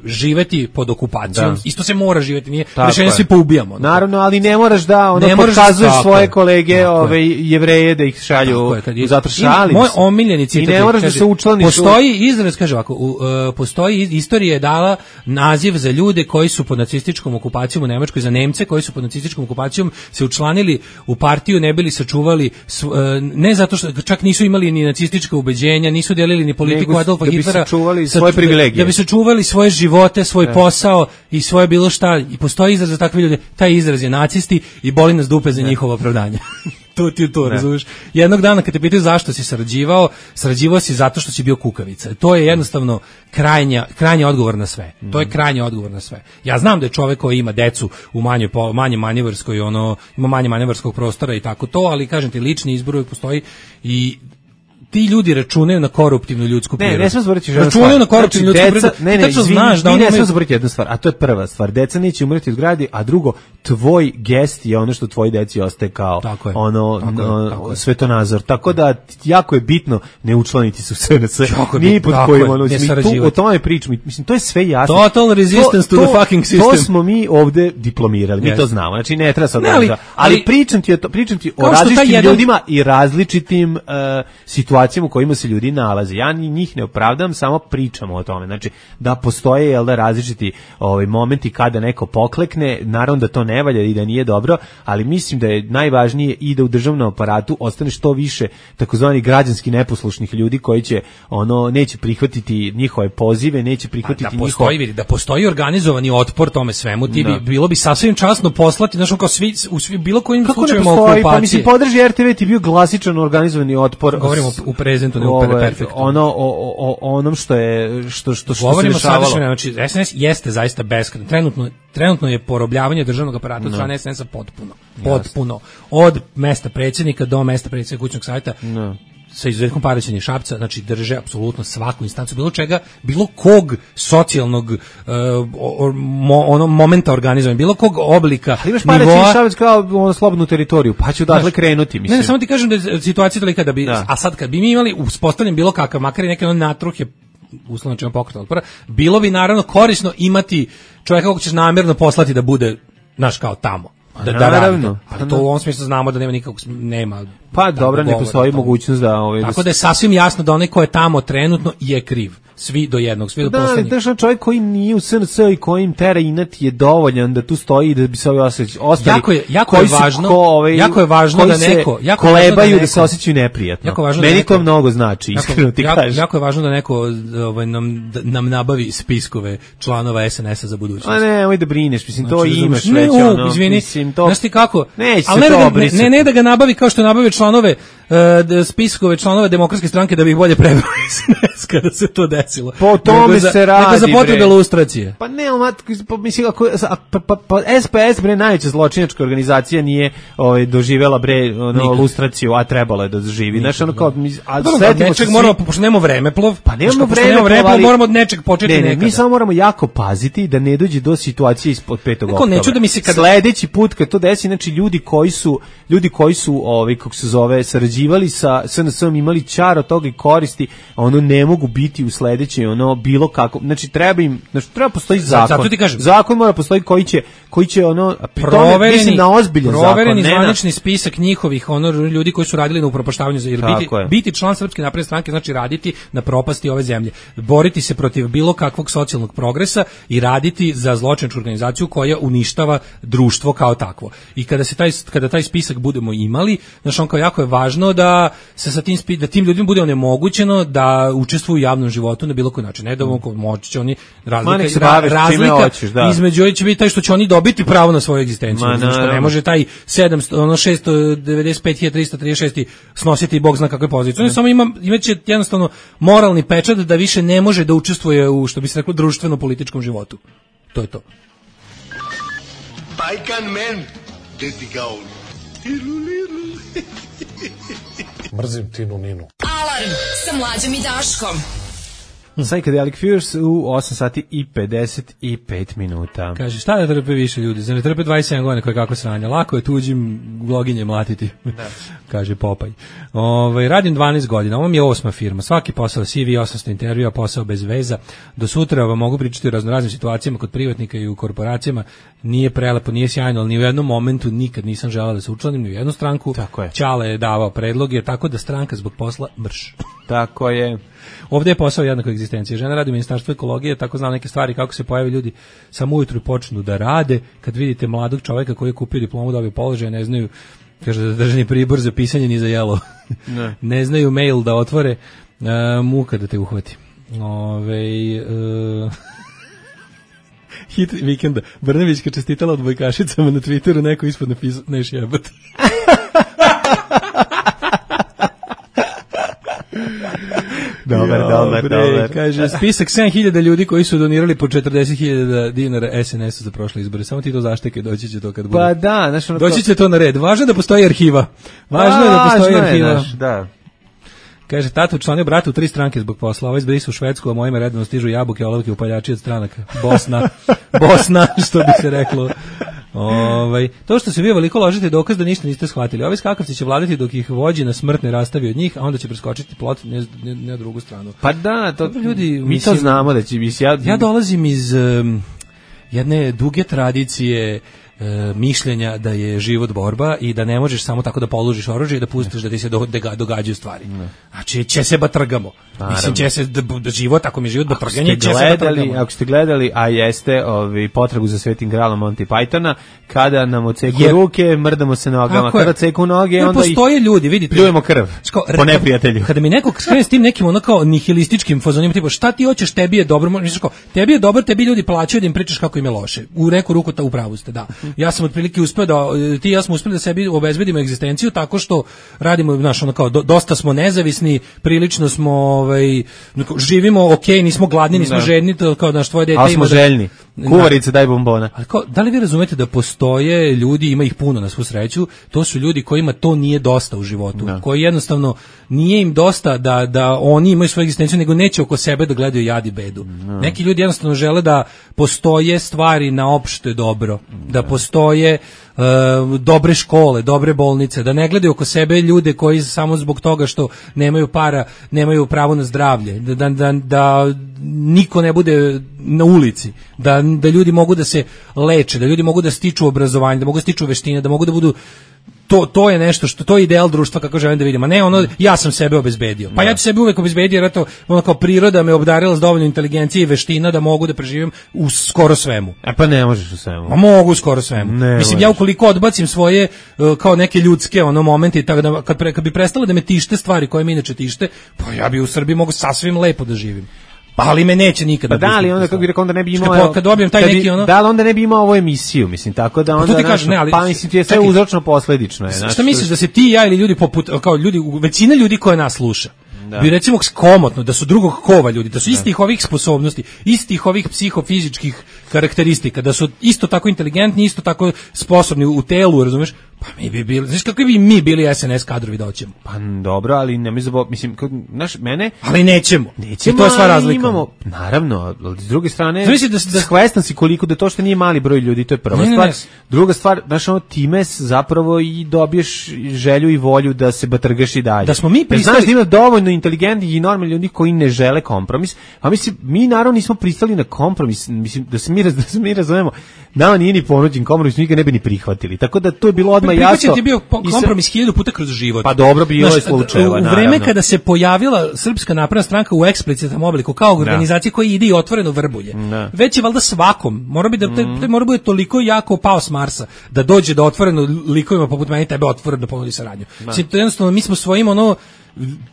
živeti pod okupacijom, da. Isto se mora živeti, nije rešenje svi poubijamo. Naravno, ali ne moraš da ono pokazuješ svoje kolege, ove Jevreje da ih šalju zato šalim. Moj omiljeni citat. I ne moraš da se učlaniš. Postoji izraz, kaže ovako, postoji istorija je dala naziv za ljude koji su pod nacističkom okupacijom u Nemačkoj, za Nemce koji su pod nacističkom okupacijom se učlanili u partiju, ne bili sačuvali, ne zato što čak nisu imali ni nacistička ubeđenja, nisu delili ni politiku nego, Adolfa da Hitlera, sačuvali svoje privilegije. Da bi sačuvali svoje živote, svoj ne. posao i svoje bilo šta. I postoji izraz za takve ljude. Taj izraz je nacisti i boli nas dupe za ne. njihovo opravdanje. To ti to, razumiješ? Jednog dana kad te pitaju zašto si sarađivao, sarađivao si zato što si bio kukavica. To je jednostavno krajnja, krajnji odgovor na sve. Mm. To je krajnji odgovor na sve. Ja znam da je čovjek koji ima decu u manje, manje manevarskoj, ono, ima manje manevarskog prostora i tako to, ali kažem ti, lični izbor uvijek postoji i ti ljudi računaju na koruptivnu ljudsku prirodu. Ne, ne smijemo zaboraviti ženu stvar. Računaju na koruptivnu znači, ljudsku prirodu. Ne, ne, izvini, znaš da oni ne smijemo zaboraviti jednu stvar, a to je prva stvar. Deca neće umreti od gladi, a drugo, tvoj gest je ono što tvoj deci ostaje kao tako je, ono tako no, je, tako svetonazor. Tako da jako je bitno ne učlaniti se u sve na sve. Ni pod kojim ono, tu o tome pričamo. Mislim, to je sve jasno. Total resistance to, to the fucking system. To smo mi ovde diplomirali, mi yes. to znamo. Znači ne treba sad, ali, ali pričam ti o pričam ti o različitim ljudima i različitim situacijama u kojima se ljudi nalaze. Ja ni njih ne opravdam, samo pričamo o tome. Znači, da postoje jel da različiti ovaj, momenti kada neko poklekne, naravno da to ne valja i da nije dobro, ali mislim da je najvažnije i da u državnom aparatu ostane što više takozvani građanski neposlušnih ljudi koji će, ono, neće prihvatiti njihove pozive, neće prihvatiti da postoji, njihov... Da postoji organizovani otpor tome svemu, ti bi, bilo bi sasvim časno poslati, znaš, kao svi, u svi, bilo kojim slučajima okupacije. Pa mislim, podrži er te ve ti bio klasičan organizovani otpor. Govorimo u prezentu, ne u perfektu. Ono o, o, o onom što je što što što govorimo se dešavalo. Znači es en es jeste zaista beskrajno. Trenutno trenutno je porobljavanje državnog aparata od strane es en es-a potpuno. Potpuno. Od mesta predsjednika do mesta predsjednika kućnog savjeta. No. sa izuzetkom Paraćina i Šapca, znači drže apsolutno svaku instancu, bilo čega, bilo kog socijalnog uh, mo, ono momenta organizovanja, bilo kog oblika. Ali imaš Paraćin i Šabac kao ono slobodnu teritoriju, pa ću dakle krenuti, mislim. Ne, ne, samo ti kažem da je situacija tolika da bi, da. A sad kad bi mi imali uspostavljen bilo kakav, makar i neke ono natruhe, uslovno čemu pokretno otpora, bilo bi naravno korisno imati čovjeka kog ćeš namjerno poslati da bude, znaš, kao tamo. Da, da radi. Pa to u ovom smislu znamo da nema nikakvog, nema. Pa dobro, ne postoji mogućnost da... Ovaj, tako da je sasvim jasno da onaj ko je tamo trenutno je kriv. Svi do jednog, svi do da, poslednjeg. Da, da, čovjek koji nije u S N S i kojim tera inat je dovoljan da tu stoji da bi se ovi osjećali. Jako je, jako je važno, ko, ovaj, jako je važno da neko... Jako kolebaju da, neko, da se osjećaju neprijatno. Jako važno Meni da neko, to mnogo znači, iskreno ti jako, kažem. Jako je važno da neko ovaj, nam, nam nabavi spiskove članova S N S-a za budućnost. A ne, oj da brineš, mislim, znači, to imaš ne, već. Ne, ono, izvini, mislim, to... znaš ti kako? Neće ali se ne, to da, ne, ne, ne da ga nabavi kao što nabave članove uh, spiskove članove Demokratske stranke da bi ih bolje preveli S N S kada se to desilo. Po tome se radi, nego za potrebe lustracije. Pa ne, pa mislim ako pa, pa, pa S P S bre najveća zločinačka organizacija nije ovaj doživela bre ono lustraciju, a trebalo je da doživi. Znaš, ono kao a setimo se moramo pošto nemamo vremeplov, pa nemamo vreme, moramo od nečeg početi ne, ne, nekada. Mi samo moramo jako paziti da ne dođe do situacije ispod petog oktobra. Neću da mi se kada sledeći put kad to desi, znači ljudi koji su ljudi koji su ovaj kako se zove sarađivali sa S N S-om, imali čar od toga i koristi, ono ne mogu biti u sledećoj ono bilo kako. Znači treba im, znači treba postoji zakon. Zato ti kažem, zakon mora postoji koji će koji će ono provereni, mislim na ozbiljan zakon, provereni zvanični spisak njihovih ono ljudi koji su radili na upropaštavanju za biti, biti član Srpske napredne stranke znači raditi na propasti ove zemlje, boriti se protiv bilo kakvog socijalnog progresa i raditi za zločinačku organizaciju koja uništava društvo kao takvo. I kada se taj kada taj spisak budemo imali, znači on kao jako je važno da se sa tim da tim ljudima bude onemogućeno da učestvuju u javnom životu na bilo koji način. Ne da mogu moći će oni razlika ra, razlika hoćeš, da. Između ovih će biti taj što će oni dobiti pravo na svoju egzistenciju. Znači što ne može taj sedamsto ono šesto devedeset pet hiljada trista trideset šest snositi bog zna kakve pozicije. On samo ima imaće jednostavno moralni pečat da više ne može da učestvuje u što bi se reklo društveno političkom životu. To je to. Bajkan men, deti gaun. Mrzim Tinu Ninu. Alarm sa Mlađom i Daškom. Psychedelic Furs u osam sati i pedeset pet minuta. Kaže, šta da trpe više ljudi? Za ne trpe dvadeset sedam godina koje kako sranja. Lako je tuđim gloginje mlatiti. Da. Kaže Popaj. Ove, radim dvanaest godina. Ovo mi je osma firma. Svaki posao C V, osamsto intervjua, posao bez veza. Do sutra vam mogu pričati o raznoraznim situacijama kod privatnika i u korporacijama. Nije prelepo, nije sjajno, ali ni u jednom momentu nikad nisam želela da se učlanim ni u jednu stranku. Tako je. Ćale je davao predloge, tako da stranka zbog posla mrš. Tako je. Ovdje je posao jednako egzistencije. Žena radi u Ministarstvu ekologije, tako znam neke stvari kako se pojave ljudi samo ujutru počnu da rade. Kad vidite mladog čovjeka koji je kupio diplomu, dobio položaj, ne znaju, kaže da držani pribor za pisanje ni za jelo. Ne, ne znaju mail da otvore, uh, muka da te uhvati. Ovej... Uh... Hit vikenda. Brnevićka čestitala odbojkašicama na Twitteru, neko ispod napisao, neš jebat. Dobar, dobar, dobar. Kaže, spisak sedam hiljada ljudi koji su donirali po četrdeset hiljada dinara S N S-u za prošle izbore. Samo ti to zaštekaj, doći će to kad bude. Pa da, znaš ono doći će to na red. Važno je da postoji arhiva. Važno je da postoji arhiva. Naš, da. Kaže, tata učlanio brata u tri stranke zbog posla. Ovaj zbrisa u Švedsku, a mojima redno stižu jabuke, olovke, upaljači od stranaka. Bosna. Bosna, što bi se reklo. Ovaj, to što se vi veliko ložite je dokaz da ništa niste shvatili. Ovi skakavci će vladati dok ih vođi na smrtne rastavi od njih, a onda će preskočiti plot ne, ne, ne na drugu stranu. Pa da, to dobro, ljudi, mi mislim, to znamo da će mislim, ja, ja dolazim iz um, jedne duge tradicije e, mišljenja da je život borba i da ne možeš samo tako da položiš oružje i da pustiš da ti se do, da događaju stvari. Ne. Znači, će se batrgamo. Naravno. Mislim, će se da, da život, ako mi je život batrganje, će se batrgamo. Ako ste gledali, a jeste ovi, potragu za Svetim gralom Monty Pythona, kada nam odseku je, ruke, mrdamo se nogama, kada odseku noge, jer onda postoje ih ljudi, vidite, pljujemo krv sko, po neprijatelju. Kada mi neko skrene s tim nekim ono kao nihilističkim fazonima, tipa šta ti hoćeš, tebi je dobro, misliš kao, tebi je dobro, tebi ljudi plaćaju da im pričaš kako im je loše. U neku ruku ta upravu ste, da. Ja sam otprilike uspeo da ti i ja smo uspeli da sebi obezbedimo egzistenciju tako što radimo, znaš, ono kao do, dosta smo nezavisni, prilično smo ovaj živimo okej, okay, nismo gladni, nismo da. žedni, to kao naš tvoje dete ali smo ima željni. Kuvarice, daj bombona. Ali kao, da li vi razumete da postoje ljudi, ima ih puno na svu sreću, to su ljudi kojima to nije dosta u životu, da. Koji jednostavno nije im dosta da, da oni imaju svoju egzistenciju, nego neće oko sebe da gledaju jad i bedu. Da. Neki ljudi jednostavno žele da postoje stvari na opšte dobro, da, da postoje uh, dobre škole, dobre bolnice, da ne gledaju oko sebe ljude koji samo zbog toga što nemaju para, nemaju pravo na zdravlje, da, da, da, da niko ne bude na ulici, da, da ljudi mogu da se leče, da ljudi mogu da stiču obrazovanje, da mogu da stiču veštine, da mogu da budu to to je nešto što to je ideal društva kako želim da vidim. A ne ono ja sam sebe obezbedio. Pa ja ću sebe uvek obezbedio jer eto ono kao priroda me obdarila s dovoljno inteligencije i veština da mogu da preživim u skoro svemu. E pa ne možeš u svemu. Ma mogu u skoro svemu. Ne Mislim možeš. Ja ukoliko odbacim svoje uh, kao neke ljudske ono momente tako da kad, pre, kad bi prestale da me tište stvari koje me inače tište, pa ja bi u Srbiji mogu sasvim lepo da živim. Pa ali me neće nikada. Pa da, ali onda kako bi rekao onda ne bi imao. Kad, kad dobijem taj kad neki ono. Da, ali onda ne bi imao ovu emisiju, mislim tako da onda. Pa, kažeš, ne, ali, pa mislim ti je sve uzročno posledično je. Šta misliš da se ti ja ili ljudi poput kao ljudi većina ljudi koja nas sluša da. Bi recimo komotno da su drugog kova ljudi, da su istih da. Ovih sposobnosti, istih ovih psihofizičkih karakteristika, da su isto tako inteligentni, isto tako sposobni u telu, razumeš? Pa mi bi bili, znaš kako bi mi bili S N S kadrovi da hoćemo. Pa dobro, ali ne mi zabo, mislim, naš mene, ali nećemo. Nećemo. I to je sva razlika. Imamo, naravno, ali s druge strane, znači da da svestan si koliko da to što nije mali broj ljudi, to je prva ne, stvar. Ne, ne. Druga stvar, znaš, ono time zapravo i dobiješ želju i volju da se batrgaš i dalje. Da smo mi pristali, znaš, da ima dovoljno inteligentnih i normalnih ljudi koji ne žele kompromis. A mislim, mi naravno nismo pristali na kompromis, mislim da se mi da se mi razumemo. Nama nije ni ponuđen kompromis, mi ga ne bi ni prihvatili. Tako da to je bilo odmah jasno. Prihvaćen je bio kompromis hiljadu puta kroz život. Pa dobro, bilo je slučajeva. U vreme naravno. Kada se pojavila Srpska napredna stranka u eksplicitnom obliku kao organizacija koja ide i otvoreno vrbulje. Ne. Već je valjda svakom, mora bi da te, te mora bude toliko jako pao s Marsa da dođe da otvoreno likovima poput meni tebe otvoreno da ponudi saradnju. Mislim, to jednostavno mi smo svojim ono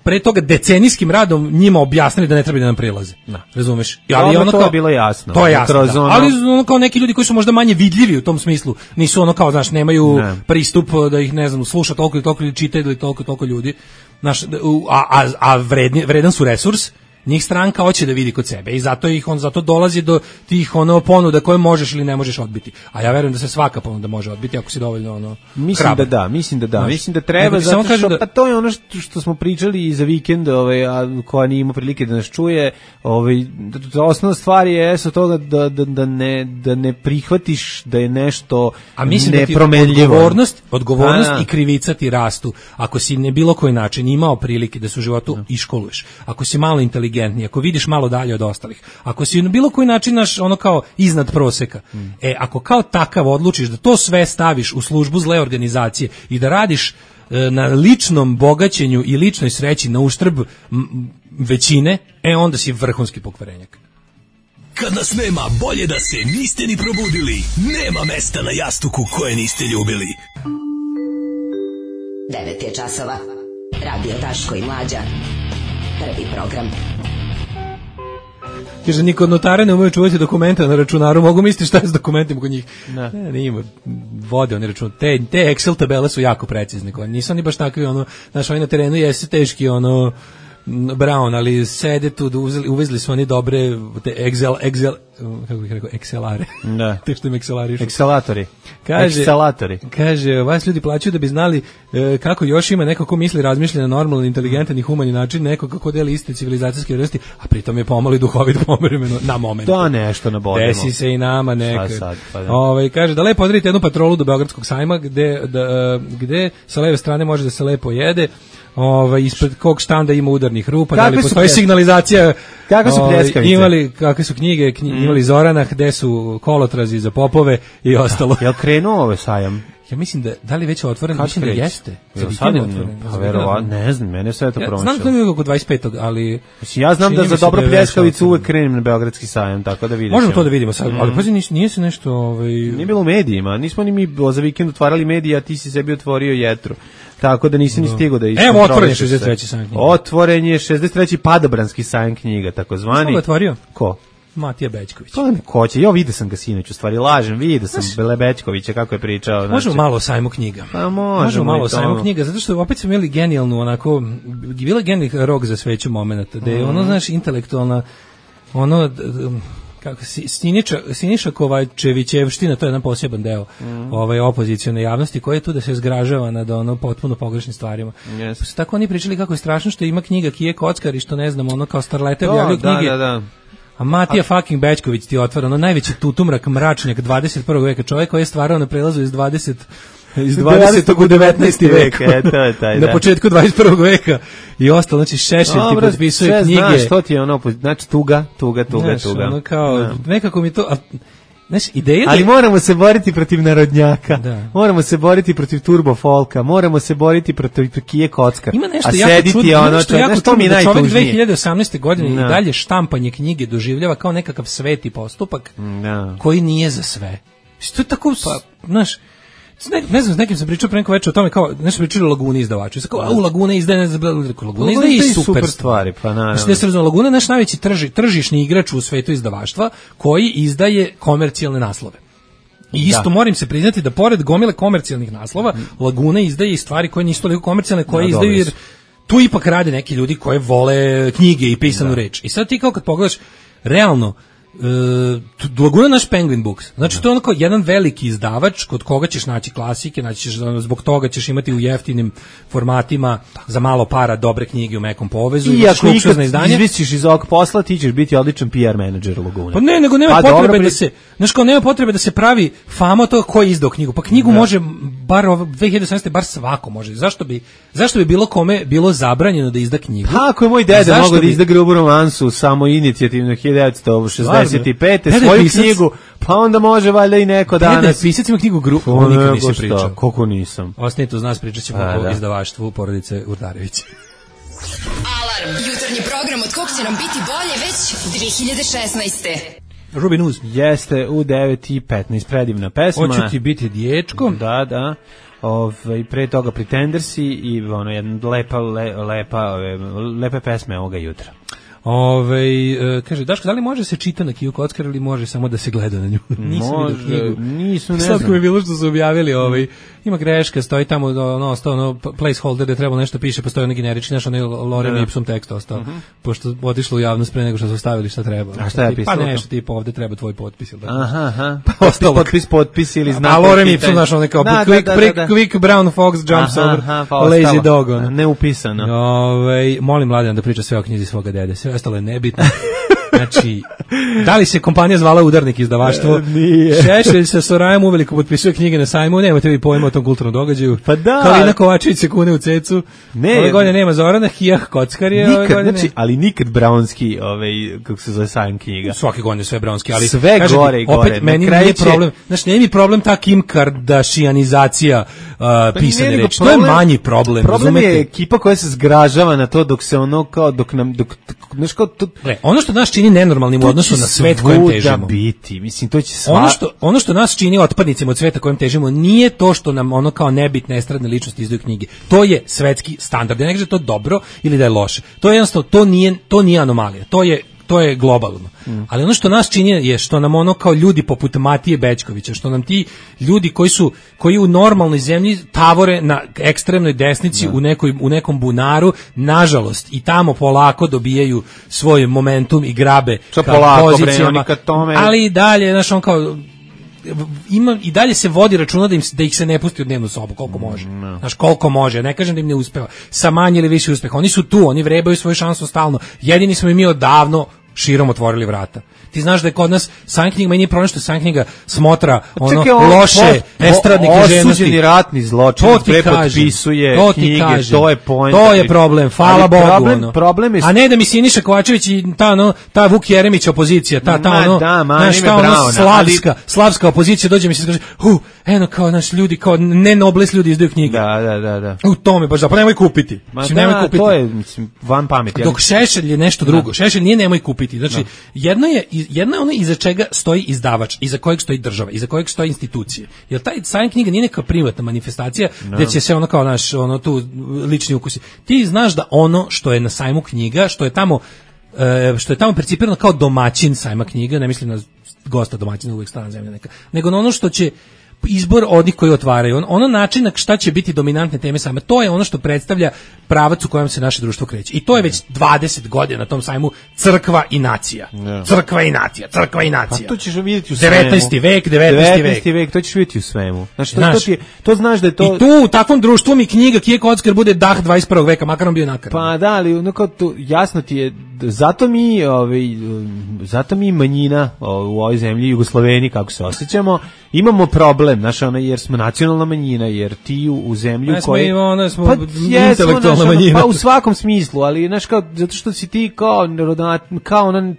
pre toga decenijskim radom njima objasnili da ne treba da nam prilaze. Da. Razumeš? Ali ono to kao, je bilo jasno. To je jasno. Da. Ono... Ali ono kao neki ljudi koji su možda manje vidljivi u tom smislu, nisu ono kao, znaš, nemaju ne. Pristup da ih, ne znam, sluša toliko i toliko ili čita ili toliko i toliko ljudi. Znaš, a, a, a vredni, vredan su resurs. Njih stranka hoće da vidi kod sebe i zato ih on zato dolazi do tih ono ponuda koje možeš ili ne možeš odbiti. A ja verujem da se svaka ponuda može odbiti ako si dovoljno ono mislim hrabar. da da, mislim da da, Znaš, mislim da treba zato što da... pa to je ono što, što smo pričali i za vikend, ovaj a koja nije imao prilike da nas čuje, ovaj osnovna stvar je sa toga da, da, da ne da ne prihvatiš da je nešto a mislim nepromenljivo. Da odgovornost, odgovornost a, i krivica ti rastu. Ako si ne bilo koji način imao prilike da se u životu no. iškoluješ, ako si malo inteligentniji, ako vidiš malo dalje od ostalih, ako si na bilo koji način naš ono kao iznad proseka, mm. e ako kao takav odlučiš da to sve staviš u službu zle organizacije i da radiš e, na ličnom bogaćenju i ličnoj sreći na uštrb m, većine, e onda si vrhunski pokvarenjak. Kad nas nema, bolje da se niste ni probudili. Nema mesta na jastuku koje niste ljubili. devet je časova. Radio Daško i Mlađa. Prvi program. Kaže, niko od notara ne umeju čuvati dokumenta na računaru, mogu misliti šta je s dokumentima kod njih. Ne, ne, ne ima, vode oni račun. Te, te Excel tabele su jako precizne, nisu oni baš takvi, ono, znaš, oni na terenu jeste teški, ono, Brown, ali sede tu, uvezli, uvezli su oni dobre te Excel, Excel, kako bih rekao, Excelare. Da. Te što im Excelarišu. Excelatori. Kaže, Excelatori. Kaže, vas ljudi plaćaju da bi znali e, kako još ima neko ko misli, razmišlja na normalan, inteligentan i humani način, neko kako deli iste civilizacijske vrednosti, a pritom je pomalo i duhovit pomereno na moment. Da, nešto nabodimo. Desi se i nama neka. Sad, pa da. Ove, kaže, da lepo odredite jednu patrolu do Beogradskog sajma, gde, da, gde sa leve strane može da se lepo jede. Ovaj ispred kog štanda ima udarnih rupa, da li postoji signalizacija? Kakve su pljeskavice? Imali kakve su knjige, knji, mm. imali Zorana, gde su kolotrazi za popove i ostalo. Jel krenuo ovaj sajam? Ja mislim da da li već je otvoren, mislim da jeste. Za vikend otvoren. Pa verovatno, ne znam, mene sve to promašilo. Znam da je oko dvadeset petog, ali ja znam da za dobro pljeskavicu uvek krenem na Beogradski sajam, tako da vidimo. Možemo to da vidimo sad, mm. ali pazi, nije se nešto, ovaj nije bilo u medijima, nismo ni mi za vikend otvarali medije, a ti si sebi otvorio Jetru. Tako da nisi ni stigao da iskontroliš. Evo, otvoren je šezdeset treći sajam knjiga. Otvoren je šezdeset treći padobranski sajam knjiga, takozvani. Ko ga otvorio? Ko? Matija Bećković. Pa ko će? Ja vidio sam ga sinoć, u stvari lažem, vidio sam Bele Bećkovića kako je pričao. Znači, možemo malo o sajmu knjiga. Pa možemo, možemo malo o sajmu knjiga, zato što opet smo imali genijalnu, onako, bila genijalni rok za sveću momenata, da je ono, znaš, intelektualna, ono, kako si, Siniša, Siniša Kovačevićevština, to je jedan poseban deo mm. ovaj, opozicione javnosti koji je tu da se zgražava nad ono potpuno pogrešnim stvarima. Yes. Pa su tako oni pričali kako je strašno što ima knjiga Kije Kockar i što ne znam, ono kao starlete objavljaju knjige. Da, da, da. A Matija A... fucking Bećković ti otvara ono najveći tutumrak, mračnjak dvadeset prvog veka, čovjek koji je stvarao na prelazu iz dvadeset iz dvadesetog u devetnaesti vek, e, to je taj, na početku dvadeset prvog veka i ostalo, znači Šešelj ti potpisuje knjige. Znaš, što ti je ono, znači tuga, tuga, tuga, znaš, tuga. Ono kao, no. nekako mi to... A, znaš, ideja ali da... moramo se boriti protiv narodnjaka, da. moramo se boriti protiv turbo folka, moramo se boriti protiv Kije Kockar. Ima nešto a jako sediti čudno, ono, nešto jako čudno da čovjek dve hiljade osamnaeste. godine no. i dalje štampanje knjige doživljava kao nekakav sveti postupak no. koji nije za sve. Što je tako, pa, znaš, Ne, ne znam, s nekim sam pričao pre neko večer o tome, kao, nešto pričali o Laguni izdavaču. Kao, a u Lagune izdaje, ne znam, Laguna izdaje i super, super stvari, pa naravno. Znači, da se razumije, Laguna je naš najveći trži, tržišni igrač u svetu izdavaštva, koji izdaje komercijalne naslove. I isto da. moram se priznati da pored gomile komercijalnih naslova, Laguna izdaje i stvari koje nisu toliko komercijalne, koje da, izdaju, jer tu ipak rade neki ljudi koji vole knjige i pisanu da. reč. I sad ti kao kad pogledaš, realno, Uh, Laguna naš Penguin Books. Znači, to je onako jedan veliki izdavač kod koga ćeš naći klasike, znači ćeš, zbog toga ćeš imati u jeftinim formatima za malo para dobre knjige u mekom povezu. I ako ikad izvisiš iz ovog posla, ti ćeš biti odličan P R menadžer Laguna. Pa ne, nego nema pa potrebe dobro, da se, znaš kao, nema potrebe da se pravi fama to ko je izdao knjigu. Pa knjigu da. može, bar dve hiljade osamnaeste. bar svako može. Zašto bi, zašto bi bilo kome bilo zabranjeno da izda knjigu? Kako je moj deda mogao da izda Grubu romansu samo inicijativno hiljadu devetsto šezdeset pete svoju pisac, knjigu, pa onda može valjda i neko danas. Deda je pisac ima knjigu Grubu, on nikad nisi pričao. Koliko nisam. Ostanite uz nas, pričat ćemo o da. izdavaštvu porodice Urdarević. Alarm, jutarnji program od kog će nam biti bolje već dve hiljade šesnaeste. Ruby News. Jeste u devet i petnaest, predivna pesma. Hoću ti biti dječko. Da, da. Ove, pre toga Pretendersi i ono, jedna lepa, le, lepa, ove, lepe pesme ovoga jutra. Ove, e, kaže, Daško, da li može se čita na Kiju Kockar ili može samo da se gleda na nju? Nisam vidio knjigu. Nisu, ne znam. Sad ko je bilo što su objavili, ovaj, ima greška, stoji tamo ono, ostao ono placeholder da treba nešto piše, postoji ono generični, znaš, ono Lorem Ipsum tekst ostao, uh-huh. pošto otišlo u javnost pre nego što su stavili šta treba. A šta je pisalo? Pa nešto tipa ovde treba tvoj potpis ili tako. Aha, aha. Pa ostalo potpis, potpis ili znak. A Lorem Ipsum, znaš, ono kao da, quick, da, da, da. quick brown fox jumps aha, over aha, pa lazy dog. Ono. Neupisano. Ove, molim Mladen da priča sve o knjizi svoga dede, sve ostalo je nebitno. Znači, da li se kompanija zvala Udarnik izdavaštvo? Nije. Šešelj sa Sorajom uveliko potpisuje knjige na sajmu, nemate vi pojma o tom kulturnom događaju. Pa da. Kalina Kovačević se kune u cecu. Ne. Ove godine nema Zorana, Hijah Kockar je nikad, ove godine. Znači, ali nikad Brownski, ovaj, kako se zove sajam knjiga. Svake godine sve Brownski, ali sve kažem, gore i gore. Opet meni nije problem, znači nije mi problem ta Kim Kardashianizacija uh, pisane reči. To je manji problem, problem razumete? Je ekipa koja se zgražava na to dok se ono kao, dok nam, dok, znaš kao, to, Gle, ono što nas čini nenormalnim u odnosu na svet kojem težimo. Biti. Mislim, to će sva... ono, što, ono što nas čini otpadnicima od sveta kojem težimo nije to što nam ono kao nebitne estradne ličnosti izdaju knjige. To je svetski standard. Ja ne kažem da je to dobro ili da je loše. To je jednostavno, to nije, to nije anomalija. To je to je globalno. Mm. Ali ono što nas čini je što nam ono kao ljudi poput Matije Bećkovića, što nam ti ljudi koji su koji u normalnoj zemlji tavore na ekstremnoj desnici u nekoj u nekom bunaru, nažalost i tamo polako dobijaju svoj momentum i grabe ka polako, pozicijama. Bre, tome... Ali i dalje, znaš, on kao ima i dalje se vodi računa da im da ih se ne pusti u dnevnu sobu koliko može. No. Znaš, koliko može. Ne kažem da im ne uspeva. Sa manje ili više uspeha. Oni su tu, oni vrebaju svoju šansu stalno. Jedini smo i mi odavno širom otvorili vrata. Ti znaš da je kod nas sajam knjiga, meni je problem što sajam knjiga smotra ono čekaj, on, loše estradne književnosti. Osuđeni ratni zločin, prepotpisuje to knjige, kaže, to je point. To je problem, hvala Bogu. Problem, ono. problem je... A ne da mi Siniša Kovačević i ta, no, ta Vuk Jeremić opozicija, ta, ta, ono, da, naš, ta ono slavska, ali... slavska opozicija dođe mi se kaže, hu, eno kao naš ljudi, kao ne nobles ljudi izdaju knjige. Da, da, da. da. U tome baš da, pa nemoj kupiti. Ma mislim, da, nemoj kupiti. To je, mislim, van pameti. Dok Šešelj je nešto drugo. Šešelj nije nemoj kupiti. Znači, jedno je, jedno je ono iza čega stoji izdavač, iza kojeg stoji država, iza kojeg stoji institucije. Jer taj sajam knjiga nije neka privatna manifestacija no. gdje će se ono kao naš, ono tu lični ukusi. Ti znaš da ono što je na sajmu knjiga, što je tamo e, što je tamo percipirano kao domaćin sajma knjiga, ne mislim na gosta domaćina, uvijek strana zemlja neka, nego na ono što će izbor onih koji otvaraju. On, ono način šta će biti dominantne teme same, to je ono što predstavlja pravac u kojem se naše društvo kreće. I to je već dvadeset godina na tom sajmu crkva i nacija. Yeah. Crkva i nacija, crkva i nacija. Pa to ćeš vidjeti u svemu. devetnaesti vek, devetnaesti vek. To ćeš vidjeti u svemu. Znači, to, znaš, to, ti je, to znaš da je to... I tu u takvom društvu mi knjiga Kije Kockar bude dah dvadeset prvog veka, makar on bio nakaran. Pa da, ali onako, to, jasno ti je, zato mi, ovaj, zato mi manjina u ovoj zemlji, Jugoslaveni, kako se osjećamo, imamo problem, znaš, ono, jer smo nacionalna manjina, jer ti u, u zemlju ne, koji... Smo, ono, smo pa, intelektualna jesmo, manjina. Pa u svakom smislu, ali, znaš, kao, zato što si ti kao, kao ono,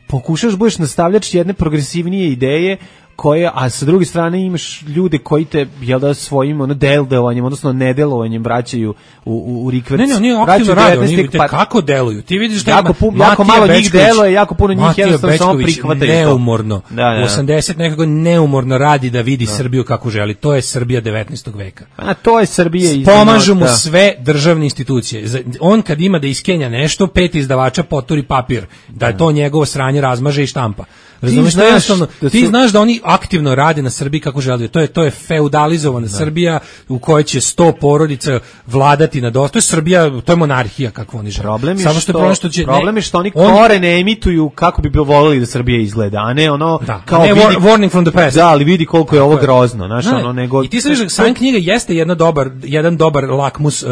pokušaš budeš nastavljač jedne progresivnije ideje, koje, a sa druge strane imaš ljude koji te, jel da, svojim ono delovanjem, odnosno nedelovanjem vraćaju u, u, u rikverc. Ne, ne, oni aktivno rade, oni te kako deluju. Ti vidiš da jako, pu, jako malo njih deluje, jako puno njih jednostavno samo prihvataju. Neumorno, da, da. osamdeset nekako neumorno radi da vidi da. Srbiju kako želi. To je Srbija devetnaestog veka. A to je Srbija iz... Pomažu mu sve državne institucije. On kad ima da iskenja nešto, pet izdavača poturi papir, da je to njegovo sranje razmaže i štampa. Razumeš, ti znaš, da ti su... znaš da oni aktivno rade na Srbiji kako žele. To je to je feudalizovana da. Srbija u kojoj će sto porodica vladati na dosta. To je Srbija, to je monarhija kako oni žele. Problem je, Samo što, što, što će, problem je što oni on... kore ne emituju kako bi bilo voleli da Srbija izgleda, a ne ono da. kao ne, vidi, warning from the past. Da, ali vidi koliko je ovo grozno, znaš, ne, ono nego. I ti znaš, sam knjiga jeste jedna dobar, jedan dobar lakmus uh,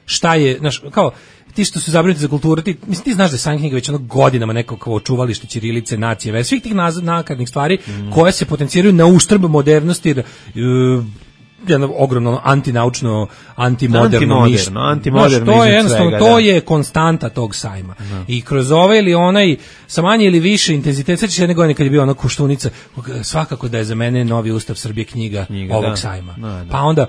šta je, znaš, kao ti što su zabrinuti za kulturu, ti, mislim, ti znaš da je sam knjiga već ono godinama neko kao očuvalište ćirilice, nacije, već svih tih nakarnih stvari mm. koje se potenciraju na uštrb modernosti, uh, jedno ogromno antinaučno, antimoderno mišljenje. Antimoderno, to je jednostavno, svega, to da. je konstanta tog sajma. Da. I kroz ovaj ili onaj, sa manje ili više intenzitet, sveći jedne godine kad je bio ona Koštunica, svakako da je za mene Novi ustav Srbije knjiga, knjiga ovog da. sajma. Da, da. Pa onda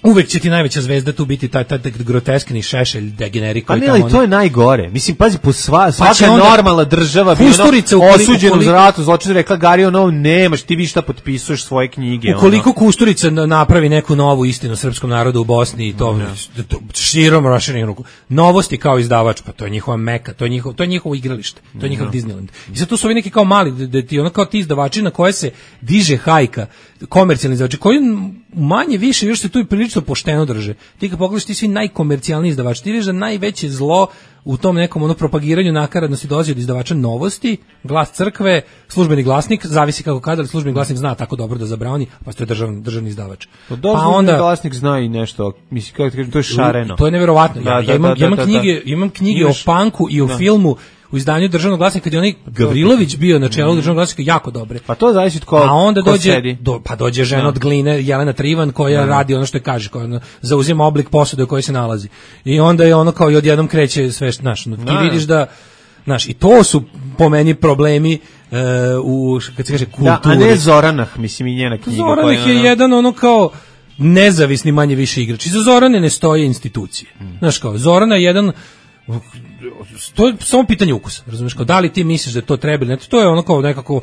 uvek će ti najveća zvezda tu biti taj, taj groteskni Šešelj degenerik koji tamo... A ne, ali to je najgore. Mislim, pazi, po sva, svaka pa normalna država bi ono osuđenu za ratu zločinu rekla Gari, ono, nemaš, ti vi šta potpisuješ svoje knjige. Ukoliko ono. Kusturica napravi neku novu istinu srpskom narodu u Bosni i to, no. to širom raširenih ruku. Novosti kao izdavač, pa to je njihova meka, to je njihovo, to je njihovo igralište, to je njihov no. Disneyland. I sad tu su ovi neki kao mali, da ti ono kao ti izdavači na koje se diže hajka, komercijalni izdavači, koji manje više još se tu i prilično pošteno drže. Ti kad pogledaš ti svi najkomercijalniji izdavači, ti vidiš da najveće zlo u tom nekom ono propagiranju nakaradnosti dolazi od izdavača Novosti, Glas crkve, Službeni glasnik, zavisi kako kada, ali Službeni glasnik zna tako dobro da zabrani, pa to je državni, državni izdavač. Pa, pa onda glasnik zna i nešto, mislim kako kažem, to je šareno. To je neverovatno. Ja, ja, da, imam, da, da, imam knjige, da, da. imam knjige Imaš, o punku i o da. filmu u izdanju Državnog glasnika kad je onaj Gavrilović bio na čelu Državnog glasnika jako dobre. Pa to zavisi od ko, a onda ko dođe sedi. Do, pa dođe žena no. od Gline, Jelena Trivan koja no. radi ono što je kaže, koja ono, zauzima oblik posude u kojoj se nalazi. I onda je ono kao i odjednom kreće sve, znaš, no, ti no. vidiš da, znaš, i to su po meni problemi uh, u, kad se kaže, kulturi. Da, a ne Zoranah, mislim i njena knjiga. Zoranah je ono... jedan ono kao nezavisni manje više igrač. Iza Zorane ne stoje institucije. Hmm. Znaš kao, Zorana je jedan to je samo pitanje ukusa, razumiješ, kao da li ti misliš da to treba ili ne, to je ono kao nekako,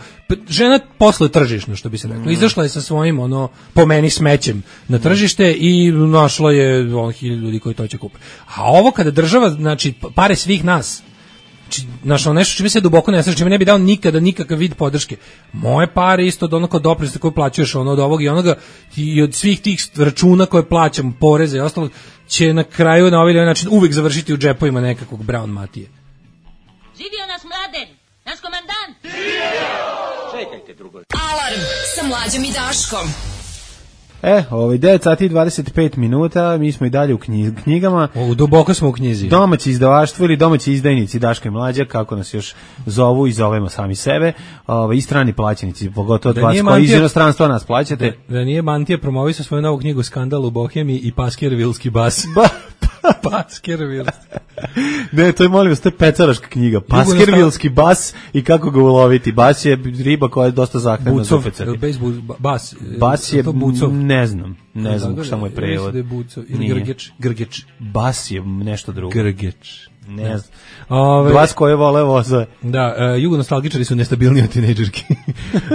žena posle tržišno, što bi se reklo, izašla je sa svojim, ono, po meni smećem na tržište i našla je on hiljadu ljudi koji to će kupiti. A ovo kada država, znači, pare svih nas, znaš, ono nešto čime se duboko ne slažem, čime ne bi dao nikada nikakav vid podrške. Moje pare isto od onog doprinosa koje plaćaš, ono od ovog i onoga i od svih tih računa koje plaćam, poreze i ostalo, će na kraju na ovaj način uvek završiti u džepovima nekakvog Brown Matije. Živio nas Mladen, naš komandant! Živio! Čekajte drugo. Alarm sa Mlađom i Daškom. E, ovaj devet sati i dvadeset pet minuta, mi smo i dalje u knjigama. O, duboko smo u knjizi. Domaći izdavaštvo ili domaći izdajnici Daška i Mlađa, kako nas još zovu i zovemo sami sebe, ovaj, i strani plaćenici, pogotovo od vas koji iz inostranstva nas plaćate. Da, da nije Mantija promovisao svoju novu knjigu Skandal u Bohemiji i Paskervilski bas. Ba, Paskervilski. Ne, to je, molim vas, to je pecaraška knjiga. Paskervilski bas i kako ga uloviti. Bas je riba koja je dosta zahtevna za pecati. Bas, bas je, ne znam, ne znam šta mu je prevod. Ili grgeč, grgeč. Bas je nešto drugo. Grgeč. Ne znam. Ove, Bas koje vole voze. Da, uh, jugonostalgičari su nestabilniji od tinejdžerki.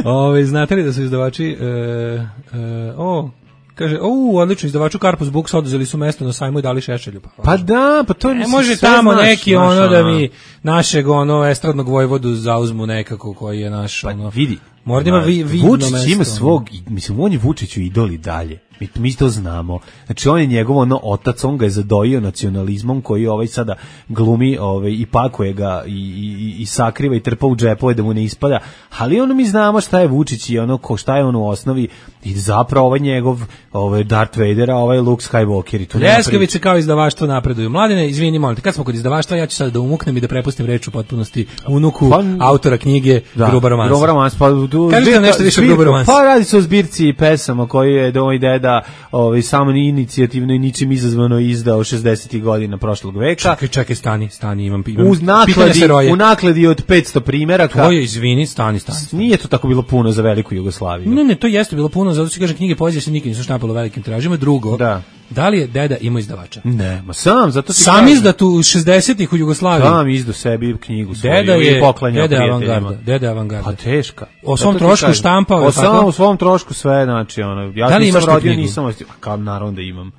Ove, znate li da su izdavači uh, uh, o, kaže, u, odlično, izdavaču Karpus Books oduzeli su mesto na sajmu i dali Šešelju. Pa, pa da, pa to je... Ne može tamo naš, neki naš, ono da mi našeg ono estradnog vojvodu zauzmu nekako koji je naš... Pa ono, vidi, Mora da ima vi, vidno Vučić mesto. ima svog, mislim, on je Vučiću idol i dalje. Mi, mi to znamo. Znači, on je njegov ono otac, on ga je zadojio nacionalizmom koji ovaj sada glumi ovaj, i pakuje ga i, i, i sakriva i trpa u džepove da mu ne ispada. Ali ono mi znamo šta je Vučić i ono ko šta je on u osnovi i zapravo ovaj njegov ovaj Darth Vader, a ovaj Luke Skywalker. I to Ljeskavice kao izdavaštvo napreduju. Mladine, izvini, molim te, kad smo kod izdavaštva, ja ću sad da umuknem i da prepustim reč u potpunosti unuku pa, autora knjige da, Gruba romansa. Gruba romansa. Pa, kažete nam nešto više o Gruba romansa. Pa radi se o zbirci pesama koju je moj deda ovaj samo inicijativno i ničim izazvano izdao šezdesetih godina prošlog veka. Čekaj, čekaj, stani, stani, imam, imam uz nakladi, u nakladi od petsto primeraka. To je, izvini, stani, stani, stani. Nije to tako bilo puno za veliku Jugoslaviju. Ne, ne, to jeste bilo puno, zato što kaže knjige poezije se nikad nisu štampalo velikim tiražima. Drugo, da. Da li je deda imao izdavača? Ne, ma sam, zato ti sam izdat u šezdesetih u Jugoslaviji. Sam izdao sebi knjigu svoju deda je, i poklanjao deda prijateljima. Avangarda, deda avangarda. Pa teška. O svom trošku štampao. O svom, u svom trošku sve, znači, ono, ja da li nisam rodio, knjigu? nisam, kao naravno da imam.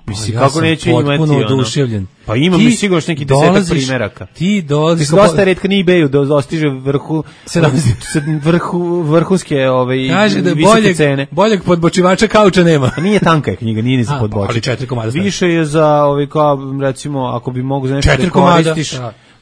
Mislim, ja kako neću imati, potpuno oduševljen. Pa imam mi sigurno neki desetak primeraka. Ti dolaziš... Ti dosta retka na eBayu da dostiže vrhu, vrhu, vrhunske ove, kaže da visoke boljeg, cene. Boljeg podbočivača kauča nema. A nije tanka je knjiga, nije ni za podbočit. Ali četiri komada. Više je za, ove, kao, recimo, ako bi mogu za nešto da koristiš...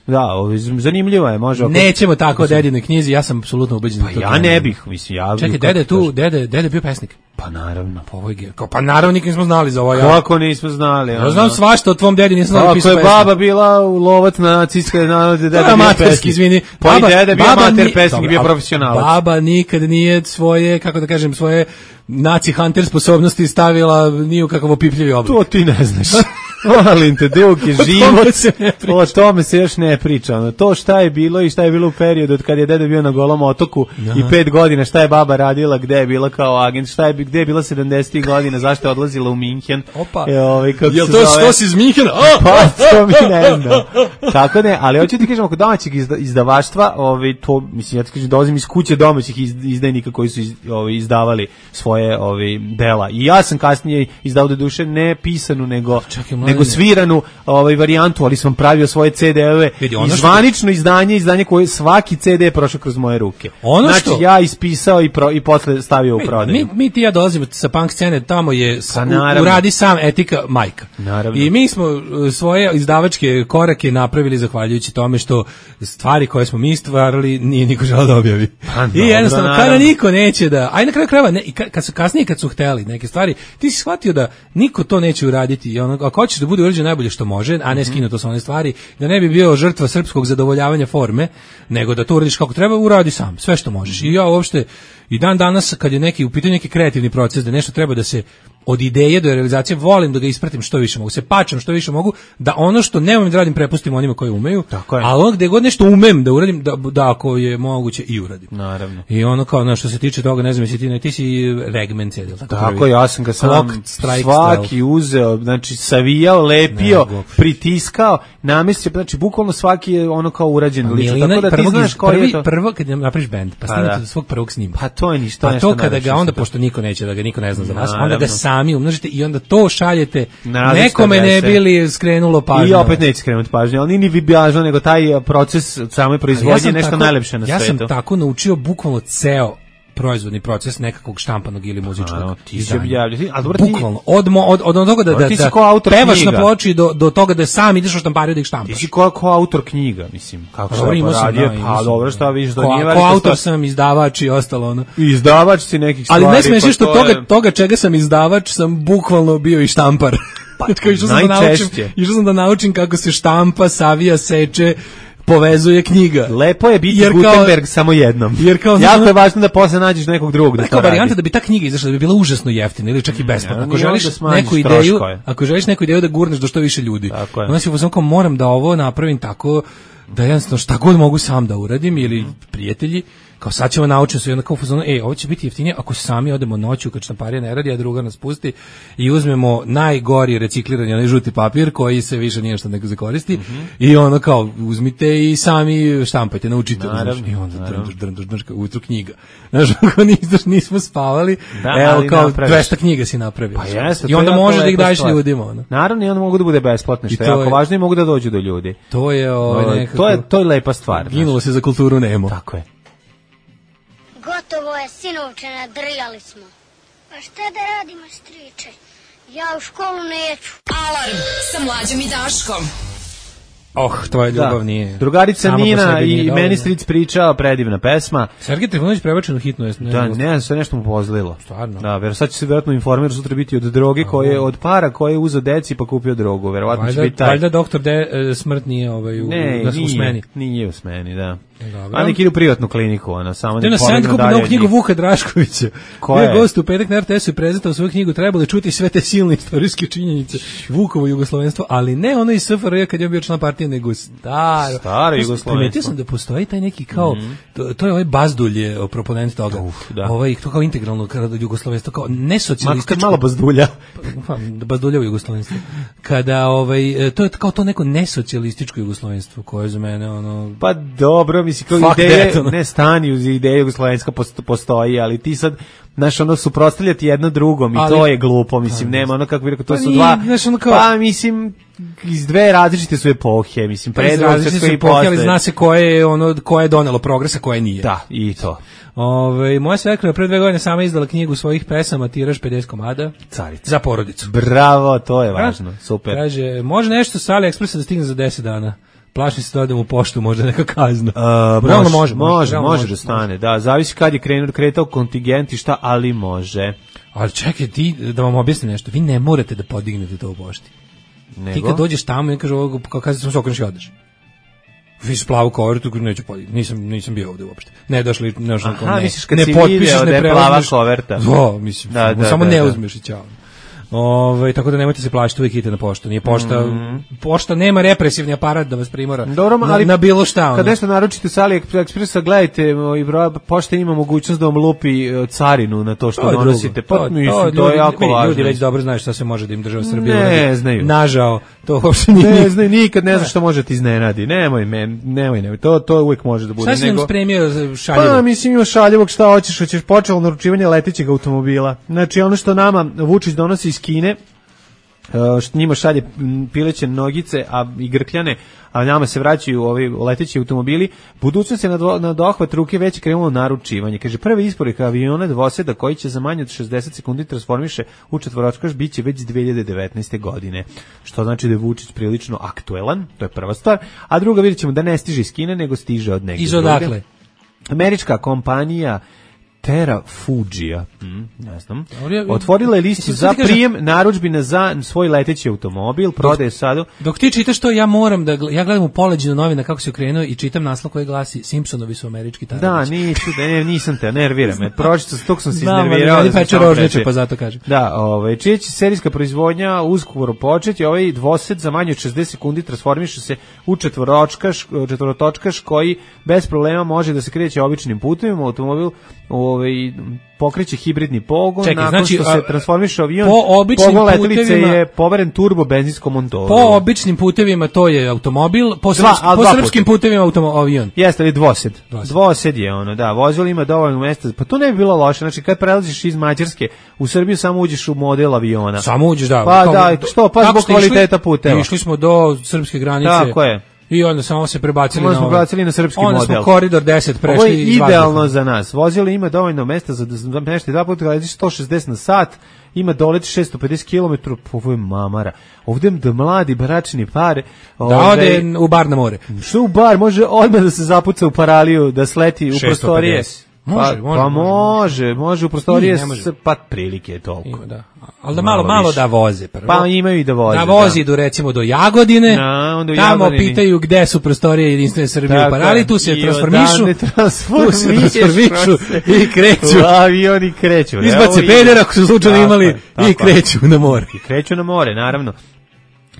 Da, ovo, zanimljivo je, može. Ako... Nećemo tako o dedinoj knjizi, ja sam apsolutno ubeđen. Pa ja ne bih, mislim, ja... Čekaj, dede tu, dede, dede bio pesnik. Pa naravno. Pa, ovo je, pa naravno nikad nismo znali za ovo. Ja. Kako nismo znali? Ja znam svašta o tvom dedi, nisam znali pisao pesnik. Ako je baba bila lovac na nacističke narode, deda bio pesnik. Izvini. Pa i deda bio amater pesnik, bio profesionalac. Baba nikad nije svoje, kako da kažem, svoje naci hunter sposobnosti stavila ni u kakav opipljivi oblik. To ti ne znaš. Molim te, dug je život, o tome se još ne priča. Ono, to šta je bilo i šta je bilo u periodu od kad je deda bio na Golom otoku Aha. i pet godina, šta je baba radila, gde je bila kao agent, šta je, gde je bila sedamdesetih godina, zašto je odlazila u Minhen. Opa, e, ovaj, kako jel to što si iz Minhena? Oh, pa, to mi ne znam. Tako ne, ali hoću ti kažem, oko domaćeg izda, izdavaštva, ovaj, to, mislim, ja ti kažem, dolazim iz kuće domaćih izdajnika koji su iz, ovaj, izdavali svoje ovaj, dela. I ja sam kasnije izdao do duše ne pisanu, nego... Čekaj, nego sviranu ovaj varijantu, ali sam pravio svoje ce de-eve i zvanično izdanje, izdanje koje svaki ce de je prošao kroz moje ruke. Ono znači što... ja ispisao i, pro, i posle stavio mi, u prodaju. Mi, mi ti ja dolazimo sa punk scene, tamo je pa, u, uradi sam etika majka. Naravno. I mi smo svoje izdavačke korake napravili zahvaljujući tome što stvari koje smo mi stvarali nije niko želeo da objavi. Pa, I jednostavno, kada niko neće da... Aj na kraju krajeva, ne, kad su kasnije, kad su hteli neke stvari, ti si shvatio da niko to neće uraditi. I ono, ako hoćeš da bude urađeno najbolje što može, a ne skinuto sa one stvari, da ne bi bio žrtva srpskog zadovoljavanja forme, nego da to uradiš kako treba, uradi sam, sve što možeš. I ja uopšte, i dan danas, kad je neki, u pitanju neki kreativni proces, da nešto treba da se od ideje do realizacije, volim da ga ispratim što više mogu, se pačam što više mogu, da ono što ne umem da radim prepustim onima koji umeju, a ono gde god nešto umem da uradim, da, da ako je moguće i uradim. Naravno. I ono kao, no, što se tiče toga, ne znam, jesi ti, ne, ti si Regment sedel. Tako, tako ja sam ga sam strike, svaki style. uzeo, znači savijao, lepio, ne, pritiskao, namestio, znači bukvalno svaki je ono kao urađen pa, lično. Milina, tako da ti znaš koji prvi, je to. Prvo kad napraviš bend, pa snimate do svog prvog snima. Pa to je ništa. Pa to kada ga onda, pošto niko neće da ga niko ne zna za vas, onda ga sami umnožite i onda to šaljete, nekome ne bili skrenulo pažnju. I opet neće skrenuti pažnju, ali nije ni vibažno, nego taj proces same proizvodnje je nešto tako, najlepše na ja svetu. Ja sam tako naučio bukvalno ceo proizvodni proces nekakvog štampanog ili muzičkog a, ti se objavljati, a dobro ti bukvalno od mo, od od toga da da, da pevaš knjiga. Na ploči do do toga da sam ideš u štampariju da ih štampaš. Ti si ko, ko autor knjiga, mislim, kako se radio, pa dobro šta vidiš do njega. Ko autor sam, izdavač i ostalo ono. Izdavač si nekih stvari. Ali ne smiješ pa što to toga je... toga čega sam izdavač sam bukvalno bio i štampar. Pa išao sam da naučim, išao sam da naučim kako se štampa, savija, seče, povezuje knjiga. Lepo je biti jer Gutenberg kao, samo jednom. Jer kao jako je važno da posle nađeš nekog drugog da to radi. Varijanta da bi ta knjiga izašla da bi bila užasno jeftina ili čak i besplatna. Ako želiš neku ideju, ako želiš neku ideju da gurneš do što više ljudi. Onda si uzmano kao moram da ovo napravim tako da jednostavno šta god mogu sam da uradim ili prijatelji kao sad ćemo naučiti se onda kao fazonu, ej, ovo će biti jeftinije ako sami odemo noću kad štamparija ne radi, a druga nas pusti i uzmemo najgori reciklirani onaj žuti papir koji se više nije što neko zakoristi mm-hmm. i ono kao uzmite i sami štampajte, naučite. Naravno, i onda drnduš, drnduš, drnduš, ujutru knjiga. Znaš, ako nismo, nismo spavali, da, evo kao napraviš. dvesta knjiga si napravio. Pa jeste, i onda možeš da ih daješ ljudima. Ono. Naravno, i onda mogu da bude besplatno, što je jako važno i mogu da dođu do ljudi. To je, ovaj, nekako, to je, to je lepa stvar. Ginulo se za kulturu nemo. Tako je. Gotovo je, sinovče, nadrljali smo. Pa šta da radimo, striče? Ja u školu neću. Alarm sa Mlađom i Daškom. Oh, tvoja ljubav da. Nije. Drugarica Nina i meni stric pričao, predivna pesma. Sergej Trifunović prebačen u hitnu. Ne da, ne znam, sve nešto mu pozlilo. Stvarno. Da, ver, sad će se vjerojatno informer sutra biti od droge, koje, od para koje je uzeo deci pa kupio drogu. Verovatno valjda, će biti taj. Valjda doktor de, e, smrt nije ovaj, u, ne, u, nije, u smeni. Nije u smeni, da. Dobro. A neki ide u privatnu kliniku, ona samo ne polegnu dalje. Novu knjigu Vuka Draškovića. Koja je? Gost u petak na er te esu i prezentao svoju knjigu, trebalo čuti sve te silne istorijske činjenice Vukovo jugoslovenstvo, ali ne ono iz es ef er je kad je bio član partije, nego staro. Staro jugoslovenstvo. Primetio sam da postoji taj neki kao, mm. to, to je ovaj Bazdulj, proponent toga. Uf, da. Ovaj, to kao integralno jugoslovenstvo, kao nesocijalističko. Makar malo Bazdulja. Pa, Bazduljevo jugoslovenstvo. Kada, ovaj, to je kao to neko nesocijalističko jugoslovenstvo, koje je za mene, ono... Pa dobro, misli, kao Fuck ideje, that, ne stani uz ideje jugoslovenska postoji, ali ti sad, znaš, ono, suprotstavljati jedno drugom i ali, to je glupo, mislim, pa, nema ono kako bi rekao, to pa su nije, dva, znaš, ono kao, pa mislim, iz dve različite su epohe, mislim, pa različite su epohe, ali zna se koje je, ono, koje je donelo progresa, koje nije. Da, i to. Ove, moja svekra pre dve godine sama izdala knjigu svojih pesama, tiraž pedeset komada. Carica. Za porodicu. Bravo, to je važno, super. Kaže, može nešto sa AliExpressa da stigne za deset dana. Plašim se da odem u poštu, možda neka kazna. Uh, može, može, može, može da stane, da, zavisi kad je krenuo, kretao kontingent i šta, ali može. Ali čekaj, ti, da vam objasnim nešto, vi ne morate da podignete to u pošti. Nego? Ti kad dođeš tamo i kaže ovo, kao kada sam se okrenuš i odeš. Vi s plavu kovertu, neću podigniti, nisam, nisam bio ovde uopšte. Ne došli, ne, Aha, ne, misliš kad ne si potpišeš, video ne da je plava koverta. Da, mislim, da, da, samo da, ne da. uzmeš i ćao. Ove, tako da nemojte se plašiti, uvijek idete na poštu. Nije pošta, mm. pošta nema represivni aparat da vas primora. Dobro, na, ali na bilo šta. Ono. Kad nešto naručite sa AliExpressa, gledajte, i pošta ima mogućnost da vam lupi carinu na to što to donosite. Pa, to, mislim, to, to je jako ljudi, važno. Ljudi već dobro znaju šta se može da im država Srbija ne uradi. znaju. Nažao, to uopšte nije. Ne znaju, nikad ne zna što može ti iznenadi. Nemoj, men, nemoj, nemoj. To, to uvijek može da bude. Šta si nam spremio šaljivog? Pa, mislim, ima šaljivog, šta hoćeš, hoćeš počelo naručivanje letećeg automobila. Znači, ono što nama Vučić donosi iz Kine, što njima šalje pileće nogice a i grkljane, a nama se vraćaju ovi leteći automobili, budućnost je na, do, na dohvat ruke već krenulo naručivanje. Kaže, prvi isporuka aviona dvoseda koji će za manje od šezdeset sekundi transformiše u četvoročkaš biće već dve hiljade devetnaeste. godine. Što znači da je Vučić prilično aktuelan, to je prva stvar. A druga, vidjet ćemo da ne stiže iz Kine, nego stiže od negdje. Iz odakle? Američka kompanija Terra Fugija, mm, ne znam, otvorila je listu za prijem narudžbina za svoj leteći automobil, prodaje sada. Dok ti čitaš to, ja moram da, ja gledam u poleđinu novina kako se okrenuo i čitam naslov koji glasi Simpsonovi su američki tarabići. Da, nisu, ne, nisam te, nervira me, pročito s tog sam se iznervirao. Da, peče rožniče, pa zato kažem. Da, ovaj, čija će serijska proizvodnja uskoro početi, ovaj dvosed za manje od šezdeset sekundi transformiše se u četvoročkaš, četvorotočkaš koji bez problema može da se kreće običnim putevima, automobil ovaj pokreće hibridni pogon. Čekaj, nakon znači, što se transformiše avion, po pogon letelice je poveren turbo benzinskom motoru. Po običnim putevima to je automobil, po, dva, srpskim, po srpskim putevima automo, avion. Jeste li dvosed? dvosed? Dvosed je ono, da, vozilo ima dovoljno mesta, pa to ne bi bilo loše, znači kad prelaziš iz Mađarske u Srbiju samo uđeš u model aviona. Samo uđeš, da. Pa kao, da, što, pa zbog kvaliteta puteva. Išli smo do srpske granice. Tako je. I onda samo se prebacili onda na, smo prebacili na srpski onda model. Onda smo koridor deset prešli. Ovo je idealno za nas. Vozilo ima dovoljno mesta za nešto dva puta, letiš sto šezdeset na sat, ima dolet šesto pedeset kilometara, ovo je mamara. Ovdje da mladi bračni par... Da ode u bar na more. Što u bar? Može odmah da se zapuca u paraliju, da sleti u prostorije. Može, pa, može, pa može, može, može u prostorije s pat prilike toliko. Ima, da. Ali da malo, malo, malo da voze prvo. Pa imaju i da voze. Da vozi idu recimo do Jagodine, na, onda tamo Jagodini. Pitaju gde su prostorije Jedinstvene Srbije u Parali, tu se transformišu, tu se transformišu i kreću. U avioni kreću. Izbace pedera ako su slučajno imali tako, i kreću na more. I kreću na more, naravno.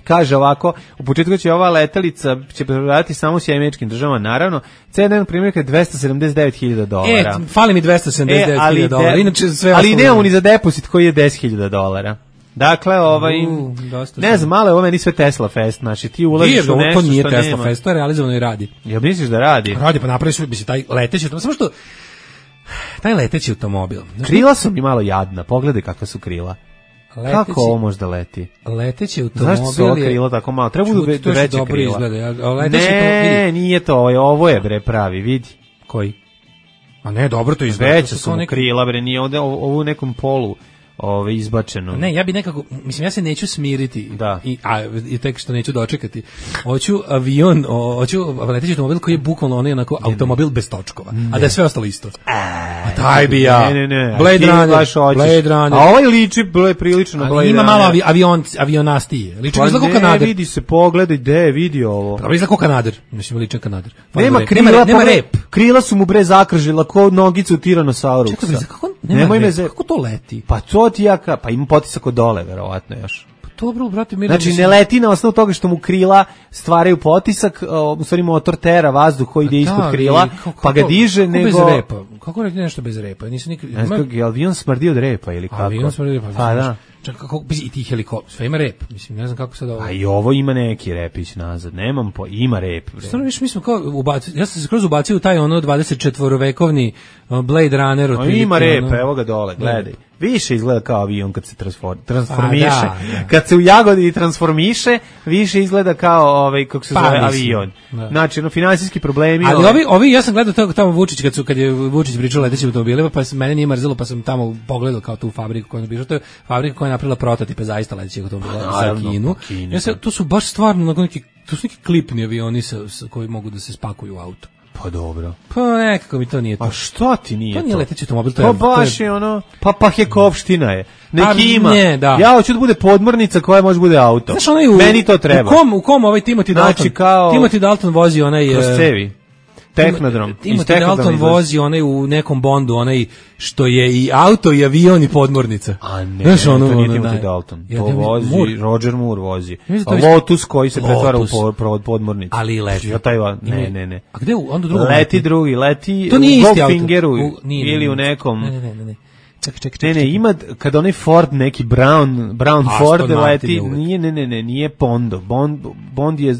Kaže ovako, u početku će ova letelica će prodavati samo s američkim državama, naravno, cena primjerka je dvesta sedamdeset devet hiljada dolara. E, fali mi dvesta sedamdeset devet hiljada dolara, inače sve ali nemamo ni za depozit koji je deset hiljada dolara. Dakle, ovaj, uh, ne znam, malo je ovo meni sve Tesla Fest, znači ti ulaziš u nešto to nije što Tesla nema. Fest, to je realizovano i radi. Jel misliš da radi? Radi, pa napravi su, misli, taj leteći automobil, samo što, taj leteći automobil. Krila su mi malo jadna, pogledaj kakva su krila. Leteći, kako ovo možda leti? Leteći automobil Zašto su ova krila tako malo? Treba budu veće krila. Izgleda. Ne, nije to, ovo je bre pravi, vidi. Koji? A ne, dobro to izgleda. Veća su mu neki... krila, bre, nije ovde ovo u nekom polu ove izbačeno. Ne, ja bi nekako, mislim, ja se neću smiriti, da. I, a i tek što neću dočekati. Hoću avion, o, hoću leteći automobil koji je bukvalno onaj onako automobil bez točkova, ne. A da je sve ostalo isto. A taj bi ja. Ne, ne, ne. Blade Runner, Blade Runner. A ovaj liči ble, prilično na Blade Runner. Ima malo avi, avion, avionastije. Liči pa izgleda kao Kanader. Ne, vidi se, pogledaj, gde je vidio ovo. Pa izgleda kao Kanader. Mislim, liči Kanader. Nema krila, nema, nema rep. Krila su mu bre zakržila kao nogicu Tiranosaurus. Čekaj, kako nema rep, kako to leti? Pa to ti ja ka, pa ima potisak od dole, verovatno još. Pa dobro, brate, mi znači ne leti na osnovu toga što mu krila stvaraju potisak, u stvari motor tera vazduh koji ide ispod krila, kako, pa ga diže, kako nego... bez repa? Kako reći nešto bez repa? Nisam nikad... Ne znam, je avion smrdi od repa ili kako? Avion smrdi od repa. Pa da. Čak, kako, i ti helikopter, sve ima rep, mislim, ne znam kako sad ovo... A i ovo ima neki repić nazad, nemam po, ima rep. Stvarno, viš, mi smo kao, ubaci, ja sam se skroz ubacio u taj ono dvadeset četvorovekovni Blade Runner. O, ima rep, ono, evo ga dole, gledaj. Više izgleda kao avion kad se transform, transformiše. Da, da. Kad se u jagodi transformiše, više izgleda kao ovaj kako se pa, zove mislim, avion. Da. Znači, ono finansijski problemi. Ali ovi, ovi ja sam gledao tamo, tamo Vučić kad su kad je Vučić pričao letećim automobilima, pa se mene nije mrzelo, pa sam tamo pogledao kao tu fabriku koju je napravila. To je fabrika koja je napravila prototipe zaista letećih automobila za Kinu. Ja se to su baš stvarno neki to su neki klipni avioni sa, sa koji mogu da se spakuju u auto. Pa dobro. Pa nekako mi to nije to. A što ti nije to? To nije leteći automobil, to je... Pa baš je ono, pa Pahjekovština je. Neki ima. Ne, da. Ja hoću da bude podmornica koja može bude auto. Znaš, onaj u, meni to treba. U kom, u kom ovaj Timothy Dalton? Znači kao... Timothy Dalton vozi onaj... Kroz cevi. Tehnodrom. Timothy Dalton vozi onaj u nekom Bondu, onaj što je i auto i avion i podmornica. A ne, Znaš, ono, to nije ono, Timothy Dalton. To ja, vozi, Moore. Roger Moore vozi. Lotus koji se Lotus. pretvara u pod, podmornicu. Ali leti. Ja taj, ne, ne, ne. A gde onda drugo? Leti drugi, leti to nije u Goldfingeru ili u nekom... Ne, ne, ne, ne. Čekaj, čekaj, čekaj. Ne, ne, ima kad onaj Ford, neki Brown, Brown A, Ford leti, nije, ne, ne, ne, nije Bondo. Bond, Bond je...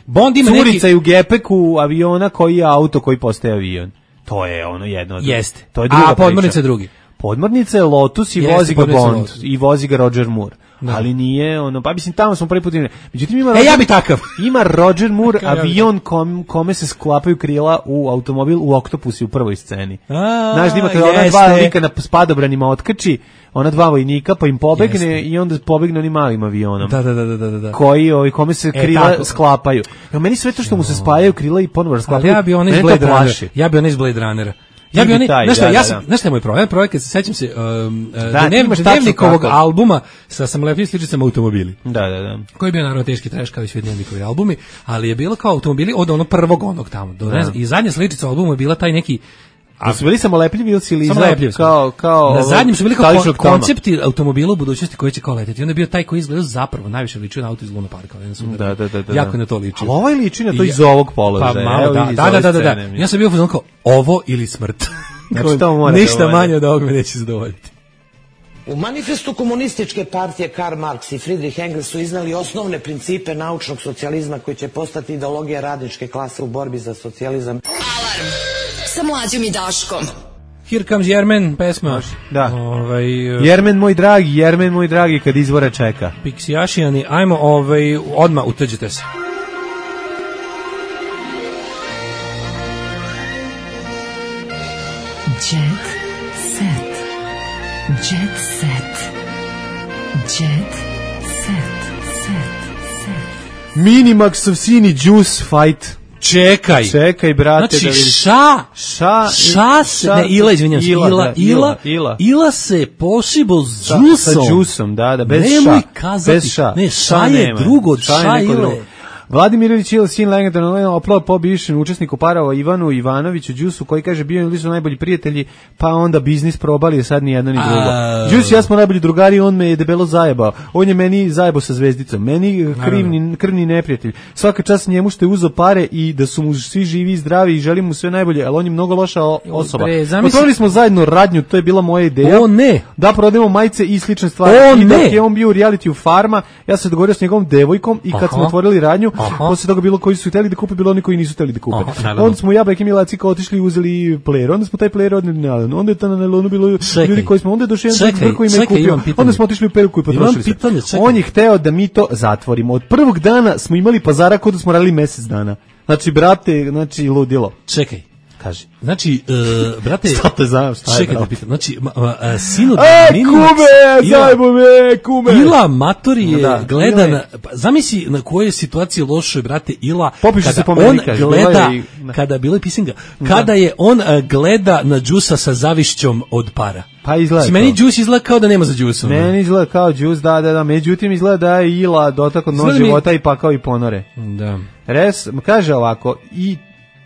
Bond ima curica neki... u gepeku aviona koji je auto koji postaje avion. To je ono jedno. Jeste. To je druga A podmornica je drugi. Podmornica je Lotus i Jeste, vozi ga Bond Lotus. I vozi ga Roger Moore. Da. Ali nije ono, pa mislim tamo smo prvi put imali. Međutim ima E Roger, ja bi takav. Ima Roger Moore avion kom, kome se sklapaju krila u automobil u Oktopusi u prvoj sceni. A, znaš da ima kada ona dva lika na spadobranima otkači, ona dva vojnika pa im pobegne jeste. I onda pobegne onim malim avionom. Da, da, da, da, da. Koji ovi kome se krila e, sklapaju. Ja meni sve to što mu se spajaju krila i ponovo sklapaju. Ja bi onaj iz Blade Runnera. Ja bi onaj iz Blade Runnera. Ja bi oni, znaš šta, ja sam, znaš šta je moj problem? Projekat, sećam se, um, da, dnevnikovog albuma sa sam lepim sličicama automobili. Da, da, da. Koji je bio naravno teški treš kao i svi dnevnikovi albumi, ali je bilo kao automobili od onog prvog onog tamo. Do, ne znam, i zadnja sličica albumu je bila taj neki... A su bili samo lepljivi ili si lizao kao, kao... Na zadnjem su bili kao kon, koncepti automobila u budućnosti koji će kao leteti. I onda je bio taj koji izgledao zapravo najviše ličio na auto iz Luna Parka. Da, da, da, da. Jako na to ličio. Ali ovaj liči na to iz ovog položaja. Pa malo, da, da, da, da, da, da. Ja sam bio fuzon kao ovo ili smrt. Znači, to mora ništa manje od ovog me neće zadovoljiti. U manifestu komunističke partije Karl Marx i Friedrich Engels su iznali osnovne principe naučnog socijalizma koji će postati ideologija radničke klase u borbi za socijalizam. Alarm sa Mlađom i Daškom. Here comes Jermen, pesma. Da. Ovaj, uh, Jermen moj dragi, Jermen moj dragi kad izvora čeka. Piksijašijani, ajmo ovaj, odmah utrđite se. Jet set. Jet set. Jet set. Set. Set. Minimaxov sini juice fight. Čekaj. Čekaj, brate, znači, da vidiš. ša, ša, ša, se, ne, ila, izvinjam se, ila, ila, ila, ila, ila se possible s džusom. Sa džusom, da, da, bez ša. Nemoj kazati, bez ša. Ne, ša je drugo od ša ile. Vladimirović je sin legendarno oplao po bivšem učesniku parova Ivanu Ivanoviću Đusu koji kaže bio ili su najbolji prijatelji pa onda biznis probali sad ni jedno ni drugo. Đus ja smo najbolji drugari, on me je debelo zajebao. On je meni zajebao sa zvezdicom. Meni krivni krvni neprijatelj. Svaka čast njemu što je uzeo pare i da su mu svi živi i zdravi i želim mu sve najbolje, ali on je mnogo loša osoba. Otvorili smo zajedno radnju, to je bila moja ideja. O ne. Da prodajemo majice i slične stvari. O, I dok ne. je on bio u reality u Farma, ja se dogovorio s njegovom devojkom i kad Aha. smo otvorili radnju, posle toga bilo koji su hteli da kupe, bilo oni koji nisu hteli da kupe. Aha, onda smo ja, Bek i Milaci kao otišli i uzeli player, onda smo taj player odneli na nalon, onda je ta na nalonu bilo čekaj, ljudi koji smo, onda je došli jedan koji me kupio, onda smo otišli u Peruku i potrošili se. Pitanje, on je hteo da mi to zatvorimo. Od prvog dana smo imali pazara kod da smo radili mesec dana. Znači, brate, znači, ludilo. Čekaj. Kaži. Znači, uh, brate, šta te znam, šta je, čekaj da pitam, znači, uh, uh, sinu e, Minimax, kume, Ila, zajmo me, kume. Ila Matori je da, gledan, je. Pa, zamisli na kojoj situaciji lošoj, brate, Ila, Popišu kada se po meni, on kaže, gleda, i, kada, bilo je pisinga, kada je on uh, gleda na džusa sa zavišćom od para. Pa izgleda. Meni džus izgleda kao da nema za džusom. Meni izgleda kao džus, da, da, da. Međutim, izgleda da je Ila dotak od nož života i pakao i ponore. Da. Res, kaže ovako, i,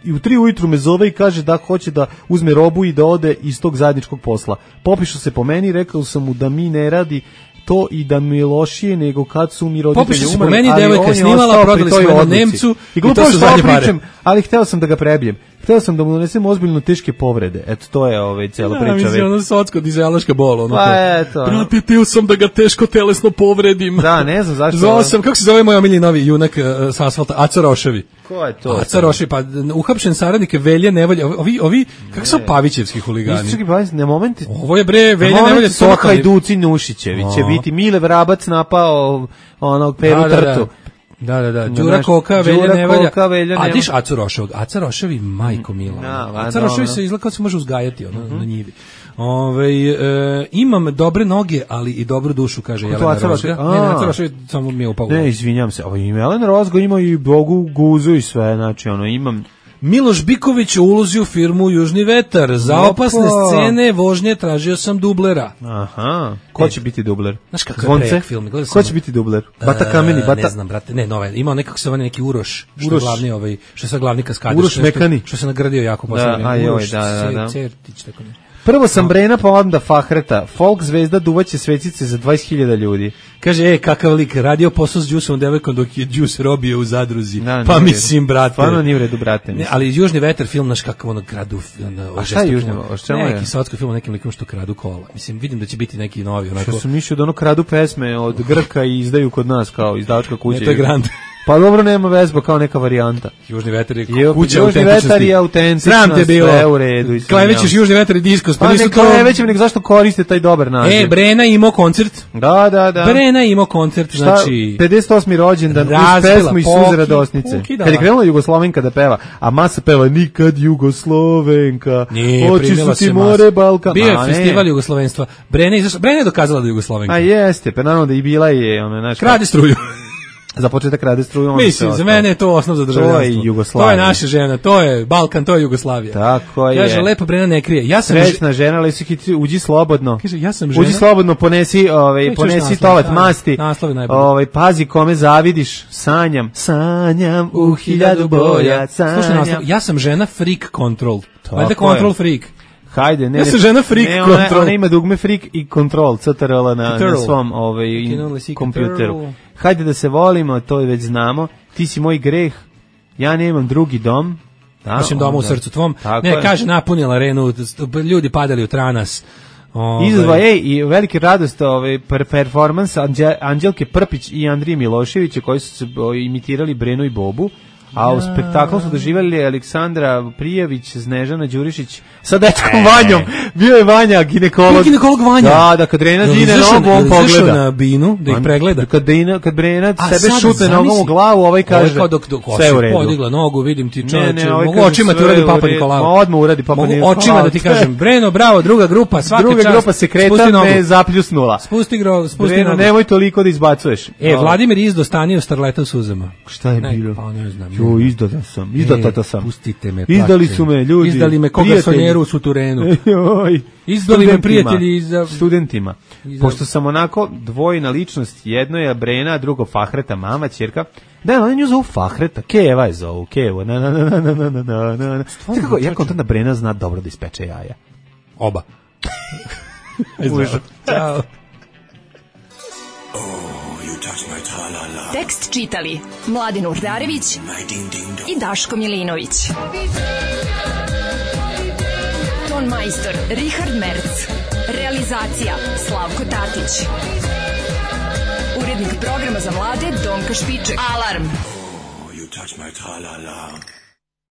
i u tri ujutru me zove i kaže da hoće da uzme robu i da ode iz tog zajedničkog posla. Popišu se po meni, rekao sam mu da mi ne radi to i da mi je lošije nego kad su mi roditelji umrli. Popišu se po meni, devojka snimala, prodali smo jednom Nemcu i to su zadnje pare. Ali hteo sam da ga prebijem. Hteo sam da mu donesem ozbiljno teške povrede. Eto, to je ovaj cela da, priča. Da, mislim, ono socko dizelaška bol. Ono pa eto. Brate, teo sam da ga teško telesno povredim. Da, ne znam zašto. Zvao sam, kako se zove moj omiljeni novi junak uh, sa asfalta? Aca Roševi. Ko je to? Aca Roševi, pa uhapšen saradnik je Velje Nevolja. Ovi, ovi kako su Pavićevski huligani? Nisu čekaj, ne momenti. Ovo je bre, Velje Nevolja. To Hajduci Nušićevi će biti Mile Vrabac napao onog Peru Trtu. Da, da, da. Đura Koka, Velja Nevolja. A diš Acu Roševog. Aca Roševi, majko mila. No, Aca Roševi se izgleda kao se može uzgajati ono, uh-huh. na njivi. Ove, e, imam dobre noge, ali i dobru dušu, kaže Jelena Rozga. Ne, ne, Aca Roševi samo mi je upao. Ne, izvinjam se. Ovo ima Jelena Rozga, ima i Bogu Guzu i sve. Znači, ono, imam... Miloš Biković u ulozi u firmu Južni vetar. Za opasne scene vožnje tražio sam dublera. Aha. Ko će biti dubler? Znaš kako je prejak film? Ko će biti dubler? Bata Kameni, Bata... Ne znam, brate. Ne, nove. Imao nekako se vani neki Uroš. Što je glavni, ovaj, što je sad glavni kaskader. Uroš Mekani. Što se nagradio jako poslednje. Da, ajoj, da, da, da. Certić, tako ne. Prvo sam Brena, pa onda Fahreta. Folk zvezda duvaće svecice za dvadeset hiljada ljudi. Kaže, e, kakav lik, radio posao s Đusom devojkom dok je Đus robio u zadruzi. Da, pa mislim, brate. Stvarno nije u redu, brate. Ne, ali Južni vetar film, naš kakav ono kradu. Ono, a šta je Južni vetar? Neki sotsko film o nekim likom što kradu kola. Mislim, vidim da će biti neki novi. Onako... Što su mišli da ono kradu pesme od Grka i izdaju kod nas kao izdavačka kuća. Ne, to je Grand. Pa dobro, nema vezba kao neka varijanta. Južni vetar je kuća Južni vetar je autentična, sram te bilo. Sve u redu. Klevećeš Južni vetar i diskos. Pa, pa nisu ne klevećem, nego zašto koriste taj dobar naziv? E, Brena imao koncert. Da, da, da. Brena imao koncert, znači... pedeset osmi rođendan, uz pesmu i suze radosnice. Kad je krenula Jugoslovenka da peva, a masa peva nikad Jugoslovenka, oči su ti more Balkan. Bio je festival jugoslovenstva. Brena je dokazala da je Jugoslovenka. A jeste, pa naravno da i bila je... Krade struju. Za početak rade struju. Mislim, za mene je to osnov za državljanstvo. To je Jugoslavija. To je naša žena, to je Balkan, to je Jugoslavija. Tako je. Kaže, lepa Brena ne krije. Ja sam srećna žena, ali si hitri, uđi slobodno. Kaže, ja sam žena. Uđi slobodno, ponesi, ovaj, ponesi tolet masti. Ovaj, pazi kome zavidiš, sanjam, sanjam u hiljadu boja, sanjam. Slušaj naslov, ja sam žena freak control. Valjda control freak. Hajde, ne. Ja sam žena freak ne, control. Ona, ona ima dugme freak i control, C T R L na, na svom ovaj, kompjuteru. Hajde da se volimo, to već znamo. Ti si moj greh, ja nemam drugi dom. Da, Našem domu u srcu tvom. Ne, je. Kaže, napunila arenu, ljudi padali u tranas. Izazva, ej, i veliki radost ovaj, performans Anđelke Prpić i Andrije Miloševića koji su se imitirali Brenu i Bobu. A u spektaklu su doživjeli Aleksandra Prijević, Snežana Đurišić sa dečkom Vanjom. Bio je Vanja, ginekolog. Bio ginekolog Vanja. Da, da, kad Brena dine nogu, on pogleda. Na binu, da ih pregleda. Kad Brena, kad Brena sebe šutne nogom u glavu, ovaj kaže, ovaj dok, dok, sve u redu. Podigla nogu, vidim ti čovječe, ne, ne, ovaj mogu očima ti uradi Papa Nikolao. Odmah uradi Papa Nikolao. Mogu očima da ti kažem, Breno, bravo, druga grupa, svaka čast. Druga grupa se kreta, ne zapljusnula. Spusti gro, spusti Breno, nemoj toliko da izbacuješ. E, Vladimir Izdo stanio starleta u suzama. Šta je bilo? Pa ne znam. Jo, izdao sam. Izdata sam. Pustite me. Izdali su me ljudi. Izdali me koga sonjeru u suterenu. Izdali me prijatelji za studentima. Pošto sam onako dvojna ličnost, jedno je Brena, drugo Fahreta, mama, ćerka. Da, oni nju zovu Fahreta, Keva je zovu, Kevo. Na na na na na na na na. Kako ja kontam da Brena zna dobro da ispeče jaja. Oba. Ćao. Tekst čitali Mladin Urdarević i Daško Milinović. Ton majstor Richard Merc. Realizacija Slavko Tatić. Urednik programa za mlade Donka Špiček. Alarm! Oh, you touch my tra-la-la.